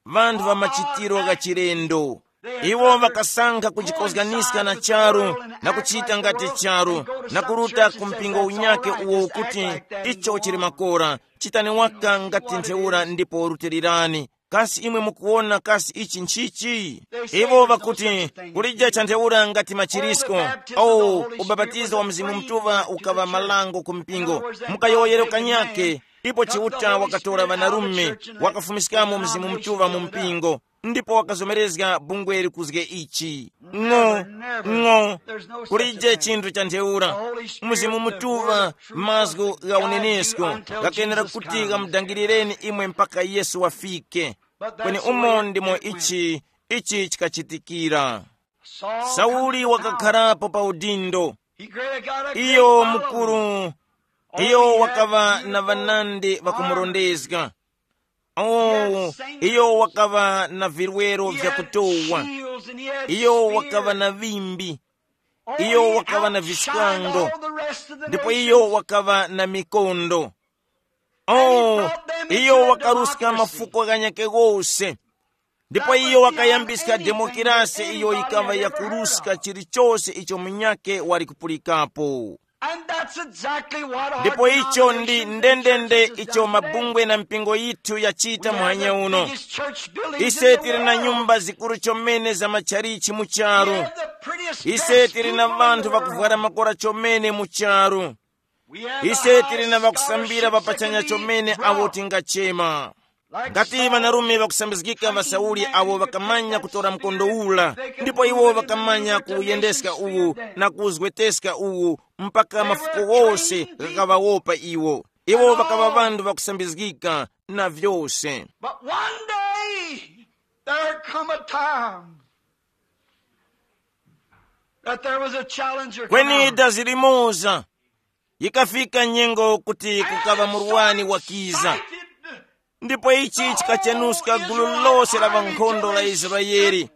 vanthu va machitiro gha chilendo. Iwo ŵakasankha kujikozganiska na charu, na kuchita ngati charu, na kuruta ku mpingo unyake uwo ukuti, icho chili makora, chitani waka ngati ntheura ndipo rutilirani. Kasi imwe mukuwona kasi ichi nchichi? Iwo ŵakuti, kulija cha ntheura ngati machirisko. Oh, ubapatizo wa Mzimu Mutuŵa ukaŵa malango ku mpingo. Mukayowoyero kanyake, ipo Chiuta wakatora ŵanarume, wakafumiskamo Mzimu Mutuŵa mu mpingo, ndipo wakazomerezga bungwe likuzge ichi. Ng'o, ng'o, kulije chinthu cha ntheura. Mzimu Mutuŵa, mazgu gha unenesko, ghakenera kuti ghamudangilireni imwe mpaka Yesu wafike. Kweni umo ndimo ichi, ichi chikachitikira. Sauli wakakharapo pa udindo. Iyo mukuru, iyo wakaŵa na ŵanandi ŵakumurondezga. Oh, iyo wakaŵa na virwero vya kutowa. Iyo wakaŵa na vimbi. Iyo wakaŵa na viskango. Ndipo iyo wakaŵa na mikondo. Oh, iyo wakaruska mafuko ghanyake ghose. Ndipo iyo wakayambiska demokrasi iyo yikaŵa yakuruska chilichose icho munyakhe wali kupulikapo. And that's exactly what our ndipo icho ndi ndendende icho mabungwe na mpingo yithu yachita muhanya uno. Ise tili na nyumba zikuru chomene za matchalichi mu charu. Ise tili na vanthu vakuvwara makora chomene mu charu. Ise tili na ŵakusambira ŵapachanya chomene awo tingachema. Ngati ŵanarume ŵakusambizgika ŵa Sauli awo ŵakamanya kutora mkondo ula, ndipo iwo ŵakamanya kuwuyendeska uwu na kuwuzgweteska uwu, mpaka mafuko wose ghakaŵawopa iwo. Iwo ŵakaŵa ŵanthu ŵakusambizgika na vyose. But one day there come a time that there was a challenger come kweni out. Dazi limoza, yikafika nyengo kuti kukaŵa murwani wakiza. Ndipo ichi chikachenuska gulu lose la ŵankhondo la Israeli,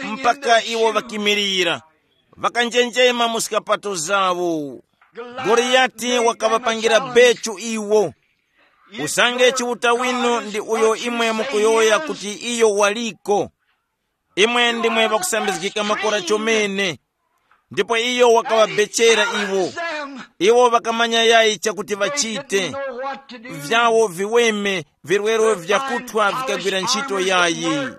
mpaka iwo ŵakimirira, ŵakanjenjema mu zikapato zawo. Goliyati wakaŵapangira bechu iwo. Usange Chiuta winu ndi uyo imwe mukuyowoya kuti iyo waliko, imwe ndimwe ŵakusambizgika makora chomene. Ndipo iyo wakaŵabechera iwo. Iwo ŵakamanya yayi chakuti ŵachite. Vyawo viweme, virwero vyakuthwa vikagwira ntchito yayi.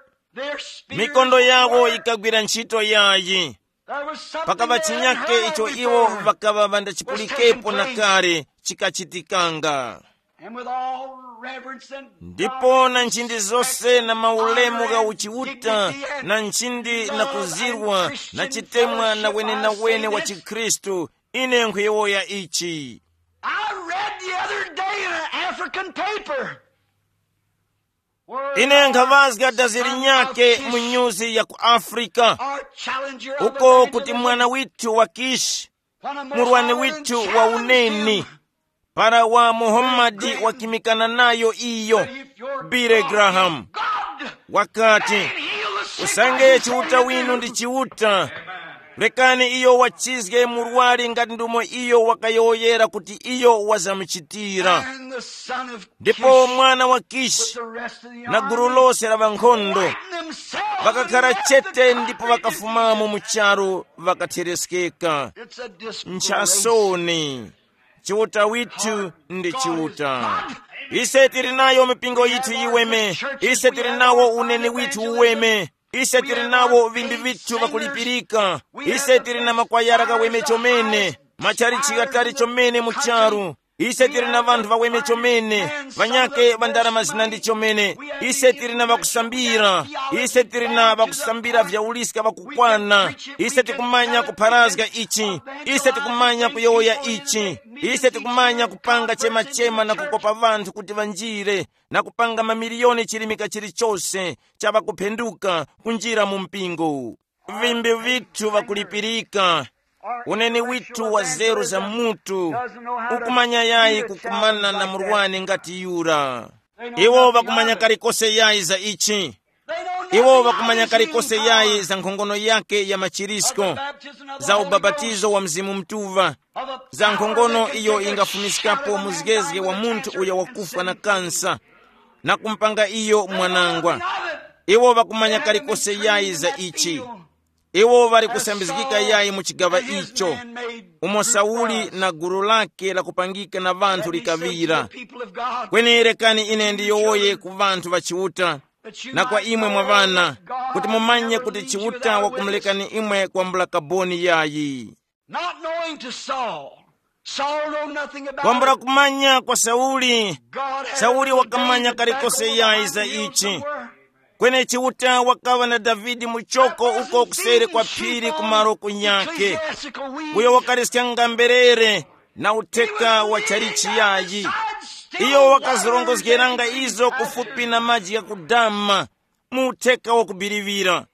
Mikondo yawo yikagwira ntchito yayi. Pakaŵa chinyake icho iwo ŵakaŵa ŵandachipulikepo na kale chikachitikanga. And with all reverence and ndipo na nchindi zonse na maulemu gha uchiuta na nchindi na kuzirwa na chitemwa na wenenawene wa chikhristu, ine nkhuyowoya ichi. I read the other day in an African paper. Ine nkhavazga dazi linyake mu nyuzi ya ku afrika, uko kuti mwana withu wa kishi, murwani withu wa uneni, para wa muhammadi wakimikana nayo iyo, bile graham wakati, usange chiuta winu ndi chiuta, rekani iyo wachizge murwari ngati ndumo iyo wakayowoyera kuti iyo wazamuchitira. Ndipo mwana wa kishi na gulu lose la ŵankhondo ŵakakhala chete ndipo ŵakafumamo mu charu ŵakathereskeka. Nchasoni. Chiuta withu ndi chiuta. Ise tili nayo mipingo yithu yiweme. Ise tili nawo uneni withu uweme. Ise tili nawo vimbi vithu vakulipirika. Ise tili na makwayara kaweme chomene, machalichi ghatali chomene mu charu. Ise tili na vanthu vaweme chomene, vanyake va ndarama zinandi chomene. Ise tili na vakusambira. Ise tili na vakusambira vya uliska vakukwana. Ise tikumanya kupharazga ichi. Ise tikumanya kuyowoya ichi. Ise tikumanya kupanga chema-chema na kukopa vanthu kuti vanjire na kupanga mamiliyoni chilimika chilichose cha vakuphenduka kunjira mu mpingo. Vimbi vithu vakulipirika. Uneni withu wa zeru za mutu ukumanya yayi kukumana na murwani ngati yura. Iwo vakumanya kalikose yayi za ichi. Iwo vakumanya kalikose yayi za nkhongono yake ya machirisko, za ubapatizo wa Mzimu Mutuŵa, za nkhongono iyo ingafumiskapo muzgezge wa munthu uyo wakufwa na kansa na kumpanga iyo mwanangwa. Iwo vakumanya kalikose yayi za ichi. Iwo ŵali kusambizgika yayi mu chigaŵa icho, umo Sauli na gulu lake lakupangika na ŵanthu likaŵira. Kweni rekani ine ndiyowoye ku ŵanthu ŵa Chiuta, na kwa imwe mwa ŵana, kuti mumanye kuti Chiuta wakumulekani imwe kwambula kaboni yayi. Not knowing to Saul, Saul knew nothing about kwambula it. Kumanya kwa Sauli, God had Sauli wakamanya kalikose yayi za ichi. Kweni Chiuta wakaŵa na Davide muchoko uko kuseri kwa phiri kumaro kunyake, uyo wakaliskanga mberere na utheka wa chalichi yayi. Iyo wakazirongozgeranga izo kufupi na maji ghakudama, mu utheka wakubiriŵira.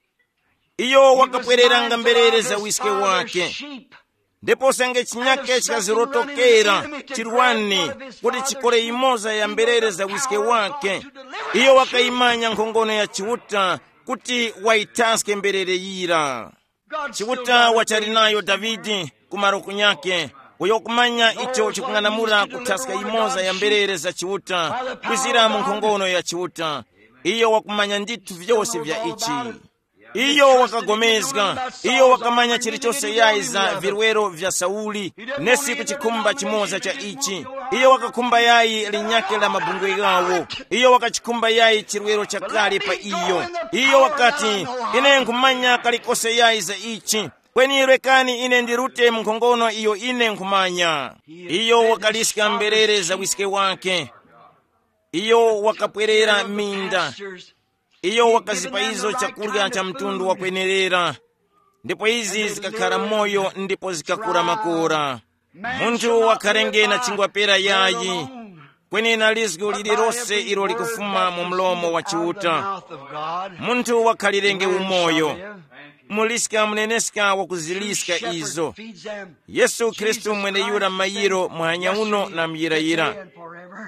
Iyo wakapwereranga mberere za wiske wake. Ndipo senge chinyake chikazirotokera chirwani kuti chikole imoza ya mberere za wiske wake, iyo wakayimanya nkhongono ya Chiuta kuti wayithaske mberere yira. Chiuta wachali nayo Davide kumaro kunyake, uyo kumanya icho chikung'anamula kuthaska imoza ya mberere za Chiuta kwizira mu nkhongono ya Chiuta. Iyo wakumanya ndithu vyose vya ichi. Iyo wakagomezga, iyo wakamanya chilichose yayi za virwero vya Sauli, nesi ku chikhumba chimoza cha ichi. Iyo wakakhumba yayi linyake la mabungwe ghawo. Iyo wakachikhumba yayi chirwero chakale pa iyo. Iyo wakati, ine nkhumanya kalikose yayi za ichi. Kweni rekani ine ndirute mu nkhongono iyo ine nkhumanya. Iyo wakaliska mberere za wiske wake. Iyo wakapwerera minda. Iyo wakazipa izo chakurya cha mtundu wakwenerera, ndipo izi zikakhara moyo ndipo zikakura makora. Munthu wakharenge na chingwa pera yayi, kweni na lizgu lililose ilo likufuma mu mlomo wa Chiuta. Munthu wakhalirenge umoyo. Muliska muneneska wakuziliska izo. Yesu Khristu mweneyura mayiro muhanya uno na muyirayira.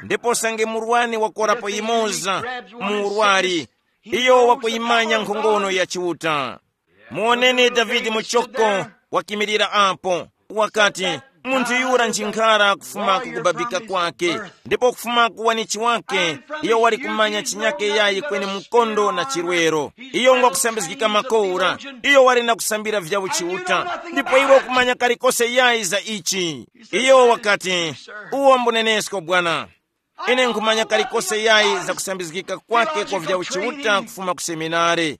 Ndipo sange murwani wakorapo yimoza mu urwari, iyo wakuyimanya nkhongono ya Chiuta. Muwoneni Davide muchoko wakimirira apo. Wakati, munthu yura nchinkhara kufuma kukubabika kwake, ndipo kufuma kuwanichi wake, iyo wali kumanya chinyake yayi kweni mkondo na chirwero. Iyo ngwakusambizgika makora, iyo wali na kusambira vya uchiuta, ndipo iwe ukumanya kalikose yayi za ichi. Iyo wakati, uwo mbunenesko bwana. Ine nkhumanya kalikose yayi za kusambizgika kwake kwa vya uchiuta kufuma ku seminare.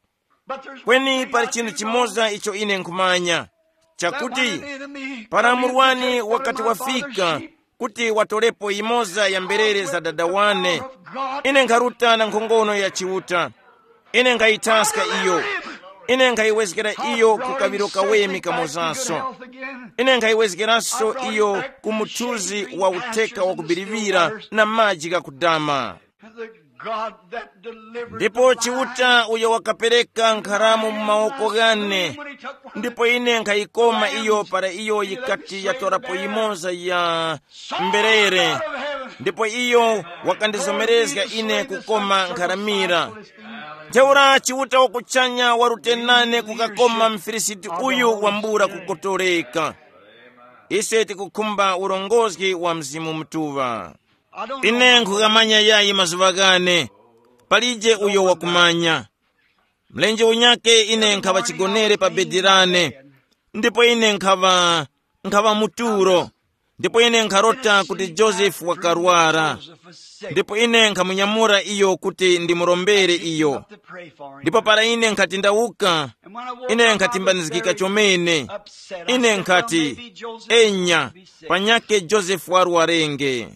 Kweni pali chinthu chimoza icho ine nkhumanya. Chakuti para murwani wakati wafika kuti watorepo yimoza ya mberere za dada wane, ine nkharuta na nkhongono ya Chiuta. Ine nkhayithaska iyo. Ine nkhayiwezgera iyo ku kaŵiro kaweme kamozanso. Ine nkhayiwezgeranso iyo ku muthuzi wa utheka wakubiriŵira na maji ghakudama. Ndipo Chiuta uyo wakapereka nkharamu mu mawoko ghane, ndipo ine nkhayikoma iyo para iyo yikati yatorapo yimoza ya mberere, ndipo iyo wakandizomerezga ine kukoma nkharamira. Ntheura Chiuta wakuchanya warute nane kukakoma mfilisiti uyu wambula kukotoleka. Ise tikukhumba urongozgi wa Mzimu Mutuŵa. Ine nkhukamanya yayi mazuŵa ghane, palije uyo wakumanya. Mlenje unyake ine nkhaŵa chigonere pa bedi lane, ndipo ine nkhaŵa nkhaŵa mu tulo, ndipo ine nkharota kuti Josefu wakarwara, ndipo ine nkhamunyamura iyo kuti ndimurombere iyo. Ndipo para ine nkhati ndawuka, ine nkhatimbanizgika chomene. Ine nkhati, enya, panyake Josefu warwarenge.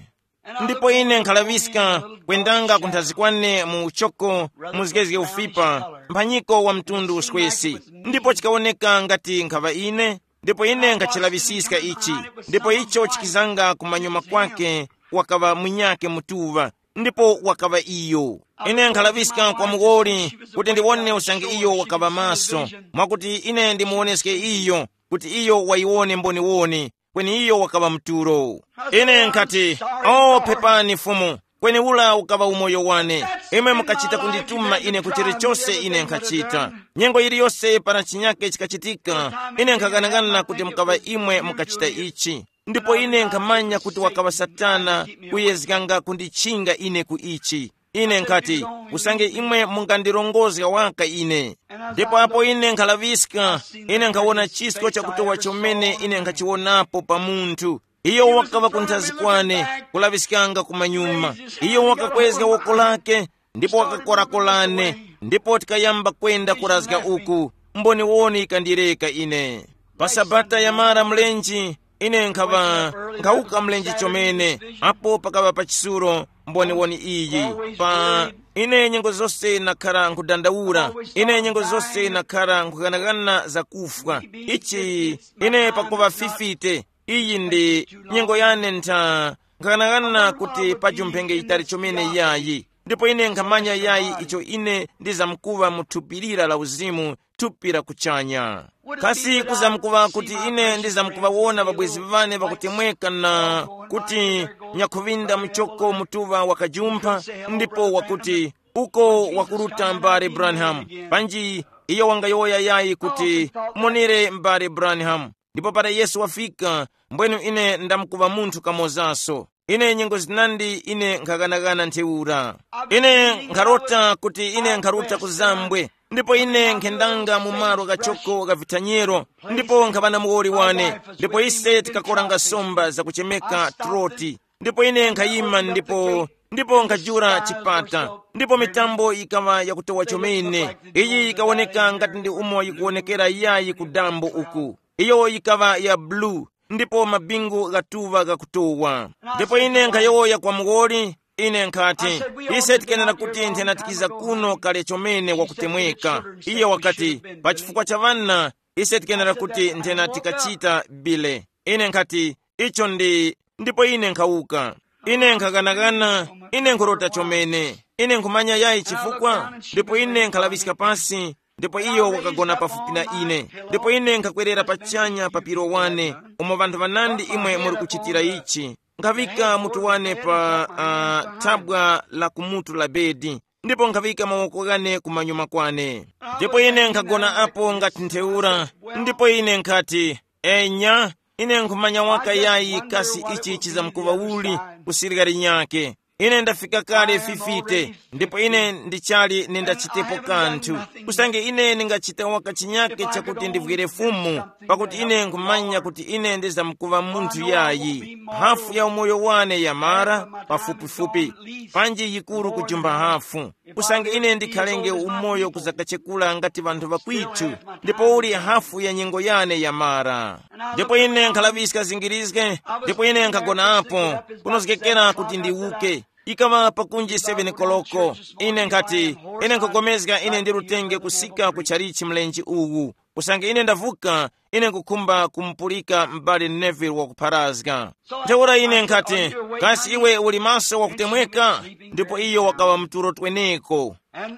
Ndipo ine nkhalaŵiska kwendanga kunthazi kwane mu uchoko, muzgezge ufipa, mphanyiko wa mtundu uswesi. Ndipo chikawoneka ngati nkhaŵa ine, ndipo ine nkhachilaŵisiska ichi. Ndipo icho chikizanga kumanyuma kwake, wakaŵa munyake mutuŵa, ndipo wakaŵa iyo. Ine nkhalaŵiska kwa muwoli kuti ndiwone usange iyo wakaŵa maso, mwakuti ine ndimuwoneske iyo kuti iyo wayiwone mboniwoni, kweni iyo wakaŵa mtulo. Ine nkhati, o pepani Fumu, kweni ula ukaŵa umoyo wane. Imwe mukachita kundituma ine ku chilichose ine nkhachita. Nyengo yiliyose para chinyake chikachitika, ine nkhaghanagana kuti mukaŵa imwe mukachita ichi. Ndipo ine nkhamanya kuti wakaŵa Satana kuyezganga kundichinga ine ku ichi. Ine nkhati, usange imwe mungandilongozga waka ine. Ndipo apo ine nkhalaŵiska, ine nkhawona chisko chakutowa chomene ine nkhachiwonapo pa munthu. Iyo wakaŵa kunthazi kwane, kulaŵiskanga kumanyuma. Iyo wakakwezga woko lake, ndipo wakakorakorane, ndipo tikayamba kwenda kurazga uku. Mboniwoni yikandileka ine. Pa sabata yamara mlenji, ine nkhaŵa nkhawuka mlenje chomene, apo pakaŵa pa chisulo mboniwoni iyi. Pa ine nyengo zose nakhara nkhudandaura, ine nyengo zose nakhara nkhughanaghana za kufwa. Ichi ine pakuŵa fifite, iyi ndi nyengo yane ntha, nkhaghanaghana kuti paji mphenge yitali chomene yayi. Ndipo ine nkhamanya yayi icho ine ndizamkuŵa mu thupi lira la uzimu, thupi la kuchanya. Kasi kuzamkuŵa kuti ine ndizamkuŵawona ŵabwezi ŵane ŵakutemweka na kuti nyakhuŵinda muchoko mutuŵa wakajumpha, ndipo wakuti, uko wakuruta mbale Branham. Panji iyo wangayowoya yayi kuti, monere mbale Branham. Ndipo para Yesu wafika, mbwenu ine ndamkuŵa munthu kamozaso. Ine nyengo zinandi ine nkhaghanagana ntheura. Ine nkharota kuti ine nkharuta ku zambwe, ndipo ine nkhendanga mu malo ghachoko gha vithanyero, ndipo nkhaŵa na muwoli wane, ndipo ise tikakoranga somba zakuchemeka troti. Ndipo ine nkhayima ndipo, ndipo nkhajula chipata, ndipo mitambo yikaŵa yakutowa chomene. Iyi yikawoneka ngati ndi umo yikuwonekera yayi ku dambo uku. Iyo yikaŵa ya bulu, ndipo mabingu ghatuŵa ghakutowa. Ndipo ine nkhayowoya kwa muwoli, ine nkhati, ise tikenera kuti nthena tikiza kuno kale chomene wakutemweka. Iye wakati, pa chifukwa cha ŵana, ise tikenera kuti nthena tikachita bile. Ine nkhati, icho ndi, ndipo ine nkhawuka. Ine nkhaghanaghana, ine nkhurota chomene. Ine nkhumanya yayi chifukwa, ndipo ine nkhalaŵiska pasi, ndipo iyo wakagona pafupi na ine. Ndipo ine nkhakwerera pachanya pa piro wane, umo ŵanthu ŵanandi imwe muri kuchitira ichi. Nkhaŵika mutu wane pa uh, thabwa la kumutu la bedi, ndipo nkhaŵika mawoko ghane kumanyuma kwane. Ndipo ine nkhagona apo ngati ntheura, ndipo ine nkhati, enya, ine nkhumanya waka yayi kasi ichi chizamkuŵa uli kusirika linyake. Ine ndafika kale fifite, ndipo ine ndichali nindachitepo kanthu. Usange ine ndingachita waka chinyake chakuti ndivwire Fumu, pakuti ine nkhumanya kuti ine ndizamkuŵa munthu yayi. Hafu ya umoyo wane yamara, pafupifupi, panji yikuru kujumba hafu. Usange ine ndikhalenge umoyo kuzakachekula ngati ŵanthu ŵakwitu, ndipo uli hafu ya nyengo yane yamara. Ndipo ine nkhalaŵiska zingirizge, ndipo ine nkhagona apo, kunozgekera kuti ndiwuke. Ikaŵa pakunji seven koloko, ine nkhati, ine nkhugomezga ine ndirutenge kusika ku chalichi mlenje uwu. Usange ine ndavuka, ine nkukhumba kumupulika m'bale Neville wakupharazga. Ntheura ine nkhati, kasi iwe uli maso wakutemweka? Ndipo iyo wakaŵa mtulo tweneko. And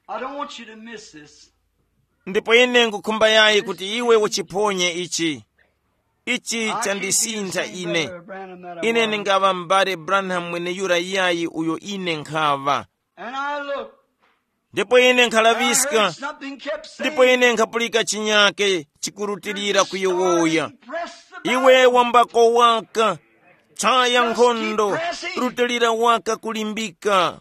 I don't want you to miss this. Ndipo ine nkukhumba yayi kuti iwe uchiphonye ichi. Ichi chandisintha ine. Ine ndingaŵa m'bale Branham mweneyura yayi uyo ine nkhaŵa. And I look. Ndipo ine nkhalaŵiska. Something kept saying, ndipo ine nkhapulika chinyake chikurutilira kuyowoya, "Iwe wambako waka, chaya nkhondo, rutilira waka kulimbika."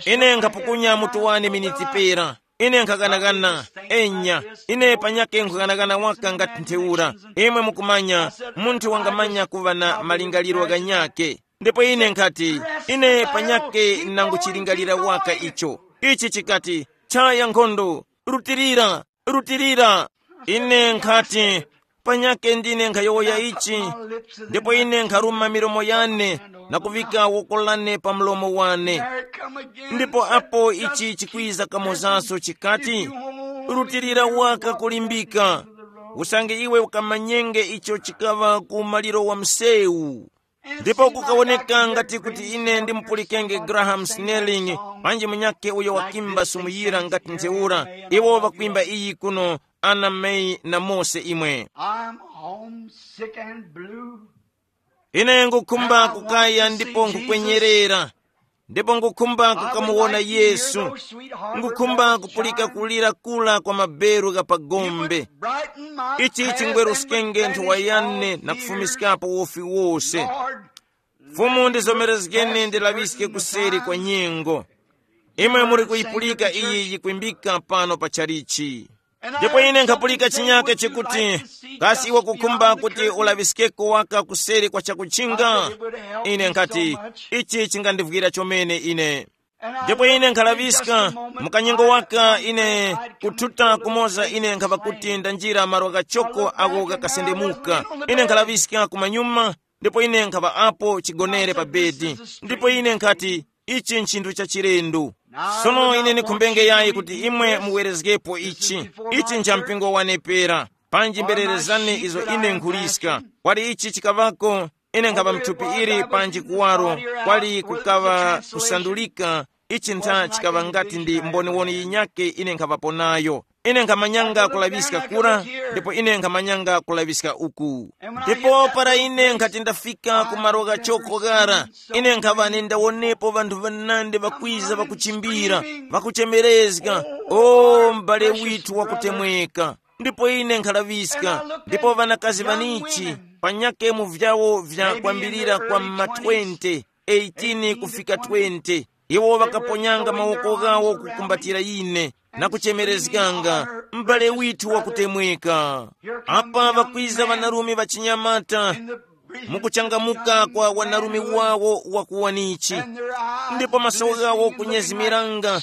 Ine nkhapukunya mutu wane miniti pera. Ine nkhakanakana. Enya, ine panyake nkhakanakana waka ngati ntheura. Imwe mukumanya, munthu wangamanya kuŵa na malingaliro ghanyake. Ndipo ine nkhati, ine panyake nanguchilingalira waka icho. Ichi chikati, chaya nkhondo, rutilira, rutilira. Ine nkhati, panyake ndine nkhayowoya ichi, ndipo ine nkharuma milomo yane na kuvika woko lane pa mlomo wane. Ndipo apo ichi chikwiza kamozaso chikati, rutilira waka kulimbika, usange iwe ukamanyenge icho chikaŵa ku maliro wa msewu. Ndipo kukawoneka ngati kuti ine ndimupulikenge Graham Snelling, panji munyakhe uyo wakimba sumuyira ngati ntheura. Iwo ŵakwimba iyi kuno, Anna May na Mose imwe. I'm homesick and blue. Ine ngukhumba kukaya ndipo nkukwenyerera, ndipo ngukhumba kukamuwona Yesu. Ngukhumba kupulika kulira kula kwa maberu gha pagombe. Ichi chingweruskenge nthowa yane na kufumiskapo wofi wose. Fumu ndizomerezgeni ndilaŵiske kuseri kwa nyengo. Imwe muri kuyipulika iyi yikwimbika pano pa chalichi. Ndipo ine nkhapulika chinyake chikuti, kasi iwe kukhumba kuti ulaŵiskeko waka kuseri kwa chakuchinga? Ine nkhati, ichi chingandivwira chomene ine. Ndipo ine nkhalaŵiska, mukanyengo waka ine kuthuta kumoza ine nkhava kuti ndanjira malo ghachoko agho ghakasendemuka. Ine nkhalaŵiska kumanyuma, ndipo ine nkhava apo chigonere pa bedi. Ndipo ine nkhati, ichi nchinthu cha chilendo. Sono ine ndikhumbenge yayi kuti imwe muwerezgepo ichi. Ichi ncha mpingo wane pera. Panji mbererezani izo ine nkhuliska. Kwali ichi chikavako, ine nkhava mthupi ili panji kuwaro, kwali kukaŵa kusandulika. Ichi ntha chikaŵa ngati ndi mboniwoni yinyake ine nkhaŵapo nayo. Ine nkhamanyanga kulaŵiska kura, ndipo ine nkhamanyanga kulaŵiska uku. Ndipo para ine nkhati ndafika ku malo ghachoko ghara, ine nkhaŵa nendawonepo ŵanthu ŵanandi ŵakwiza ŵakuchimbira, ŵakuchemerezga, o m'bale withu wakutemweka. Ndipo ine nkhalaŵiska, ndipo ŵanakazi ŵanichi, panyake mu vyawo vya kwambirira kwa mma twenty, eighteen kufika twenty, iwo ŵakaponyanga mawoko ghawo kukumbatira ine, na kuchemerezganga, m'bale withu wakutemweka. Apa ŵakwiza ŵanarume ŵachinyamata, mukuchangamuka kwa wanarume wawo wakuwanichi, ndipo maso ghawo kunyezimiranga,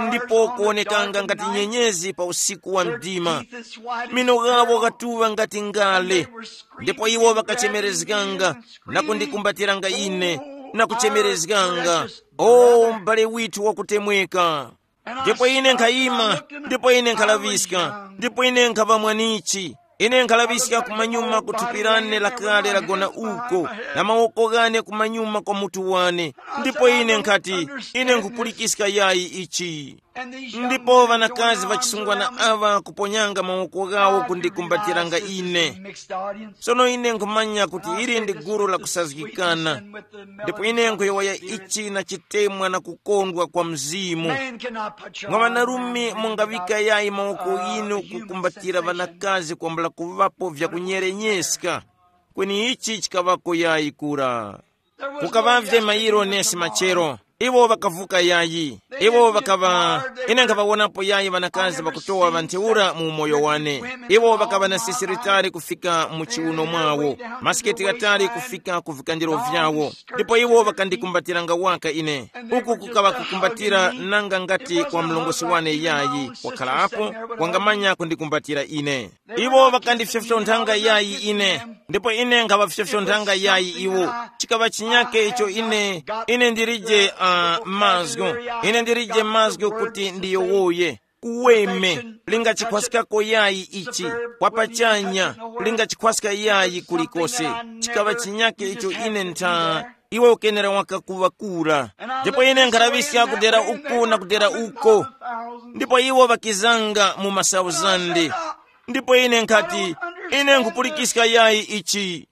ndipo kuwonekanga ngati nyenyezi pa usiku wa mdima. Mino ghawo ghatuŵa ngati ngale, ndipo iwo ŵakachemerezganga na kundikumbatiranga ine, na kuchemerezganga, o m'bale withu wakutemweka. Ndipo ine nkhayima, ndipo ine nkhalaŵiska, ndipo ine nkhava mwanichi. Ine nkhalaŵiska kumanyuma ku thupi lane lakale lagona uko, na mawoko ghane kumanyuma kwa mutu wane. Ndipo ine nkhati, ine nkhupulikiska yayi ichi. Ndipo ŵanakazi ŵachisungwana aŵa kuponyanga mawoko ghawo kundikumbatiranga ine. Sono ine nkhumanya kuti ili ndi gulu lakusazgikana. Ndipo ine nkhuyowoya ichi na chitemwa na kukondwa kwa Mzimu. Mwa ŵanarume mungaŵika yayi mawoko ghinu kukumbatira ŵanakazi kwambula kuŵapo vyakunyerenyeska. Kweni ichi chikaŵako yayi kura. Kukaŵavye mayiro nesi machero. Iwo ŵakavuka yayi. Iwo ŵakaŵa, ine nkhaŵawonapo yayi ŵanakazi ŵakutowa ŵa ntheura mu umoyo wane. Iwo ŵakaŵa na sisi litali kufika mu chiuno mwawo, masiketi ghatali kufika ku vikandiro vyawo. Ndipo iwo ŵakandikumbatiranga waka ine. Uku kukaŵa kukumbatira nanga ngati kwa mlongosi wane yayi wakhala apo, wangamanya kundikumbatira ine. Iwo ŵakandifyofyonthanga yayi ine, ndipo ine nkhaŵafyofyonthanga yayi iwo. Chikaŵa chinyake icho ine, ine ndilije uh, mazgu. Ine ndilije mazgu kuti ndiyowoye. Uweme, lingachikhwaskako yayi ichi, kwapachanya, lingachikhwaska yayi kulikose. Chikaŵa chinyake icho ine ntha, iwe ukenera waka kuŵa kura. Ndipo ine nkhalaŵiska kudera uku na kudera uko. Ndipo iwo ŵakizanga mu masauzande. Ndipo ine nkhati, ine nkhupulikiska yayi ichi.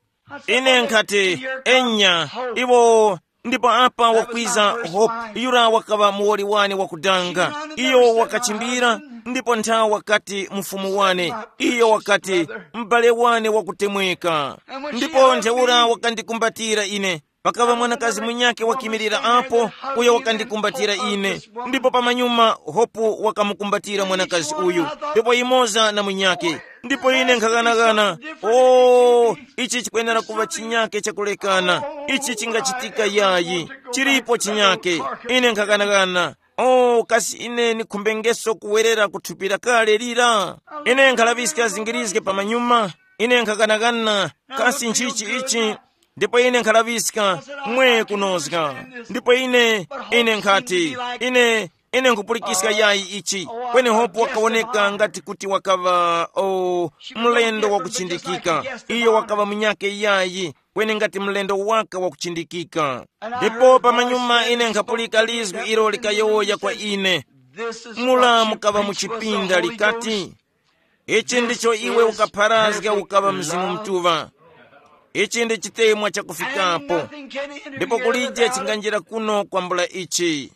Ine nkhati, enya, iwo. Ndipo apa wakwiza Hope, yura wakaŵa muwoli wane wakudanga. Iyo wakachimbira, ndipo nthawi wakati, mufumu wane. Iyo wakati, m'bale wane wakutemweka. Ndipo ntheura wakandikumbatira ine. Pakaŵa mwanakazi munyakhe wakimirira apo, uyo wakandikumbatira ine. Ndipo pamanyuma, Hopu wakamukumbatira mwanakazi uyu, ndipo imoza na munyakhe. Ndipo ine nkhaghanagana, o, ichi chikwenera kuŵa chinyakhe chakulekana. Ichi chingachitika yayi. Chilipo chinyakhe. Ine nkhaghanagana, o, kasi ine nikhumbengeso kuwerera ku thupi la kale lira? Ine nkhalaŵiska zingirizge pamanyuma. Ine nkhaghanagana, kasi nchichi ichi? Ndipo ine nkhalaŵiska, mwe kunozga. Ndipo ine, ine nkhati, ine, ine nkhupulikiska yayi ichi. Kweni Hope wakawoneka ngati kuti wakaŵa, o, mlendo wakuchindikika. Iyo wakaŵa munyakhe yayi, kweni ngati mlendo waka wakuchindikika. Ndipo pamanyuma ine nkhapulika lizgu ilo likayowoya kwa ine, mula mukaŵa mu chipinda likati, ichi ndicho iwe ukapharazga ukaŵa Mzimu Mutuŵa. Ichi ndi chitemwa chakufikapo, ndipo kulije chinganjira kuno kwambula ichi.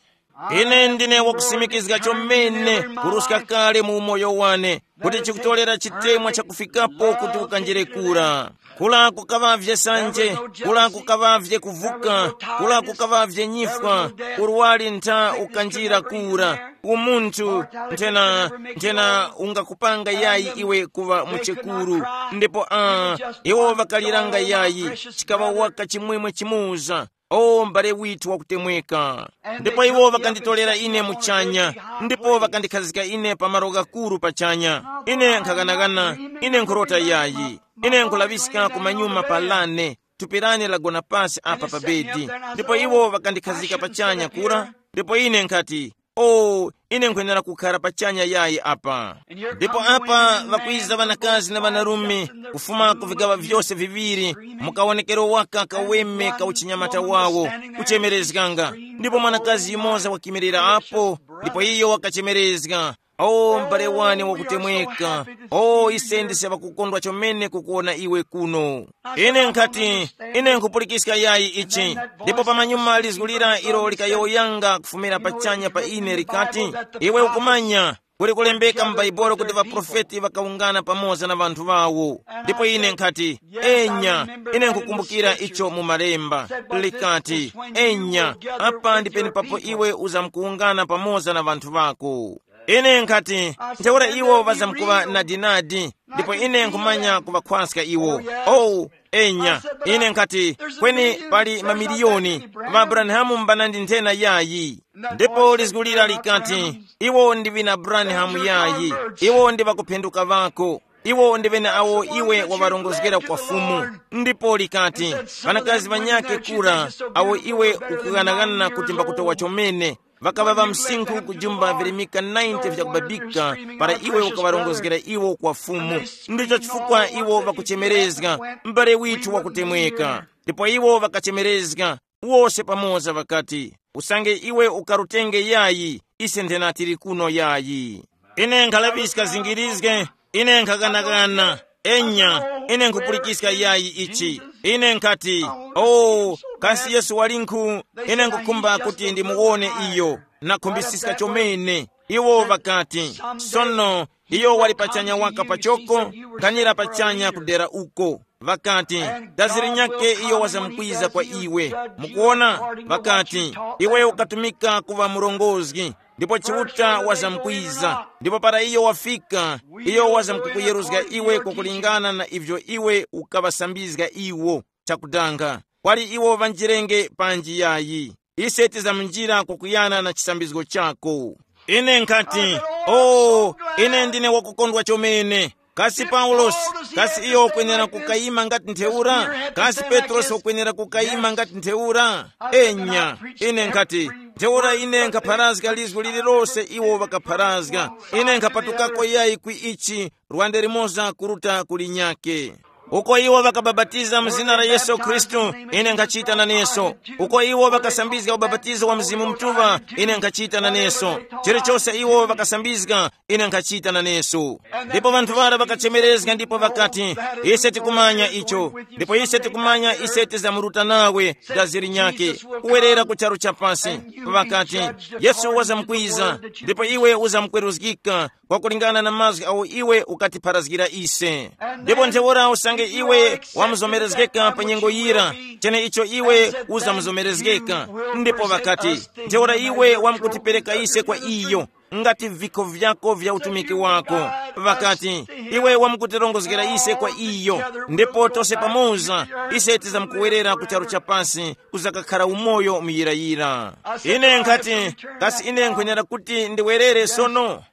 Ine ndine wakusimikizga chomene kuruska kale mu umoyo wane, kuti chikutolera chitemwa chakufikapo kuti ukanjire kura. Kula kukaŵavye sanje, kula kukaŵavye kuvuka, kula kukaŵavye nyifwa, urwari ntha ukanjira kura. Umunthu nthena, nthena ungakupanga yayi iwe kuŵa muchekuru. Ndipo a iwo ŵakaliranga yayi, chikaŵa waka chimwemwe chimuza. O m'bale withu wakutemweka. Ndipo iwo ŵakanditolera ine muchanya, ndipo ŵakandikhazika ine pa malo ghakuru pachanya. Ine nkhaghanaghana, ine nkhurota yayi. Ine nkhulaŵiska kumanyuma pa lane, thupi lane lagona pasi apa pa bedi. Ndipo iwo ŵakandikhazika pachanya kura. Ndipo ine nkhati, o, ine nkhwenera kukhara pachanya yayi apa. Ndipo apa ŵakwiza ŵanakazi na ŵanarume, kufuma ku vigaŵa vyose viŵiri, mu kawonekero waka kaweme ka uchinyamata wawo, kuchemerezganga. Ndipo mwanakazi yumoza wakimirira apo, ndipo iyo wakachemerezga, o m'bale wane wakutemweka, o ise ndise ŵakukondwa chomene kukuwona iwe kuno. Ine nkhati, ine nkhupulikiska yayi ichi. Ndipo pamanyuma lizgu lira ilo likayowoyanga kufumira pachanya pa ine likati, iwe ukumanya, kuli kulembeka mu Bhaibuli kuti ŵaprofeti ŵakawungana pamoza na ŵanthu ŵawo. Ndipo ine nkhati, enya, ine nkhukumbukira icho mu malemba. Likati, enya, apa ndi penepapo iwe uzamkuwungana pamoza na ŵanthu ŵako. Ine nkhati, ntheura iwo ŵazamkuŵa nadinadi, ndipo ine nkhumanya kuŵakhwaska iwo. Oh, enya, ine nkhati, kweni pali mamiliyoni ŵa Abrahamu mbanandi nthena yayi. Ndipo lizgulira likati, iwo ndi ŵina Abrahamu yayi, iwo ndi ŵakuphenduka ŵako. Iwo ndi ŵene awo iwe waŵarongozgera kwa Fumu. Ndipo likati, ŵanakazi ŵanyakhe kura, awo iwe ukughanaghana kuti mbakutowa chomene, ŵakaŵa ŵa msinkhu kujumba virimika ninety vyakubabika, para iwe ukaŵarongozgera iwo kwa Fumu. Ndicho chifukwa iwo ŵakuchemerezga, m'bale withu wakutemweka. Ndipo iwo ŵakachemerezga, wose pamoza ŵakati, usange iwe ukarutenge yayi, ise nthena tili kuno yayi. Ine nkhalaŵiska zingirizge, ine nkhaganagana, enya, ine nkhupulikiska yayi ichi. Ine nkhati, o, kasi Yesu walinkhu? Ine nkhukhumba kuti ndimuwone iyo. Nakhumbisiska chomene. Iwo ŵakati, sono, iyo wali pachanya waka pachoko, nkhanira pachanya kudera uko. Ŵakati, daziri nyake iyo wazamkwiza kwa iwe. Mukuona? Ŵakati, iwe ukatumika kuŵa murongozgi, ndipo Chiuta wazamkwiza. Ndipo para iyo wafika, iyo wazamkukuyeruzga iwe kwakulingana na ivyo iwe ukaŵasambizga iwo. Chakudanga, kwali iwo ŵanjirenge panji yayi. Ise tizamunjira kukuyana na chisambizgo chako. Ine nkhati, oh, ine ndine wakukondwa chomene. Kasi Paulosi, kasi iyo ukwenera kukayima ngati ntheura? Kasi Petrosi ukwenera kukayima ngati ntheura? Enya, ine nkhati, ntheura ine nkhapharazga lizgu lililose iwo ŵakapharazga. Ine nkhapatukako yayi kwi ichi, lwande limoza kuruta kuli nyake. Uko iwo ŵakabapatiza mu zina la Yesu Khristu, ine nkhachita naneso. Uko iwo ŵakasambizga ubapatizo wa Mzimu Mutuŵa, ine nkhachita naneso. Chilichose iwo ŵakasambizga, ine nkhachita naneso. Ndipo ŵanthu ŵara ŵakachemerezga ndipo ŵakati, ise tikumanya icho, ndipo ise tikumanya ise tizamuruta nawe, daziri nyake, kuwerera ku charu cha pasi. Ŵakati, Yesu wazamkwiza, ndipo iwe uzamkweruzgika, kwakulingana na mazgu awo iwe ukatipharazgira ise. Ndipo ntheura usange iwe wamuzomerezgeka pa nyengo yira, cheneicho iwe uzamuzomerezgeka. Ndipo ŵakati, ntheura iwe wamkutipereka ise kwa iyo, ngati vikho vyako vya utumiki wako. Ŵakati, iwe wamkutirongozgera ise kwa iyo, ndipo tose pamoza ise tizamkuwerera ku charu cha pasi kuzakakhara umoyo muyirayira. Ine nkhati, kasi ine nkhwenera kuti ndiwerere sono?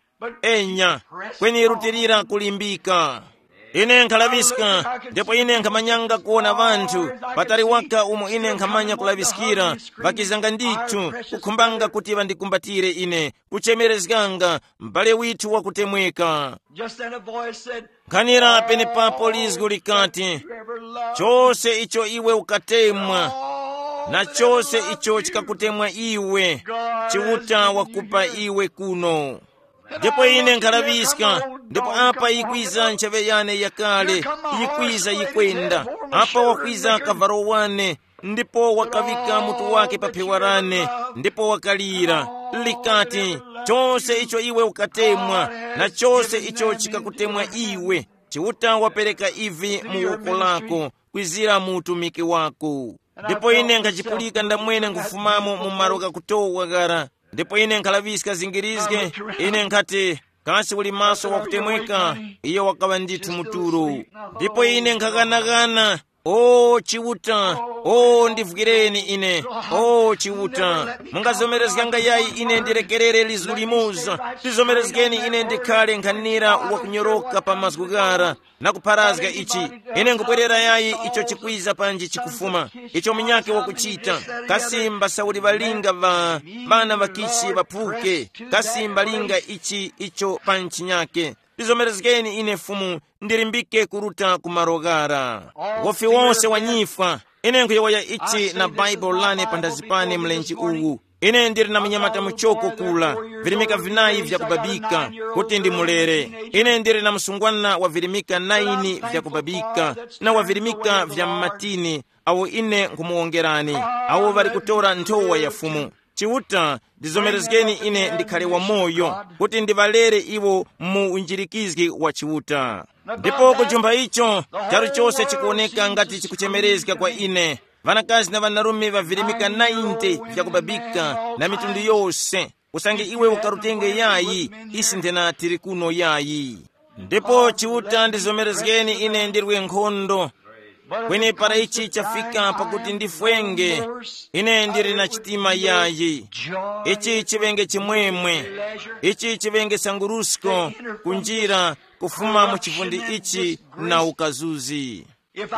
Enya, kweni rutilira kulimbika. Ine nkhalaŵiska, ndipo ine nkhamanyanga kuwona ŵanthu, patali waka umo ine nkhamanya kulaŵiskira, ŵakizanga ndithu, kukhumbanga kuti ŵandikumbatire ine, kuchemerezganga, m'bale withu wakutemweka. Just then a voice said, nkhanira penepapo lizgu likati, chose icho iwe ukatemwa, na chose icho chikakutemwa iwe, Chiuta wakupa iwe kuno. Ndipo ine nkhalaŵiska, ndipo apa yikwiza nchaŵe yane yakale, yikwiza yikwenda, apa wakwiza kavalo wane, ndipo wakavika mutu wake pa phewa lane, ndipo wakalira, likati, chose icho iwe ukatemwa, na chose icho chikakutemwa iwe, Chiuta wapereka ivi mu woko lako, kwizira mu utumiki wako. Ndipo ine nkhachipulika ndamwene nkufumamo mu malo ghakutowa ghara, ndipo ine nkhalaŵiska zingirizge, ine nkhati, kasi uli maso wakutemweka? Iyo wakaŵa ndithu muturo. Ndipo ine nkhaghanagana, o Chiuta, o ndivwireni ine, o Chiuta, mungazomerezganga yayi ine ndirekerere lizu limoza? Tizomerezgeni ine ndikhale nkhanira wakunyoroka pa mazgu ghara, na kupharazga ichi. Ine nkupwerera yayi icho chikwiza panji chikufuma, icho munyakhe wakuchita. Kasi mbasauli ŵalinga ŵa ŵana ŵakichi ŵaphuke? Kasi mbalinga ichi icho pa nchinyake? Tizomerezgeni ine Fumu, ndilimbike kuruta ku malo ghara. Wofi wonse wanyifwa. Ine nkhuyowoya ichi na Baibulo lane panthazi pane mlenje uwu. Ine ndili na munyamata muchoko kula, virimika vinayi vyakubabika, kuti ndimulere. Ine ndili na msungwana wa virimika naini vyakubabika, na wa virimika vya mmatini, awo ine nkhumuwongerani, awo ŵali kutora nthowa ya Fumu. Chiuta, ndizomerezgeni ine ndikhale wamoyo, kuti ndiŵalere iwo mu unjirikizgi wa Chiuta. Ndipo kujumpha icho, charu chose chikuwoneka ngati chikuchemerezga kwa ine. Ŵanakazi na ŵanarume ŵavirimika ninety vyakubabika na mitundu yose. Usange iwe ukarutenge yayi, isi nthena tili kuno yayi. Ndipo Chiuta ndizomerezgeni ine ndirwe nkhondo. Kweni para ichi chafika pakuti ndifwenge, ine ndili na chitima yayi. Ichi chiŵenge chimwemwe. Ichi chiŵenge sangurusko, kunjira kufuma mu chivundi ichi na ukazuzi.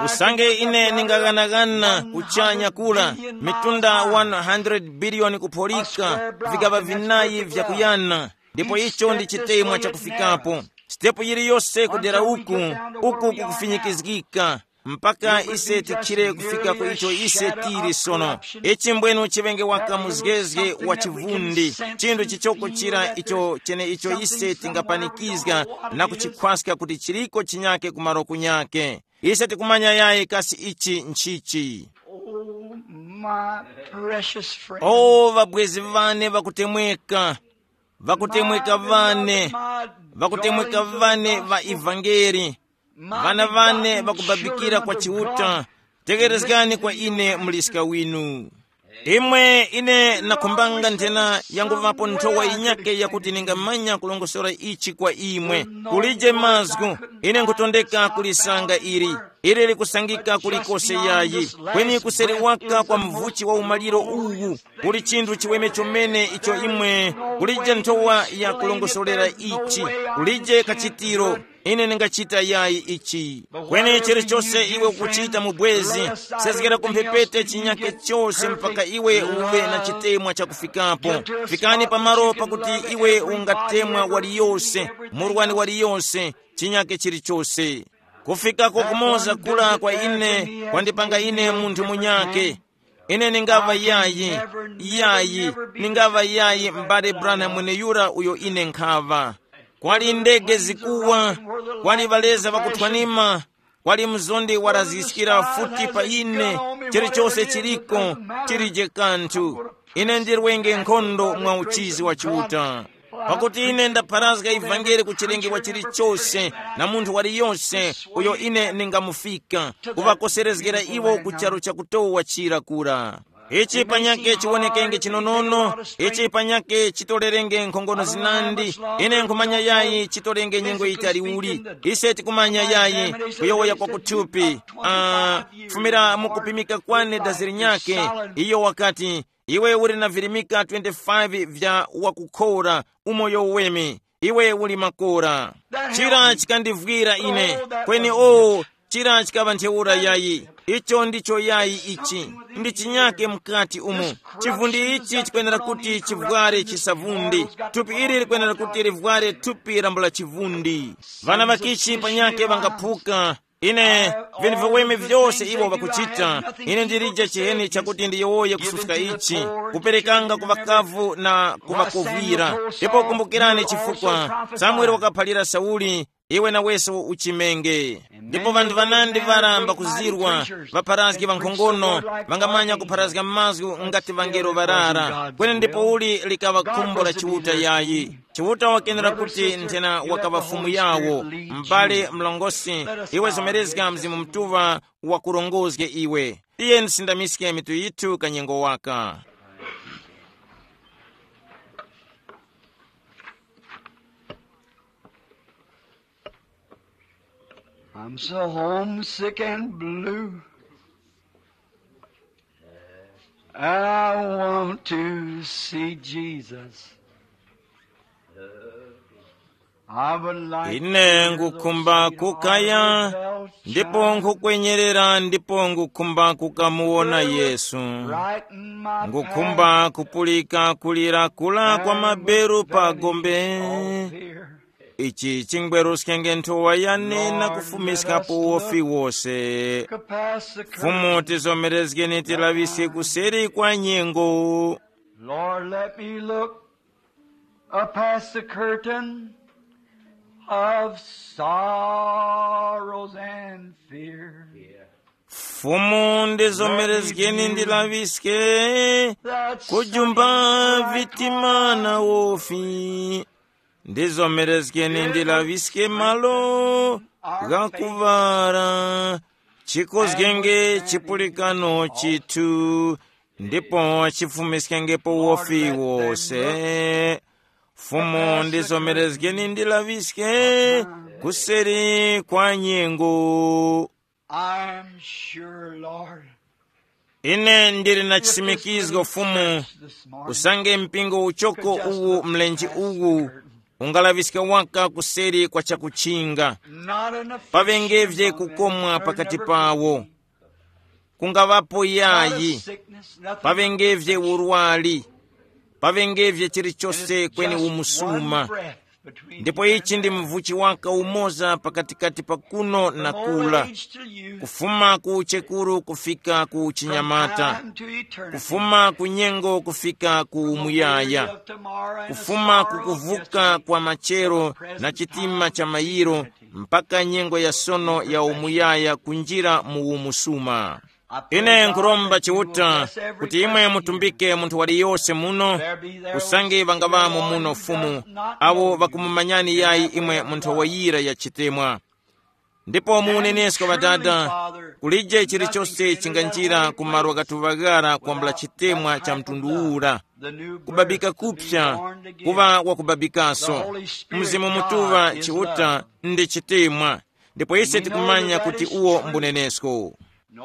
Usange ine ningaghanagana kuchanya kula, mitunda one hundred billion kupholika, vigaŵa vinayi vyakuyana, ndipo icho ndi chitemwa chakufikapo. Sitepu yiliyose kudera uku, uku kukufinyikizgika, mpaka ise tikhire kufika ku icho ise tili sono. Ichi mbwenu chiŵenge waka muzgezge wa chivundi, chinthu chichoko chira icho chene icho ise tingapanikizga na kuchikhwaska kuti chiliko chinyake kumaro kunyake. Ise tikumanya yayi kasi ichi nchichi. Oh, my precious friend. O ŵabwezi ŵane ŵakutemweka, ŵakutemweka ŵane, ŵakutemweka ŵane ŵa ivangeli, Vana vane vakubabikira kwa Chiuta, tekerezgani kwa ine muliska winu. Imwe ine nakhumbanga nthena yanguvapo nthowa yinyake yakuti ningamanya kulongosora ichi kwa imwe. Kulije mazgu, ine nkhutondeka kulisanga ili. Ili likusangika kulikose yayi, kweni kuseri waka kwa mvuchi wa umaliro uwu, kuli chinthu chiweme chomene icho imwe, kulije nthowa ya kulongosolera ichi, kulije kachitiro. Ine ndingachita yayi ichi. Kweni chilichose iwe ukuchita mu bwezi, sezgera kumphepete chinyake chose mpaka iwe uve na chitemwa chakufikapo. Fikani pamalo pakuti iwe ungatemwa waliyose, murwani waliyose, chinyake chilichose. Kufika kokumoza kula kwa ine kwandipanga ine munthu munyake. Ine ningaŵa yayi, yayi, ningaŵa yayi m'bale Branham mweneyura uyo ine nkhaŵa. Kwali ndege zikuwa, kwali ŵaleza ŵakuthwanima, kwali mzondi warazgiskira futi pa ine, chilichose chiliko, chilije kanthu. Ine ndirwenge nkhondo mwa uchizi wa Chiuta. Pakuti ine ndapharazga ivangeli ku chilengedwa chilichose na munthu waliyose uyo ine ningamufika, kuŵakoserezgera iwo ku charu chakutowa chira kura. Ichi panyake chiwonekenge chinonono, ichi panyake chitolerenge nkhongono zinandi. Ine nkhumanya yayi chitolenge nyengo yitali uli. Ise tikumanya yayi kuyowoya kwa kuthupi. Ah, fumira mukupimika kwane dazi linyake, iyo wakati, iwe uli na virimika twenty-five vya wakukhora, umoyo uweme, iwe uli makora. Chira chikandivwira ine, kweni o, chira chikaŵa ntheura yayi. Icho ndicho yayi ichi. Ndi chinyake mkati umo. Chivundi ichi chikwenera kuti chivware chisavundi. Thupi ili likwenera kuti livware thupi lambula chivundi. Vana ŵakichi panyake ŵangaphuka. Ine, vinthu viweme vyose iwo ŵakuchita, ine ndilije chiheni chakuti ndiyowoye kususka ichi, kuperekanga ku ŵakavu na kuŵakovwira. Ndipo kumbukirani chifukwa Samuele wakaphalira Sauli, iwe naweso uchimenge. Ndipo vanthu vanandi ŵaramba kuzirwa, ŵapharazgi ŵankhongono, ŵangamanya kupharazga mazgu ngati ŵangelo ŵarara. Kweni ndipo uli likaŵa khumbo la Chiuta yayi. Chiuta wakenera kuti nthena wakaŵa Fumu yawo, m'bale mlongosi, iwe zomerezga Mzimu Mutuŵa wakurongozge iwe. Tiyeni tisindamiske mitu yithu kanyengo waka. I'm so homesick and blue. And I want to see Jesus. I would like ine to ngukhumba kukaya, ndipo nkukwenyerera, ndipo ngukhumba kukamuwona Yesu. Ngukhumba kupulika kulira kula kwa maberu pa gombe. Ichi chingweruskenge nthowa yane na kufumiskapo wofi wose. Fumu tizomerezgeni tilaŵiske kuseri kwa nyengo. Lord, let me look, uh, past the curtain of sorrows and fear. Fumu ndizomerezgeni ndilaŵiske kujumba vitima na wofi. Ndizomerezgeni ndilaŵiske malo ghakuŵala, chikozgenge chipulikano chithu, ndipo chifumiskengepo wofi wose. Fumu ndizomerezgeni ndilaŵiske kuseri kwa nyengo. I'm sure, Lord, ine ndili na chisimikizgo Fumu, usange mpingo uchoko uwu mlenje uwu ungalaŵiska waka kuseri kwa chakuchinga. Not enough. Pavengevye kukomwa pakati pawo. Kungaŵapo yayi, pavengevye urwali, pavengevye chilichose kweni umusuma. Ndipo ichi ndi mvuchi waka umoza pakatikati pa kuno na kula, kufuma ku uchekuru kufika ku uchinyamata, kufuma ku nyengo kufika ku umuyaya, kufuma ku kuvuka kwa machero na chitima cha mayiro, mpaka nyengo ya sono ya umuyaya kunjira mu umusuma. Ine nkhuromba Chiuta kuti imwe mutumbike munthu waliyose muno, usange ŵangaŵamo muno Fumu, awo ŵakumumanyani yayi imwe munthu wayira ya chitemwa. Ndipo mu unenesko, Ŵadada, kulije chilichose chinganjira ku malo ghatuŵa ghara kwambula chitemwa cha mtundu ura, kubabika kupsa, kuŵa wakubabikaso. Mzimu Mutuŵa Chiuta ndi chitemwa, ndipo ise tikumanya kuti uwo mbunenesko.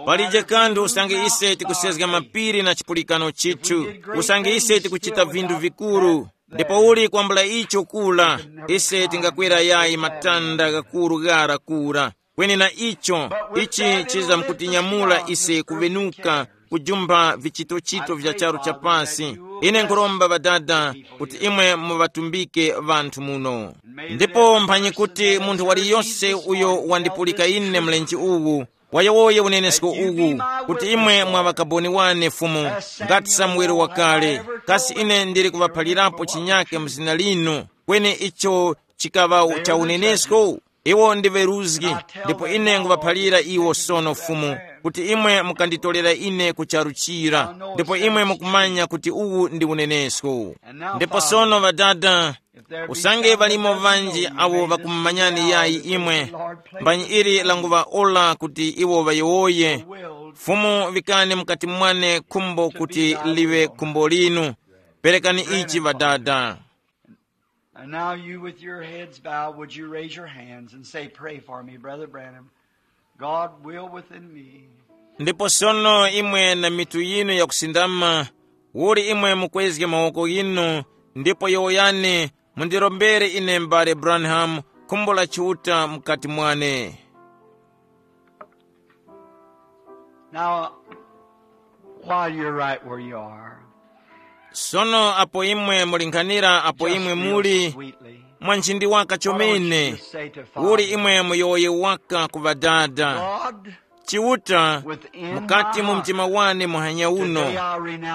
Palije kanthu usange ise tikusezga mapiri na chipulikano chithu, usange ise tikuchita vinthu vikuru, ndipo uli kwambula icho kula, ise tingakwera yayi matanda ghakuru ghara kura. Kweni na icho, ichi chizamkutinyamula ise kuvenuka kujumpha vichitochito vya charu cha pasi. Ine nkhuromba Ŵadada kuti imwe muŵatumbike ŵanthu muno. Ndipo mphanyi kuti munthu waliyose uyo wandipulika ine mlenje uwu, wayowoye unenesko uwu, kuti imwe mwa ŵakaboni wane Fumu, ngati Samuele wakale, kasi ine ndili kuŵaphalirapo chinyake mu zina linu, kweni icho chikaŵa cha unenesko? Iwo ndi ŵeruzgi, ndipo ine nguŵaphalira iwo sono Fumu, kuti imwe mukanditolera ine ku charu chira, ndipo imwe mukumanya kuti uwu ndi unenesko. Ndipo sono Ŵadada, usange ŵalimo ŵanji awo ŵakumumanyani yayi imwe, mbanyi ili languŵa ora kuti iwo ŵayowoye, Fumu vikani mukati mwane khumbo kuti liŵe khumbo linu. Perekani ichi Ŵadada. And now you with your heads bowed, would you raise your hands and say, "Pray for me, Brother Branham. God will within me." Ndipo sono imwe na mitu yinu yakusindama, uli imwe mukwezge mawoko ghinu, ndipo yowoyani, mundirombere ine m'bale Branham, khumbo la Chiuta mukati mwane. Now, while you're right where you are, sono apo imwe mulinkhanira apo imwe muli, mwa nchindi waka chomene, uli imwe muyowoye waka ku Ŵadada. Chiuta, mukati mu mtima wane muhanya uno,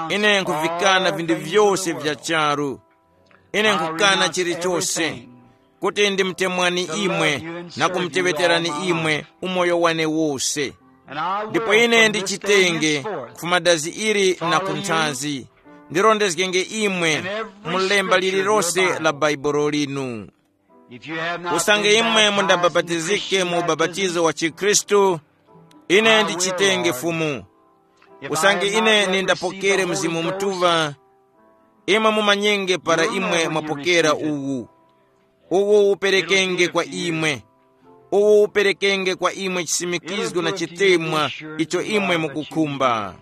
ine nkhuvikana vinthu vyose vya charu. Ine nkhukana chilichose, kuti ndimutemwani imwe na kumuteŵeterani imwe umoyo wane wose. Ndipo ine ndichitenge kufuma dazi ili na ku nthazi, ndirondezgenge imwe mu lemba lililose la Bhaibuli linu. Usange imwe mundabapatizike mu ubapatizo wa chikhristu, ine ndichitenge Fumu. Usange ine nindapokere Mzimu Mutuŵa, imwe mumanyenge para imwe mwapokera uwu. Uwu uperekenge kwa imwe. Uwu uperekenge kwa imwe chisimikizgo na chitemwa icho imwe mukukhumba.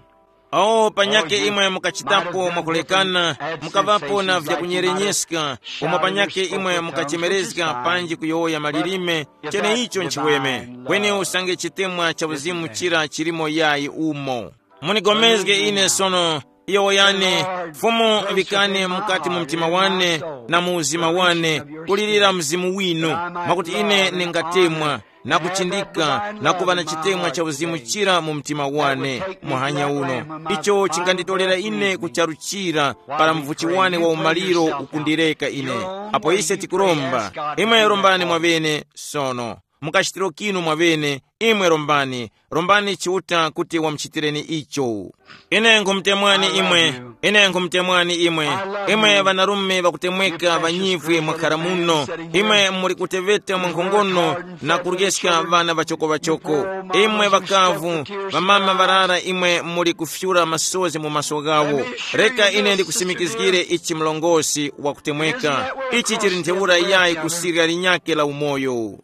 Awo panyake imwe mukachitapo mwakulekana, mukaŵapo na vyakunyerenyeska, umo panyake imwe mukachemerezga panji kuyowoya malilime, cheneicho nchiweme. Kweni usange chitemwa cha uzimu chira chilimo yayi umo. Munigomezge ine sono, yowoyani, Fumu, vikani mukati mu mtima wane na mu uzima wane, kulirira Mzimu winu, mwakuti ine ningatemwa na kuchindika na kuŵa na chitemwa cha uzimu chira mu mtima wane muhanya uno. Icho chinganditolera ine ku charu chira para mvuchi wane wa umaliro ukundireka ine. Apo ise tikuromba, imwe rombani mwavene sono. Mukachitiro kinu mwavene, imwe rombani, rombani Chiuta kuti wamuchitireni icho. Ine nkhumutemwani imwe, ine nkhumutemwani imwe, imwe ŵanarume ŵakutemweka ŵanyifwe mwakhara muno, imwe muli kuteŵeta mwa nkhongono na kuryeska ŵana ŵachokoŵachoko, imwe ŵakavu, ŵamama ŵarara imwe muli kufyura masozi mu maso ghawo. Reka ine ndikusimikizgire ichi mlongosi wakutemweka, ichi chili ntheura yayi ku sirya linyakhe la umoyo.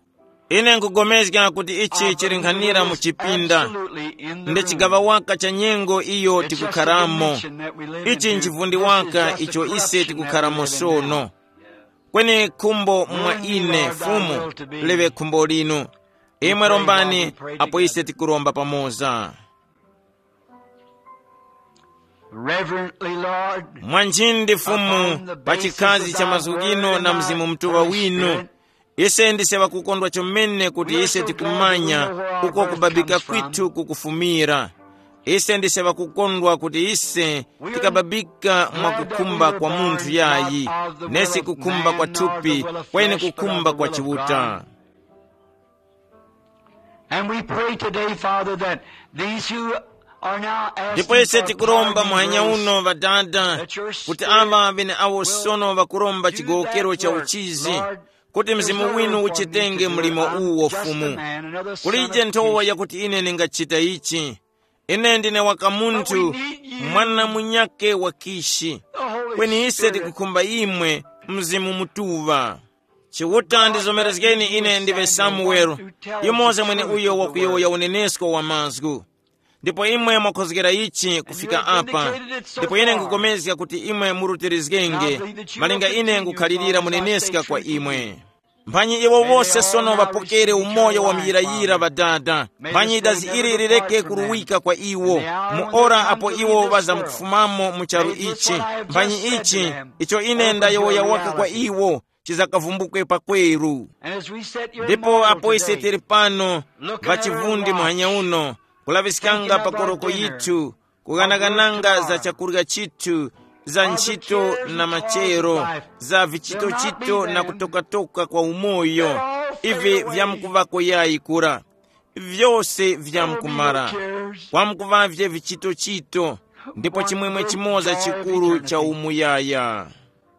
Ine nkugomezga kuti ichi chili nkhanira mu chipinda, ndi chigaŵa waka cha nyengo iyo tikukharamo. Ichi nchivundi waka icho ise tikukharamo sono. Kweni khumbo mwa ine, Fumu, liŵe khumbo linu. Imwe rombani, apo ise tikuromba pamoza. Reverently, Lord, mwanjindi Fumu, upon the pa chikhazi basis cha of thy mazgu word ghino and na thy Mzimu Mutuŵa Holy winu, Spirit, ise ndise ŵakukondwa chomene kuti ise tikumanya uko kubabika kwithu kukufumira. Ise ndise ŵakukondwa kuti ise tikababika mwa kukhumba kwa munthu yayi, nesi kukhumba kwa thupi, kweni kukhumba kwa Chiuta. And we pray today, Father, that these who are now asking ndipo ise for tikuromba pardon and muhanya grace, uno ŵadada, that your kuti Spirit aŵa ŵeneawo will sono ŵakuromba do chigowokero that cha work, uchizi, Lord, kuti mzimu winu uchitenge mlimo uwo, Fumu. Kulije nthowa yakuti ine ningachita ichi. Ine ndine waka munthu, mwana munyake wa Kishi. Kweni ise tikukhumba imwe, Mzimu Mutuŵa. Chiuta, ndizomerezgeni ine ndiwe Samuwelo, yumoza mwene uyo wakuyowoya unenesko wa mazgu. Ndipo imwe mwakhozgera ichi kufika apa, ndipo ine nkupulikana kuti imwe murutirizgenge, malinga ine nkukhalirira muneneska kwa imwe. Mphanyi iwo wose sono ŵapokere umoyo wa muyirayira ŵadada, mphanyi dazi ili lireke kuruwika kwa iwo, mu ora apo iwo ŵazamkufumamo mu charu ichi, mphanyi ichi, icho ine ndayowoya waka kwa iwo, chizakavumbukwe pakweru. Ndipo apo ise tili pano, ŵachivundi muhanya uno, kulaŵiskanga pa koroko yithu, kughanaghananga za chakurya chithu, za nchito na machero, za vichitochito na kutokatoka kwa umoyo, ivi vyamkuvako yayi kura. Vyose vyamkumara. Kwamkuvavye vichitochito, ndipo chimwemwe chimoza chikuru cha umuyaya.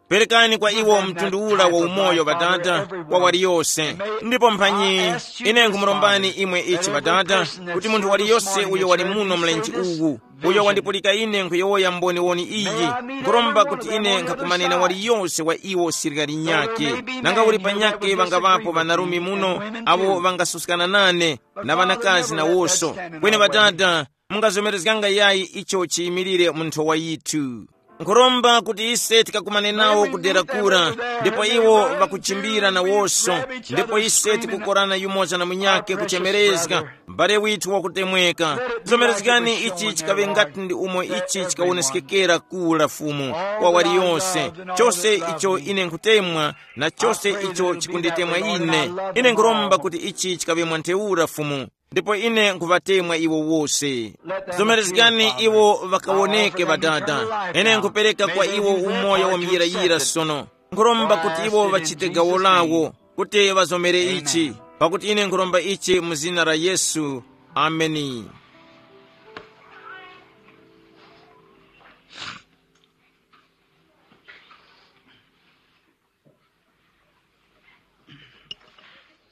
Perekani kwa iwo mtundu ula wa umoyo, Ŵadada, kwa waliyose. Ndipo mphanyi, ine nkhumurombani imwe ichi, Ŵadada, kuti munthu waliyose uyo wali muno mlenje uwu, uyo wandipulika ine nkhuyowoya mboniwoni iyi, nkhuromba kuti ine nkhakumane na waliyose wa iwo sirikali nyakhe, nanga uli panyakhe ŵangaŵapo ŵanarume muno, awo ŵangasuskana nane, na ŵanakazi nawoso. Kweni Ŵadada, mungazomerezganga yayi icho chiyimilire mu nthowa yithu. Nkhuromba kuti ise tikakumane nawo ku dera kura, ndipo iwo ŵakuchimbira nawoso, ndipo ise tikukorana yumoza na munyakhe kuchemerezga, m'bale withu wakutemweka. Zomerezgani ichi chikaŵe ngati ndi umo ichi chikawoneskekera kura, Fumu, kwa waliyose. Chose icho ine nkhutemwa, na chose icho chikunditemwa ine, ine nkhuromba kuti ichi chikaŵe mwa ntheura, Fumu. Ndipo ine nkhuŵatemwa iwo wose. Zomerezgani iwo ŵakawoneke, Ŵadada. Ine nkhupereka kwa iwo umoyo wa muyirayira sono. Nkhuromba kuti iwo ŵachite gawo lawo, kuti ŵazomere ichi, pakuti ine nkhuromba ichi mu zina la Yesu. Ameni.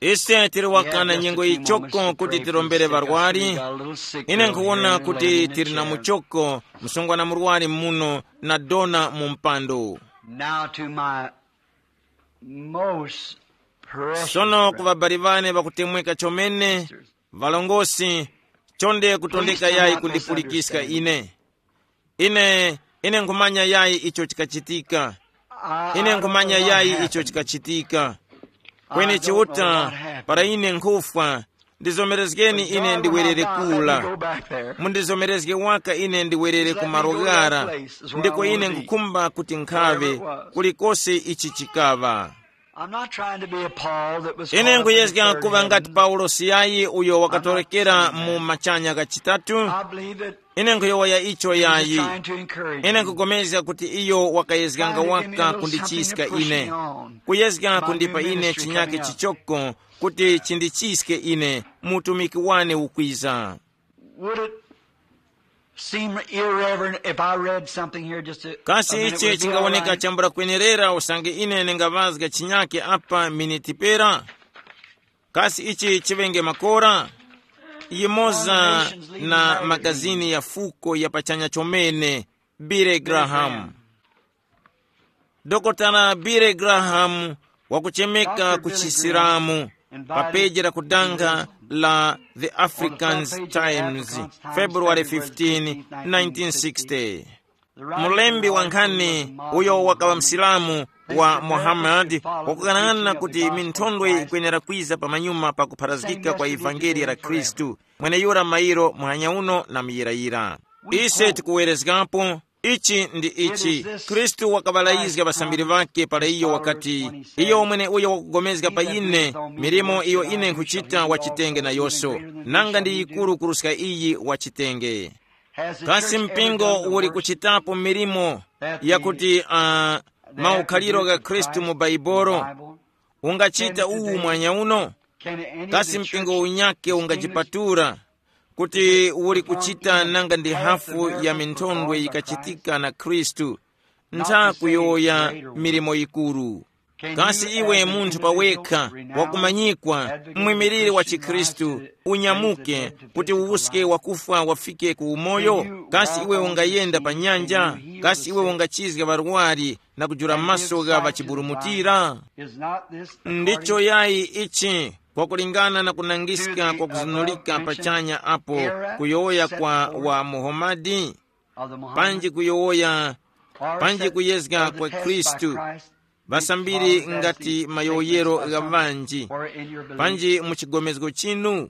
Ise tili wakana nyengo yichoko kuti tirombere ŵarwari. Ine nkhuwona kuti tili na muchoko, msungwana murwari muno, na dona mu mpando. Now to my most precious sono ku brethren, ŵabali ŵane ŵakutemweka chomene, valongosi, chonde kutondeka yayi kundipulikiska ine. Ine, ine nkhumanya yayi icho chikachitika. Ine nkhumanya yayi icho chikachitika. Kweni Chiuta, para ine nkhufwa, ndizomerezgeni ine ndiwerere kula. Mundizomerezge waka ine ndiwerere ku malo ghara, ndiko ine nkhukhumba kuti nkhaŵe, kulikose ichi chikaŵa. I'm not trying to be a Paul that was ine nkuyezga kuva ngati Paulosi yayi uyo wakatorokera mu machanya kachitatu. I believe that ine nkuyowoya icho yayi. Trying to encourage ine you. Nkugomezga kuti iyo wakayezganga waka kundichiska ine, kuyezga kundipa ine chinyake chichoko kuti chindichiske ine mu utumiki wane ukwiza. Would it seem irreverent if I read something here just a, kasi a minute? Ichi would it be all chingawoneka right? Chambula kwenerera usange ine ndingavazga chinyake apa miniti pera? Kasi ichi chiŵenge makora? Yimoza na magazini ya fuko ya pachanya chomene, Billy Graham. Dokotala Billy Graham wakuchemeka ku Chisilamu pa peji la kudanga la The African Times, February fifteen, nineteen sixty. Mulembi wa nkhani uyo wakaŵa Msilamu wa Muhammad wakukang'ana kuti minthondwe yikwenera kwiza pamanyuma pa kupharazgika kwa ivangeliya la Khristu, mweneyura mairo muhanya uno na muyirayira. Ise tikuwerezgapo, ichi ndi ichi, Khristu wakaŵalayizga ŵasambiri ŵakhe para iyo wakati, iyo mweneuyo wakugomezga pa ine, milimo iyo ine nkhuchita wachitenge nayoso, nanga ndi yikuru kuruska iyi wachitenge. Kasi mpingo uli kuchitapo milimo yakuti uh, maukhaliro gha Khristu mu Baibolo ungachita uwu mwanya uno? Kasi mpingo unyake ungajipatula kuti uli kuchita nanga ndi hafu ya minthondwe yikachitika na Khristu, ntha kuyowoya milimo yikuru? Kasi iwe munthu pawekha, wakumanyikwa, mwimiriri wa chikhristu, unyamuke kuti uwuske wakufwa wafike ku umoyo? Kasi iwe ungayenda pa nyanja? Kasi iwe ungachizga ŵarwari na kujula maso gha ŵachiburumutira? Ndicho yayi ichi, kwakulingana na kunangiska kwa kuzunulika pachanya apo, kuyowoya kwa wa Muhamadi, panji kuyowoya, panji kuyezga kwa Khristu, ŵasambiri ngati mayowoyero gha ŵanji, panji mu chigomezgo chinu?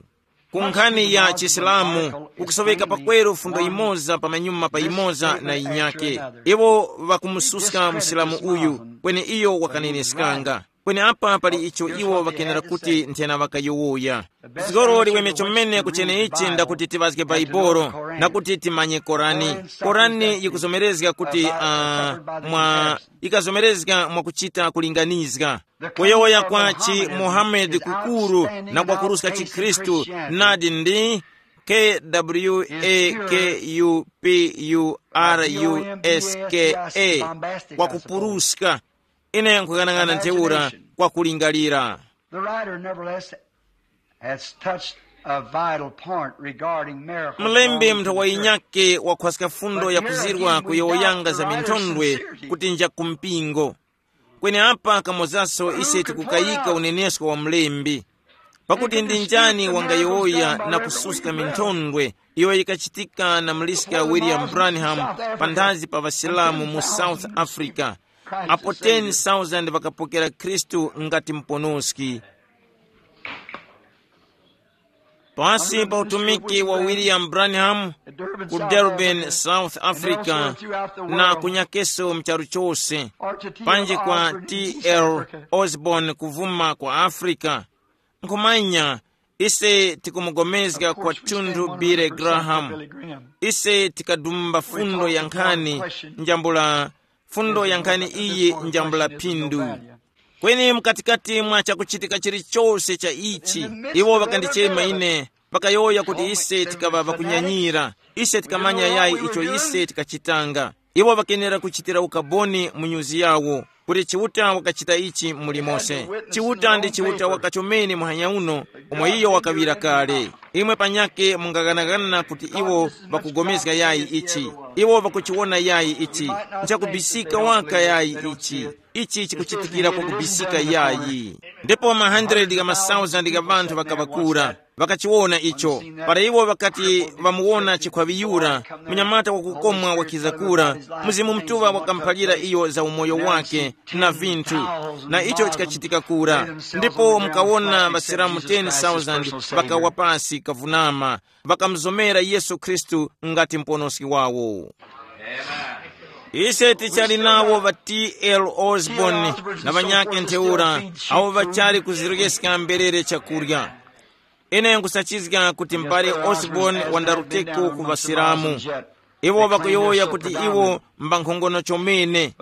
Ku nkhani ya chisilamu kukusoweka pakweru fundo imoza pamanyuma pa imoza na yinyake. Iwo ŵakumususka msilamu uyu, kweni iyo wakaneneskanga. Kweni apa pali icho iwo ŵakenera kuti nthena ŵakayowoya. Zgoro liweme chomene kuchene ichi ndakuti tiŵazge Baibolo, na kuti timanye Korani. Korani yikuzomerezga kuti uh, mwa ikazomerezga mwakuchita kulinganizga. Kuyowoya kwa chi Muhammad kukuru na kwakuruska chikhristu, nadi ndi kwakupurska. Ine nkughanag'ana ntheura kwakulingalira. The writer, nevertheless, has touched a vital point regarding miracles. Mlembi mnthu wayinyake wakhwaska fundo ya kuzirwa kuyowoyanga za minthondwe kuti nja ku mpingo. Kweni apa kamozaso ise tikukayika unenesko wa mlembi. Pakuti ndi njani wangayowoya na kususka minthondwe iyo yikachitika na muliska William Branham panthazi pa ŵasilamu mu South Africa, apo ten thousand ŵakapokera Khristu ngati muponoski? Pasi pa utumiki wa William Branham ku Durban, South Africa, na kunyakeso mcharu chose, panji kwa T L Osborne kuvuma kwa Africa, nkhumanya, ise tikumugomezga kwa thunthu Billy Graham. Ise tikadumba fundo ya nkhani njambula, fundo ya nkhani iyi njambula phindu. Kweni mkatikati mwa chakuchitika chilichose cha ichi, iwo ŵakandichema ine, ŵakayowoya kuti ise tikaŵa ŵakunyanyira, ise tikamanya yayi icho ise tikachitanga. Iwo ŵakenera kuchitira ukaboni mu nyuzi yawo kuti Chiuta wakachita ichi muli mose. Chiuta ndi Chiuta wakachomene muhanya uno, umo iyo wakaŵira kale. Imwe panyake mungaghanagana kuti iwo ŵakugomezga yayi ichi. Iwo ŵakuchiwona yayi ichi. Nchakubisika waka yayi ichi. Ichi chikuchitikira kwakubisika yayi. Ndipo ma hundred gha masauzandi gha ŵanthu ŵakaŵakura, ŵakachiwona icho. Para iwo ŵakati ŵamuwona chikhwaŵi yura, munyamata wakukomwa wakiza kura, Mzimu Mutuŵa wakamuphalira iyo za umoyo wake na vinthu, na icho chikachitika kura. Ndipo mukawona ŵasilamu ten thousand ŵakawa pasi kavunama, ŵakamuzomera Yesu Khristu ngati Muponoski wawo. Ise tichali nawo ŵa T L Osborne na ŵanyakhe ntheura, awo ŵachali kuzirokeska mberere chakurya. Ine nkusachizga kuti mbale Osborne wandaruteko ku ŵasilamu. Iwo ŵakuyowoya kuti iwo mbankhongono chomene.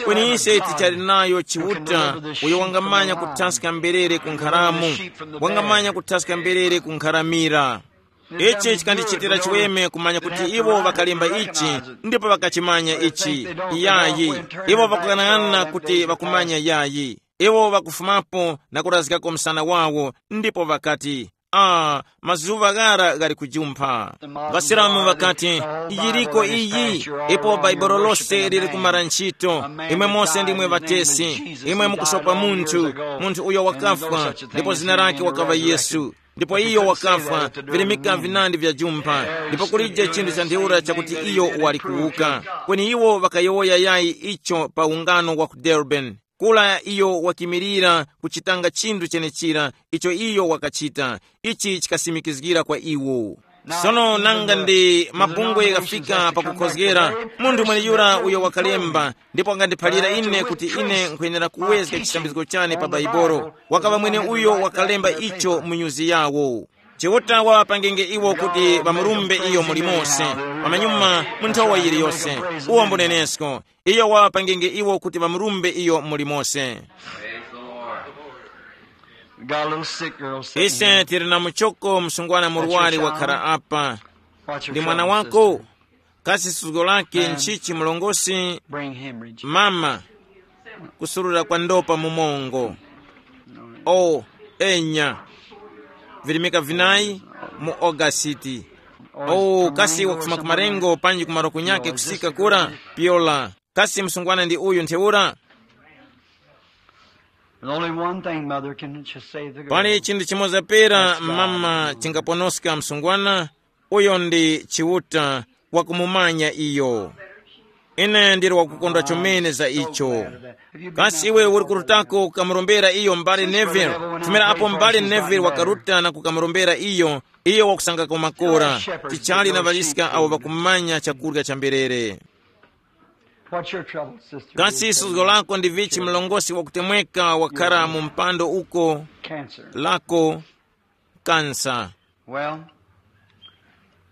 Kweni ise tichali nayo Chiuta uyo wangamanya kuthaska mberere ku nkharamu, wangamanya kuthaska mberere ku nkharamira. Ichi chikandichitira chiweme kumanya kuti iwo ŵakalemba ichi ndipo ŵakachimanya ichi. Yayi, iwo ŵakughanagana kuti ŵakumanya yayi. Iwo ŵakufumapo na kurazgako msana wawo ndipo ŵakati, ah, mazuŵa ghara ghali kujumpha. Vasilamu ŵakati, yiriko iyi, ipo Bhaibuli lose liri kumara ntchito. Imwe mose ndimwe ŵatesi, imwe mukusopa munthu, munthu uyo wakafwa ndipo zina lake wakaŵa Yesu. Ndipo iyo wakafwa, virimika vinandi vya jumpha, ndipo kulije chinthu cha ntheura chakuti iyo wali kuwuka. Kweni iwo ŵakayowoya yayi icho pa ungano wa ku Durban. Kula iyo wakimirira kuchitanga chinthu chenechira icho iyo wakachita. Ichi chikasimikizgira kwa iwo. Sono nanga ndi mabungwe ghafika pakukhozgera, munthu mweneyura uyo wakalemba ndipo wakandiphalira ine kuti ine nkwenera kuwezga chisambizgo chane pa Baibolo. Wakaŵa mwene uyo wakalemba icho mu nyuzi yawo. Chiuta waŵapangenge iwo kuti ŵamurumbe iyo muli mose, pamanyuma mu nthowa yiliyose. Uwo mbunenesko, iyo waŵapangenge iwo kuti ŵamurumbe iyo muli mose. We got a little sick girl sitting Ise here. Tili na muchoko msungwana murwari wakhala apa. What's your Ndi mwana trouble, wako? Sister? Kasi suzgo lake nchichi, mlongosi? Brain hemorrhage. Mama, Kusurura kwa ndopa mu mongo. O, enya. Virimika vinayi mu Ogasiti. O, kasi wakufuma ku marengo panji ku malo kunyake kusika kura? Pyola. Kasi msungwana ndi uyu ntheura? There's only one thing, Mother, can just save the girl. Pali chinthu chimoza pera mama chingaponoska msungwana. Uyo ndi Chiuta, wakumumanya iyo. Ine ndili wakukondwa chomene za icho. Kasi iwe uli kurutako kukamurombera iyo mbali Neville? Fumira apo mbali Neville wakaruta na kukamurombera iyo, iyo wakusangako makora. Tichali na ŵaliska awo ŵakumanya chakurya cha mberere. What's your trouble, sister? Kasi suzgo lako ndi vichi mlongosi wakutemweka wakhara mu mpando uko? Cancer. Lako kansa. Well,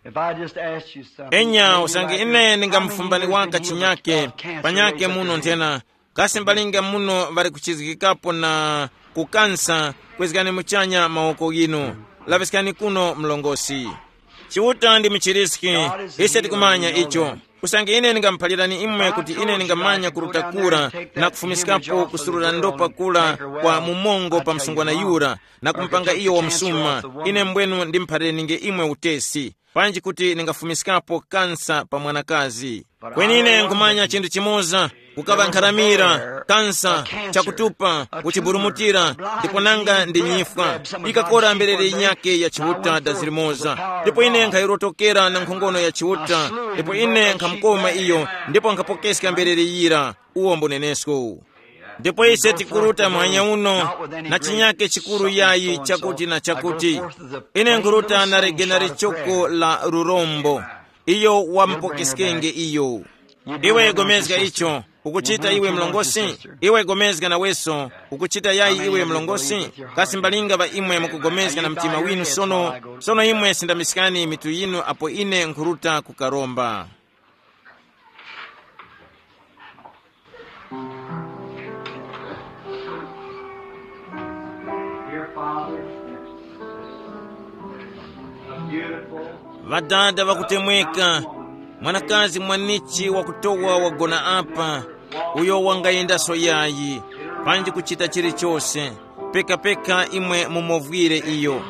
if I just asked you something, enya maybe you usange might ine be ningamufumbani coming waka into the chinyake, cancer panyake related muno to nthena. Kasi mbalinga muno ŵali kuchizgikapo na kukansa? Kwezgani muchanya mawoko ghinu. Laŵiskani kuno mlongosi. Chiuta ndi muchiriski. Ise tikumanya icho. Usange ine ningamuphalirani imwe kuti ine ningamanya kuruta kura na kufumiskapo kusurura ndopa kura kwa mumongo pa msungwana yura, na kumupanga iyo wamsuma, ine mbwenu ndimuphalirenge imwe utesi, panji kuti ningafumiskapo kansa pa mwanakazi. Kweni ine nkhumanya chinthu chimoza, kukaŵa nkharamira, kansa, chakutupa, kuchiburumutira, ndipo nanga ndi nyifwa. Ikakora mberere yinyake ya Chiuta dazi limoza, ndipo ine nkhayirotokera na nkhongono ya Chiuta, ndipo ine nkhamukoma iyo, ndipo nkhapokeska mberere yira. Uwo mbunenesko. Ndipo ise tikuruta muhanya uno na chinyake chikuru yayi chakuti na chakuti. Ine nkhuruta na legena lichoko la lurombo. Iyo wamupokeskenge iyo. Iwe gomezga icho. Ukuchita iwe mlongosi? Iwe gomezga naweso. Ukuchita yayi iwe mlongosi? Kasi mbalinga ŵa imwe mukugomezga na mtima winu sono? Sono imwe sindamiskani mitu yinu apo ine nkhuruta kukaromba. Dear Father, a beautiful ŵadada ŵakutemweka, mwanakazi mwanichi wakutowa wagona apa, uyo wangayendaso yayi, panji kuchita chilichose, pekapeka imwe mumovwire iyo.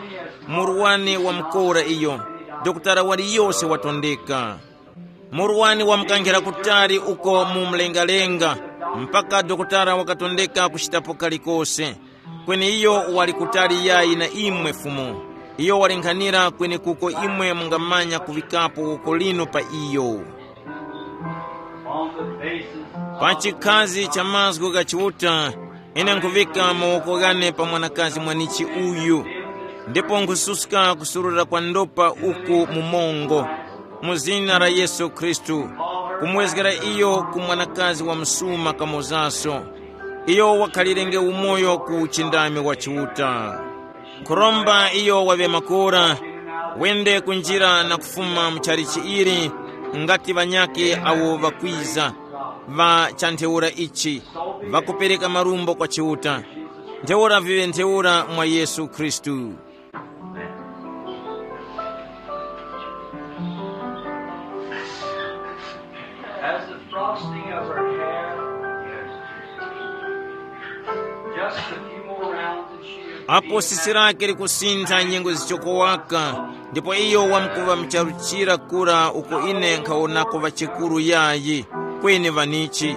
Murwani wamukora iyo, dokotala waliyose watondeka. Murwani wamukankhira kutali uko mu mlengalenga, mpaka dokotala wakatondeka kuchitapo kalikose. Kweni iyo wali kutali yayi na imwe Fumu. Iyo wali nkhanira kwenekuko imwe mungamanya kuŵikapo woko linu pa iyo. Pa chikhazi cha mazgu gha Chiuta, ine nkhuŵika mawoko ghane pa mwanakazi mwanichi uyu, ndipo nkhususka kusurura kwa ndopa uku mu mongo, mu zina la Yesu Khristu, kumwezgera iyo ku mwanakazi wa msuma kamozaso. Iyo wakhalirenge umoyo ku uchindami wa Chiuta. Nkhuromba iyo waŵe makora, wende kunjira na kufuma mu chalichi ili, ngati ŵanyakhe awo ŵakwiza, ŵa cha ntheura ichi, ŵakupereka marumbo kwa Chiuta. Ntheura viŵe ntheura mwa Yesu Khristu. As the frosting of her hair, just a few more rounds and she would apo be sisi lake likusintha nyengo zichokowaka, ndipo iyo wamkuva mcharuchira kura uko ine nkhawonako ŵachekuru yayi, kweni ŵanichi.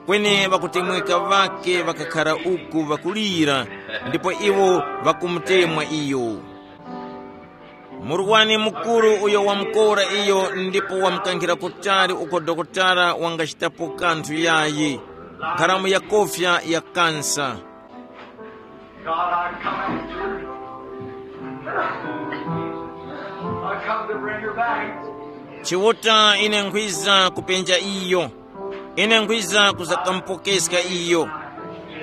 Kweni ŵakutemweka ŵakhe ŵakakhara uku ŵakulira, ndipo iwo ŵakumutemwa iyo. Murwani mukuru uyo wamukora iyo ndipo wamkankhira kutali uko dokotala wangachitapo kanthu yayi. Nkharamu ya kofya ya kansa. God, I come after her. I come to bring her back. Chiuta, ine nkhwiza kupenja iyo. Ine nkhwiza kuzakampokeska iyo.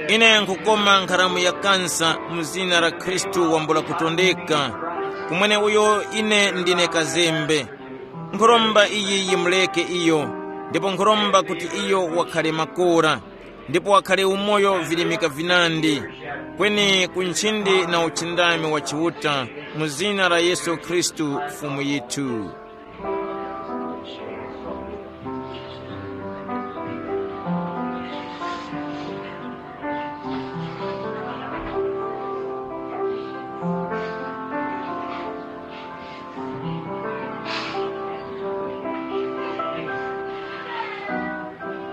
Ine nkhukoma nkharamu ya kansa mu zina la Khristu wambula kutondeka, kumwene uyo ine ndine kazembe. Nkhuromba iyi yimuleke iyo, ndipo nkhuromba kuti iyo wakhale makora, ndipo wakhale umoyo virimika vinandi, kweni ku nchindi na uchindami wa Chiuta, mu zina la Yesu Khristu Fumu yithu.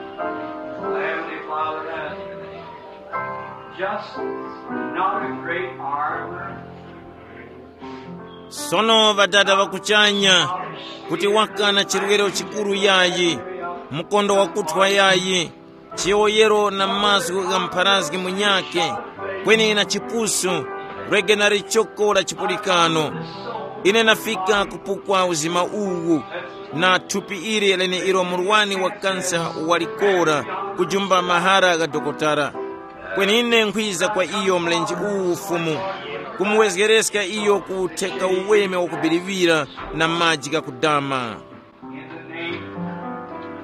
Heavenly Father, just not a great armor. Sono ŵadada ŵakuchanya, kuti waka na chirwero chikuru yayi, mkondo wakuthwa yayi, chiyowoyero na mazgu gha mpharazgi munyakhe, kweni na chipusu, rege na lichoko la chipulikano. Ine nafika kupukwa uzima uwu, na thupi ili leneilo murwani wa kansa walikora, kujumba mahara gha dokotala. Kweni ine nkhwiza kwa iyo mlenje uwu Fumu, kumuwezgereska iyo kutheka uweme wakubiriŵira na maji ghakudama. In the name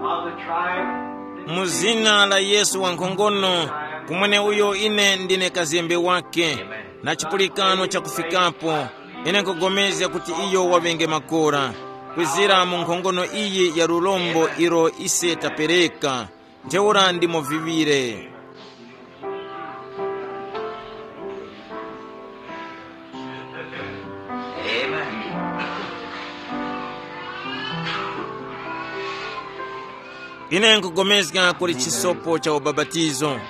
of the tribe, mu zina la Yesu wankhongono, kumwene uyo ine ndine kazembe wake, na chipulikano chakufikapo, ine nkugomezga kuti iyo waŵenge makora, kwizira mu nkhongono iyi ya lurombo ilo ise tapereka, ntheura ndimo viŵire. Ine nkugomezga kuli chisopo cha ubapatizo.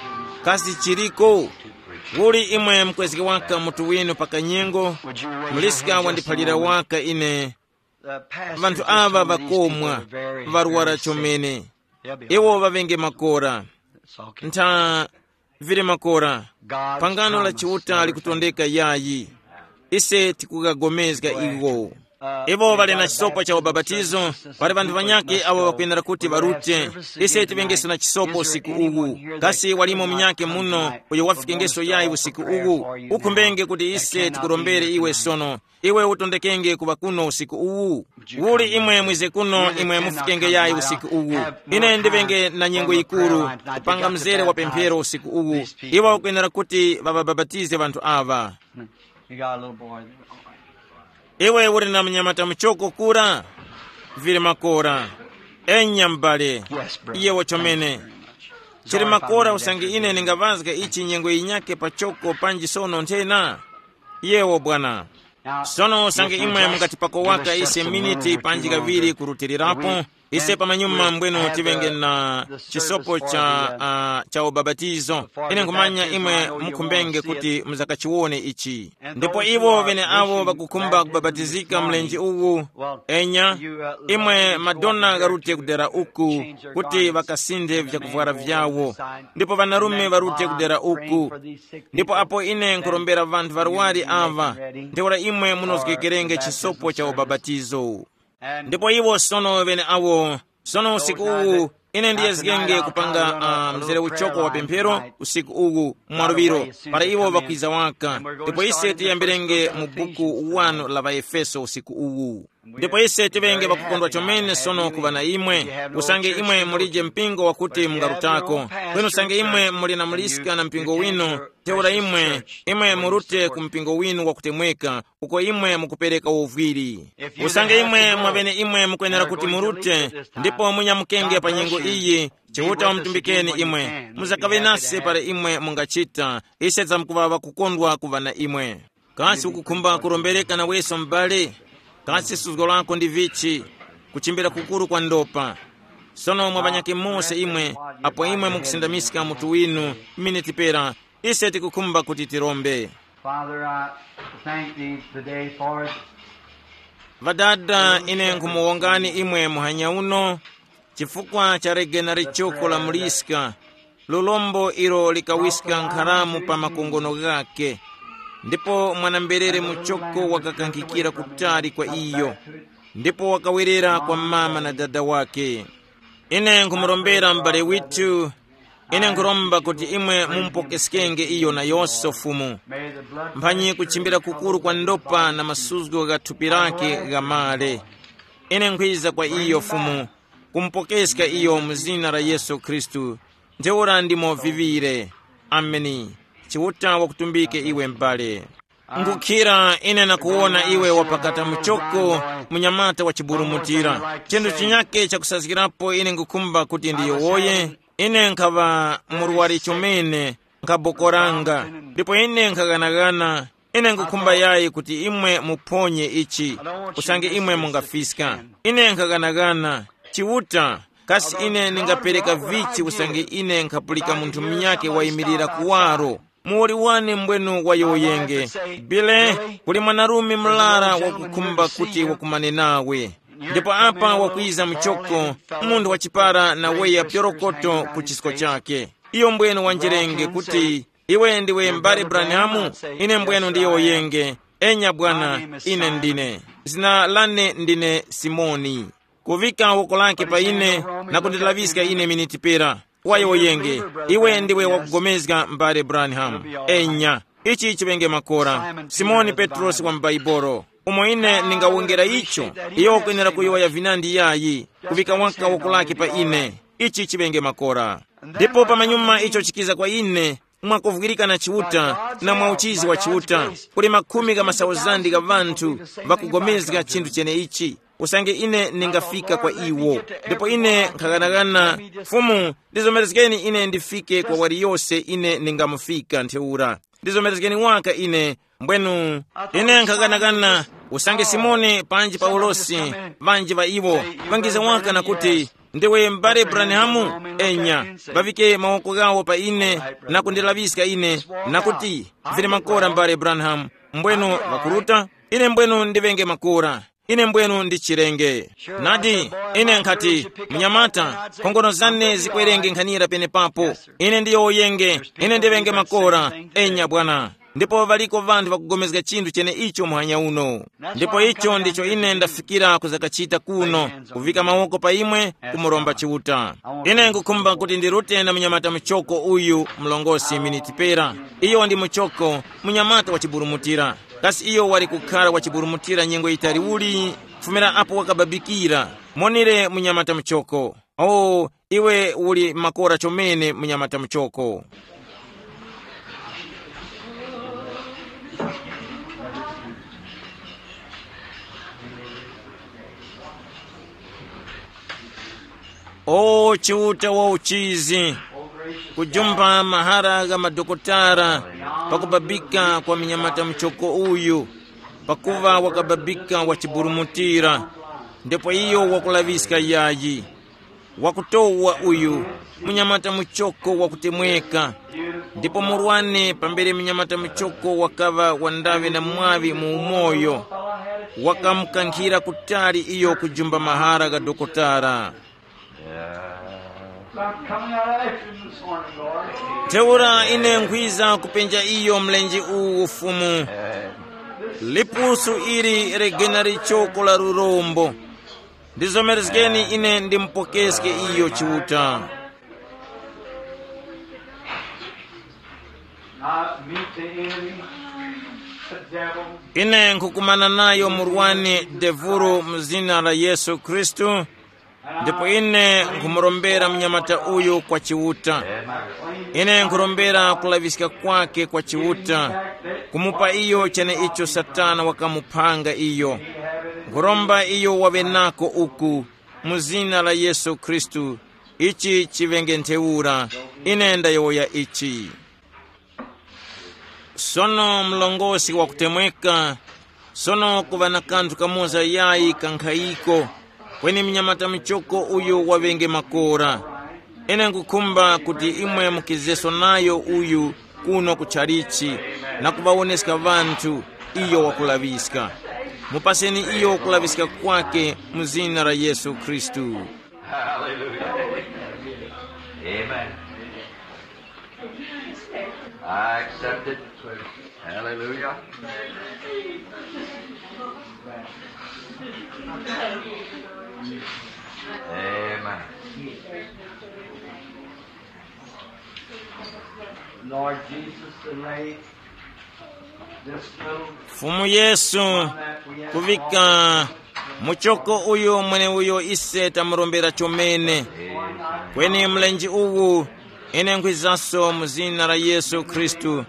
Kasi chiliko? Uli imwe mukwezge waka mutu winu pa kanyengo? Muliska wandiphalira waka ine. Vanthu aŵa ŵakomwa, ŵarwara chomene. Iwo ŵaŵenge makora. Ntha vili makora. Pangano la Chiuta likutondeka yayi. Ise tikugagomezga iwo. Iwo ŵali na chisopo cha ubapatizo, pali ŵanthu ŵanyakhe awo ŵakwenera kuti ŵarute. Ise tiŵengeso na chisopo usiku uwu. Kasi walimo munyakhe muno uyo wafikengeso yayi usiku uwu? Ukhumbenge kuti ise tikurombere iwe sono. Iwe utondekenge kuŵa kuno usiku uwu. Uli imwe mwize kuno imwe mufikenge yayi usiku uwu? Ine ndiŵenge na nyengo yikuru kupanga mzere wa pemphero usiku uwu. Iwo akwenera kuti ŵaŵabapatize ŵanthu aŵa. You got a little boy there. Iwe uli na mnyamata muchoko kura? Vili makora. Enya m'bale. Yes, brother. Iye wachomene. Thank you very much. Chili makora usange ine ndingaŵazga ichi nyengo yinyakhe pachoko panji sono nthena. Yewo bwana. Sono usange imwe mungati pakowaka ise miniti panji kaŵiri kurutilirapo, ise pamanyuma mbwenu tiŵenge na chisopo cha, uh, cha ubapatizo. Ine nkhumanya imwe mukhumbenge kuti muzakachiwone ichi. Ndipo iwo ŵeneawo ŵakukhumba kubabatizika mlenje uwu, enya, imwe madona gharute kudera uku, kuti ŵakasinthe vyakuvwara vyawo, ndipo ŵanarume ŵarute kudera uku. Ndipo apo ine nkhurombera ŵanthu ŵarwari aŵa, ntheura imwe munozgekerenge chisopo cha ubapatizo. Ndipo iwo sono ŵeneawo, sono usiku uwu, ine ndiyezgenge kupanga uh, mzere uchoko wa pemphero usiku uwu mwaluŵiro, para iwo ŵakwiza waka. Ndipo ise tiyambirenge mu buku wanu la ŵaefeso usiku uwu. Ndipo ise tiŵenge ŵakukondwa chomene sono kuŵa na imwe. Usange imwe mulije mpingo wakuti mungarutako, kweni usange imwe muli na muliska na mpingo winu, ntheura imwe, imwe murute ku mpingo winu wakutemweka, uko imwe mukupereka uvwiri. Usange imwe mwaŵene imwe mukwenera kuti murute, ndipo munyamukenge pa nyengo iyi, Chiuta wamutumbikeni imwe. Muzakaŵe nase para imwe mungachita. Ise tamkuŵa ŵakukondwa kuŵa na imwe. Kasi ukukhumba kurombereka naweso m'bale? Kasi suzgo lako ndi vichi? Kuchimbira kukuru kwa ndopa. Sono mwa ŵanyakhe mose imwe, apo imwe mukusindamiska mutu winu, miniti pera, ise tikukhumba kuti tirombe. Father, I thank thee today for Ŵadada, ine nkhumuwongani imwe muhanya uno, chifukwa cha rege na lichoko la muliska, lulombo ilo likawiska nkharamu pa makongono ghakhe, ndipo mwana-mberere muchoko wakakankhikira kutali kwa iyo, ndipo wakawerera kwa mama na dada wakhe. Ine nkhumurombera m'bale withu, ine nkhuromba kuti imwe mumupokeskenge iyo nayose Fumu, mphanyi kuchimbira kukuru kwa ndopa na masuzgo gha thupi lakhe ghamale. Ine nkhwiza kwa iyo Fumu, kumupokeska iyo mu zina la Yesu Khristu. Ntheura ndimo viŵire. Ameni. Chiuta wakutumbike iwe m'bale. Ngukhira ine nakuwona iwe wapakata muchoko, munyamata wa chiburumutira. Chinthu chinyake chakusazgirapo ine ngukhumba kuti ndiyowoye. Ine nkhaŵa murwari chomene, nkhabokoranga, ndipo ine nkhaghanagana. Ine nkhukhumba yayi kuti imwe muphonye ichi, usange imwe mungafiska. Ine nkhaghanaghana, Chiuta, kasi ine ndingapereka vichi usange ine nkhapulika munthu munyakhe wayimirira kuwaro? Muwoli wane mbwenu wayowoyenge. Bile, kuli mwanarume murara wakukhumba kuti wakumane nawe. Ndipo apa wakwiza muchoko, munthu wachipara na weya pyorokoto ku chisko chake. Iyo mbwenu wanjerenge kuti, iwe ndiwe mbale Branhamu? Ine mbwenu ndiyowoyenge. Enya bwana, ine ndine. Zina lane ndine Simoni. Kuvika woko lake pa ine na kundilaŵiska ine miniti pera. Wayowoyenge, iwe ndiwe wakugomezga mbale Branham. Enya, ichi chiŵenge makora. Simoni Petrosi wa m'Baibolo, umo ine ndingawongera icho, iyo wakwenera kuyowoya vinandi yayi, kuvika waka woko lake pa ine. Ichi chiŵenge makora. Ndipo pamanyuma icho chikiza kwa ine, mwakuvwirika na Chiuta, na mwa uchizi wa Chiuta, kuli makhumi gha masauzandi gha ŵanthu ŵakugomezga chinthu cheneichi. Usange ine ndingafika kwa iwo, ndipo ine nkhaghanagana, Fumu, ndizomerezgeni ine ndifike kwa waliyose ine ndingamufika ntheura. Ndizomerezgeni waka ine. Mbwenu, ine nkhaghanagana, usange Simoni panji Paulosi, ŵanji ŵa iwo, ŵangiza waka na kuti, ndiwe mbale Branhamu? Enya, ŵavike mawoko ghawo pa ine, na kundilaŵiska ine, na kuti, vili makora mbale Branhamu. Mbwenu, ŵakuruta, ine mbwenu ndiŵenge makora. Ine mbwenu ndi chirenge. Nadi, ine nkhati, munyamata, nkhongono zane zikwerenge nkhanira penepapo. Ine ndiyowoyenge, ine ndiŵenge makora. Enya bwana. Ndipo ŵaliko ŵanthu ŵakugomezga chinthu cheneicho muhanya uno. Ndipo icho ndicho ine ndafikira kuzakachita kuno, kuvika mawoko pa imwe, kumuromba Chiuta. Ine nkukhumba kuti ndirute na munyamata muchoko uyu mlongosi miniti pera. Iyo ndi muchoko, munyamata wa chiburumutira. Kasi iyo wali kukhara wa chiburumutira nyengo yitali uli? Kufumira apo wakababikira. Monire munyamata muchoko. Oh, iwe uli makora chomene munyamata muchoko. O Chiuta wa uchizi, kujumba mahara gha madokotala pakubabika kwa munyamata muchoko uyu, pakuva wakababika wachiburumutira, ndipo iyo wakulaŵiska yayi. Wakutowa uyu, munyamata muchoko wakutemweka. Ndipo murwane pambere munyamata muchoko wakaŵa wandawe na mwaŵi mu umoyo, wakamukankhira kutali iyo kujumba mahara gha dokotala. I'm coming out after him this morning, Lord. Ntheura ine nkhwiza kupenja iyo mlenje uwu Fumu. Lipusu ili legena lichoko la lurombo. Ndizomerezgeni ine ndimupokeske iyo Chiuta. Not meet the enemy, the devil. Ine nkukumana nayo murwani devuru mu zina la Yesu Khristu, ndipo ine nkhumurombera mnyamata uyu kwa Chiuta. Ine nkhurombera kulaŵiska kwake kwa Chiuta, kumupa iyo cheneicho Satana wakamuphanga iyo. Nkhuromba iyo waŵe nako uku, mu zina la Yesu Khristu, ichi chiŵenge ntheura. Ine ndayowoya ichi. Sono mlongosi wakutemweka, sono kuŵa na kanthu kamoza yayi kankhayiko, kweni mnyamata muchoko uyu waŵenge makora. Ine nkukhumba kuti imwe mukizeso nayo uyu kuno ku tchalichi na kuŵawoneska ŵanthu iyo wakulaŵiska. Mupaseni iyo kulaŵiska kwake mu zina la Yesu Khristu. Hallelujah. Amen. I accept it. Hallelujah. Amen. Lord Jesus, delay this little Fumu Yesu, kuvika muchoko uyu mweneuyo ise tamurombera chomene. Kweni mlenje uwu, ine nkhwizaso mu zina la Yesu Khristu,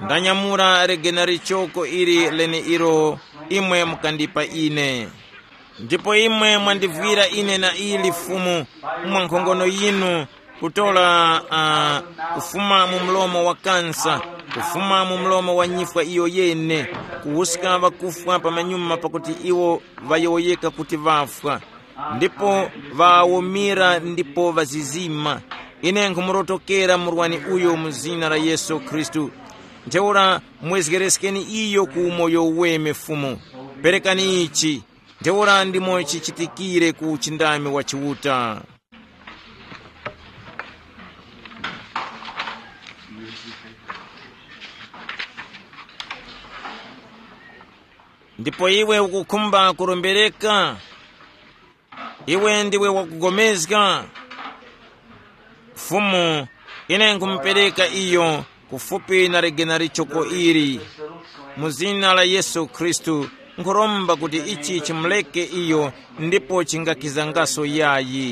ndanyamula legena lichoko ili leneilo imwe mukandipa ine. Ndipo imwe mwandivwira ine na ili Fumu mwa nkhongono yinu, kutora uh, kufuma mu mlomo wa kansa, Kufuma mu mlomo wa nyifwa iyo yene, kuwuska ŵakufwa pamanyuma pakuti iwo ŵayowoyeka kuti ŵafwa, ndipo ŵawomira ndipo ŵazizima. Ine nkhumurotokera murwani uyo mu zina la Yesu Khristu. Ntheura mwezgereskeni iyo ku umoyo uweme Fumu. Perekani ichi. Ntheura ndimo chichitikire ku uchindami wa Chiuta. Ndipo iwe ukukhumba kurombereka? Iwe ndiwe wakugomezga? Fumu, ine nkumupereka iyo kufupi na ligena lichoko ili. Mu zina la Yesu Khristu, nkhuromba kuti ichi chimuleke iyo ndipo chingakizangaso yayi.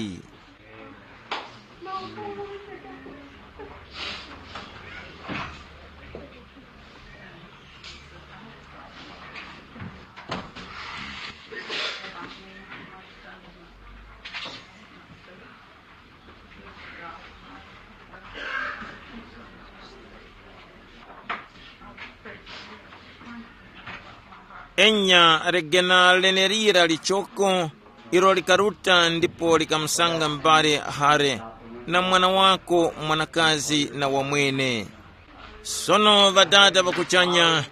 Enya legena lenelira lichoko, ilo likaruta ndipo likamusanga mbale Hare, na mwana wako mwanakazi na wamwene. Sono Ŵadada ŵa kuchanya,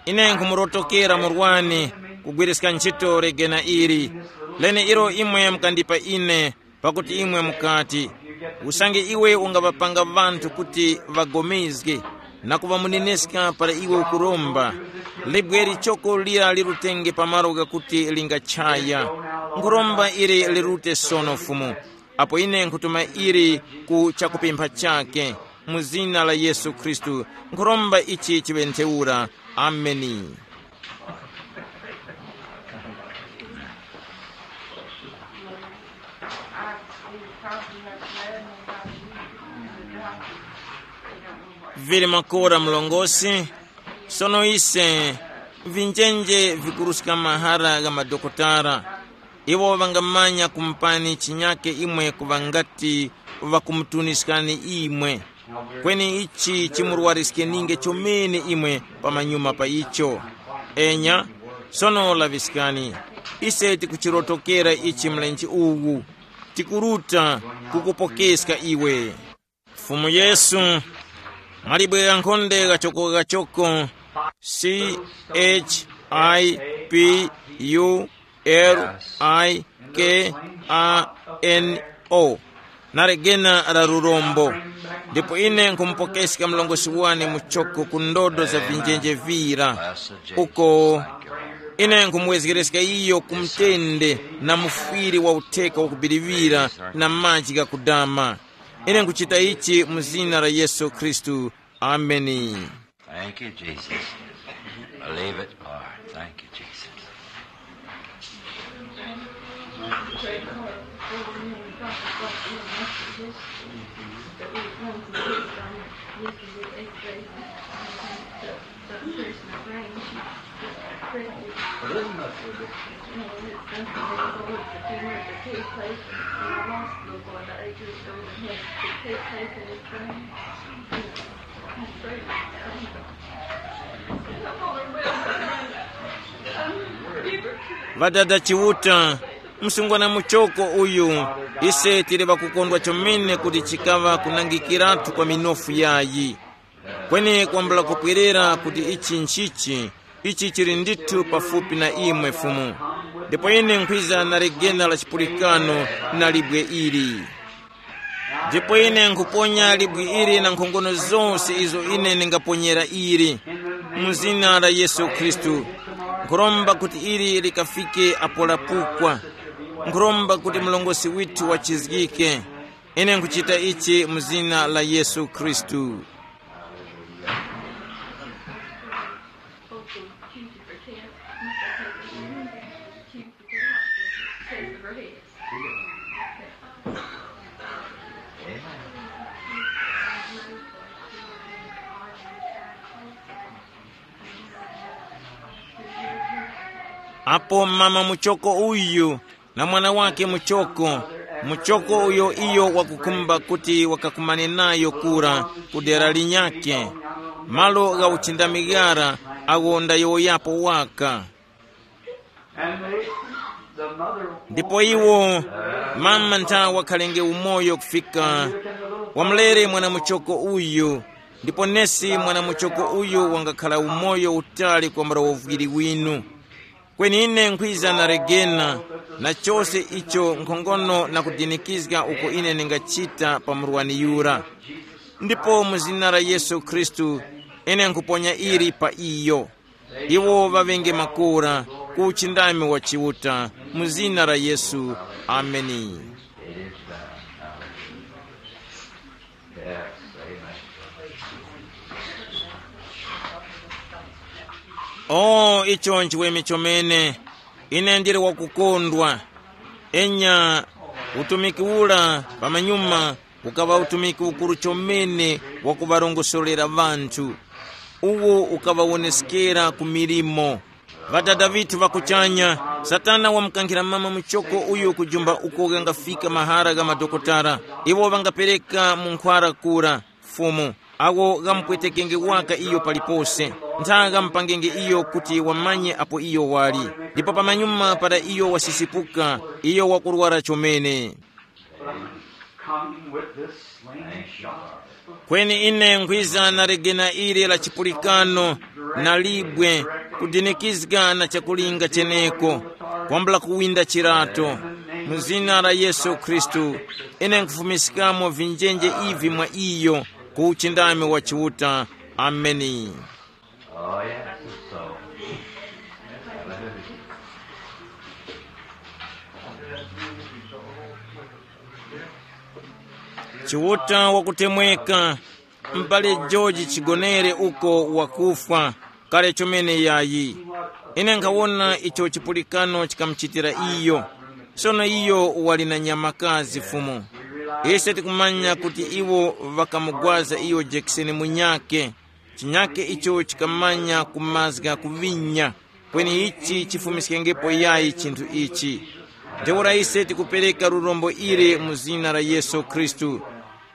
ine nkhumurotokera murwani kugwiriska ntchito legena ili, lene ilo imwe mukandipa ine, pakuti imwe mukati, usange iwe ungaŵapanga ŵanthu kuti ŵagomezge na kuŵamuneneska para iwe ukuromba, libwe lichoko lira lirutenge pa malo ghakuti lingachaya. Nkhuromba ili lirute sono Fumu, apo ine nkhutuma ili ku chakupempha chake, mu zina la Yesu Khristu, nkhuromba ichi chiŵe ntheura. Ameni. Vili makora mlongosi. Sono ise, vinjenje vikuruska mahara gha madokotala, iwo ŵangamanya kumupani chinyake imwe kuŵa ngati ŵakumutuniskani imwe. Kweni ichi chimurwariskeninge chomene imwe pamanyuma pa icho. Enya, sono laŵiskani, ise tikuchirotokera ichi mlenje uwu, tikuruta kukupokeska iwe. Fumu Yesu, malibwe ghankhonde ghachoko ghachoko, C H I P U L I K A N O, na legena la lurombo. Ndipo ine nkhumupokeska mlongosi wane muchoko ku ndodo za vinjenje vira, uko ine nkhumuwezgereska iyo ku mtende na mufwiri wa utheka wakubiriwira na maji ghakudama. Ine nkuchita ichi mu zina la Yesu Khristu. Ameni. Thank you, Jesus. Believe it, Lord. Thank you, Jesus. Ŵadada Chiuta, msungwana muchoko uyu, ise tili ŵakukondwa chomene kuti chikaŵa kunangikiratu kwa minofu yayi. Kweni kwambula kupwerera kuti ichi nchichi, ichi chili ndithu pafupi na imwe Fumu. Ndipo ine nkhwiza na legena la chipulikano na libwe ili. Ndipo ine nkhuponya libwe ili na nkhongono zose izo ine ndingaponyera ili, mu zina la Yesu Khristu. Nkhuromba kuti ili likafike apo lapukwa. Nkhuromba kuti mlongosi withu wachizgike. Ine nkhuchita ichi mu zina la Yesu Khristu. Apo mama muchoko uyu na mwana wake muchoko, muchoko uyo iyo wakukhumba kuti wakakumane nayo kura ku dera linyakhe. malo gha uchindami ghara agho ndayowoyapo waka. And they, the mother ndipo iwo mama ntha wakhalenge umoyo kufika wamulere mwanamuchoko uyu, ndipo nesi mwanamuchoko uyu wangakhala umoyo utali kwambula uvwiri winu. Kweni ine nkhwiza na regena na chose icho nkhongono na kudinikizga uko ine ningachita pa murwani yura. Ndipo mu zina la Yesu Khristu, ine nkhuponya ili pa iyo. Iwo ŵaŵenge makora ku uchindami wa Chiuta, mu zina la Yesu. Ameni. O icho nchiweme chomene. Ine ndili wakukondwa. Enya, utumiki ura pamanyuma ukaŵa utumiki ukuru chomene wa kuŵarongosorera ŵanthu. Uwo ukaŵawoneskera ku milimo. Ŵadada ŵithu ŵa kuchanya, Satana wamukankhira mama muchoko uyu kujumba uko ghangafika mahara gha madokotala. Iwo ŵangapereka mu nkhwara kura, Fumu, awo ghamupwetekenge waka iyo palipose, ntha ghamupangenge iyo kuti wamanye apo iyo wali. Ndipo pamanyuma para iyo wasisipuka, iyo wakurwara chomene. Coming with this slain shepherd. Kweni ine nkhwiza na legena ili la chipulikano na libwe, kudinikizga na chakulinga cheneko, kwambula kuwinda chirato. Mu zina la Yesu Khristu, ine nkhufumiskamo vinjenje ivi mwa iyo, ku uchindami wa Chiuta. Ameni. Oh, yes, it's so. Chiuta wakutemweka, m'bale George chigonere uko wakufwa kale chomene yayi. Ine nkhawona icho chipulikano chikamuchitira iyo. Sono iyo wali na nyamakazi Fumu. Ise tikumanya kuti iwo ŵakamugwaza iyo jekiseni munyake, chinyake icho chikamanya kumazga kuvinya. Kweni ichi chifumiskengepo yayi chinthu ichi. Ntheura ise tikupereka lurombo ili mu zina la Yesu Khristu.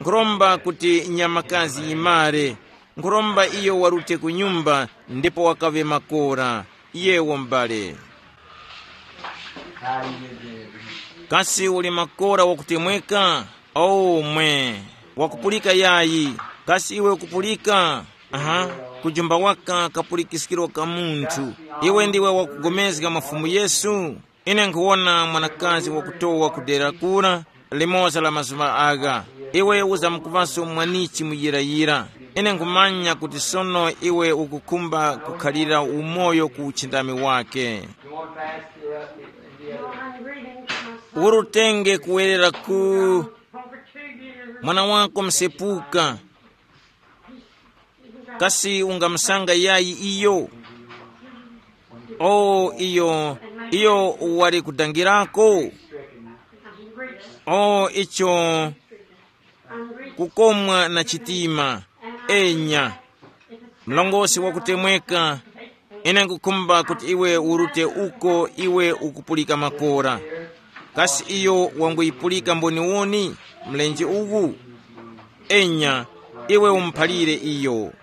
Nkhuromba kuti nyamakazi yimare. Nkhuromba iyo warute ku nyumba ndipo wakaŵe makora. Yewo m'bale. Kasi uli makora wakutemweka? Oh mwe, wakupulika yayi? Kasi iwe ukupulika? Aha, kujumba waka kapulikiskiro ka munthu. Iwe ndiwe wakugomezga mwa Fumu Yesu? Ine nkhuwona mwanakazi wakutowa ku dera kura, limoza la mazuŵa agha. Iwe uzamkuŵaso mwanichi muyirayira. Ine nkhumanya kuti sono iwe ukukhumba kukhalira umoyo ku uchindami wake. Urutenge kuwerera ku mwana wako msepuka. Kasi ungamusanga yayi iyo? O iyo, iyo wali kudangirako. O icho kukomwa na chitima. Enya, mlongosi wakutemweka, ine nkukhumba kuti iwe urute uko iwe ukupulika makora. Kasi iyo wanguyipulika mboniwoni mlenje uwu? Enya, iwe umuphalire iyo.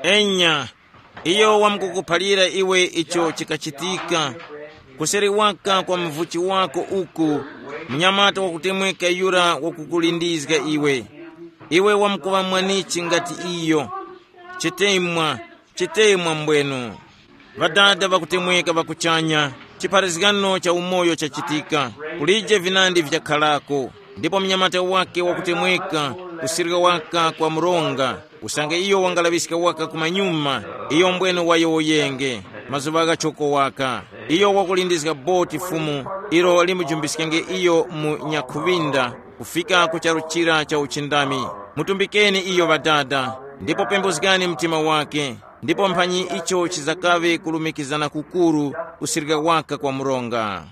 Enya, iyo wamkukuphalira iwe icho chikachitika. Kuseri waka kwa mvuchi wako uku, mnyamata wakutemweka yura wakukulindizga iwe. Iwe wamkuŵa mwanichi ngati iyo. Chitemwa, chitemwa mbwenu. Ŵadada ŵakutemweka ŵa kuchanya, chipharazgano cha umoyo chachitika. Kulije vinandi vikakharako. Ndipo mnyamata wake wakutemweka, kusirika waka kwa mronga, usange iyo wangalaŵiska waka kumanyuma, iyo mbwene wayowoyenge. Mazuŵa ghachoko waka, iyo wakulindizga boti Fumu, ilo limujumbiskenge iyo mu nyakhuŵinda, kufika ku charu chira cha uchindami. Mutumbikeni iyo Ŵadada, ndipo pembuzgani mtima wake, ndipo mphanyi icho chizakaŵe kulumikizana kukuru, kusirika waka kwa mronga.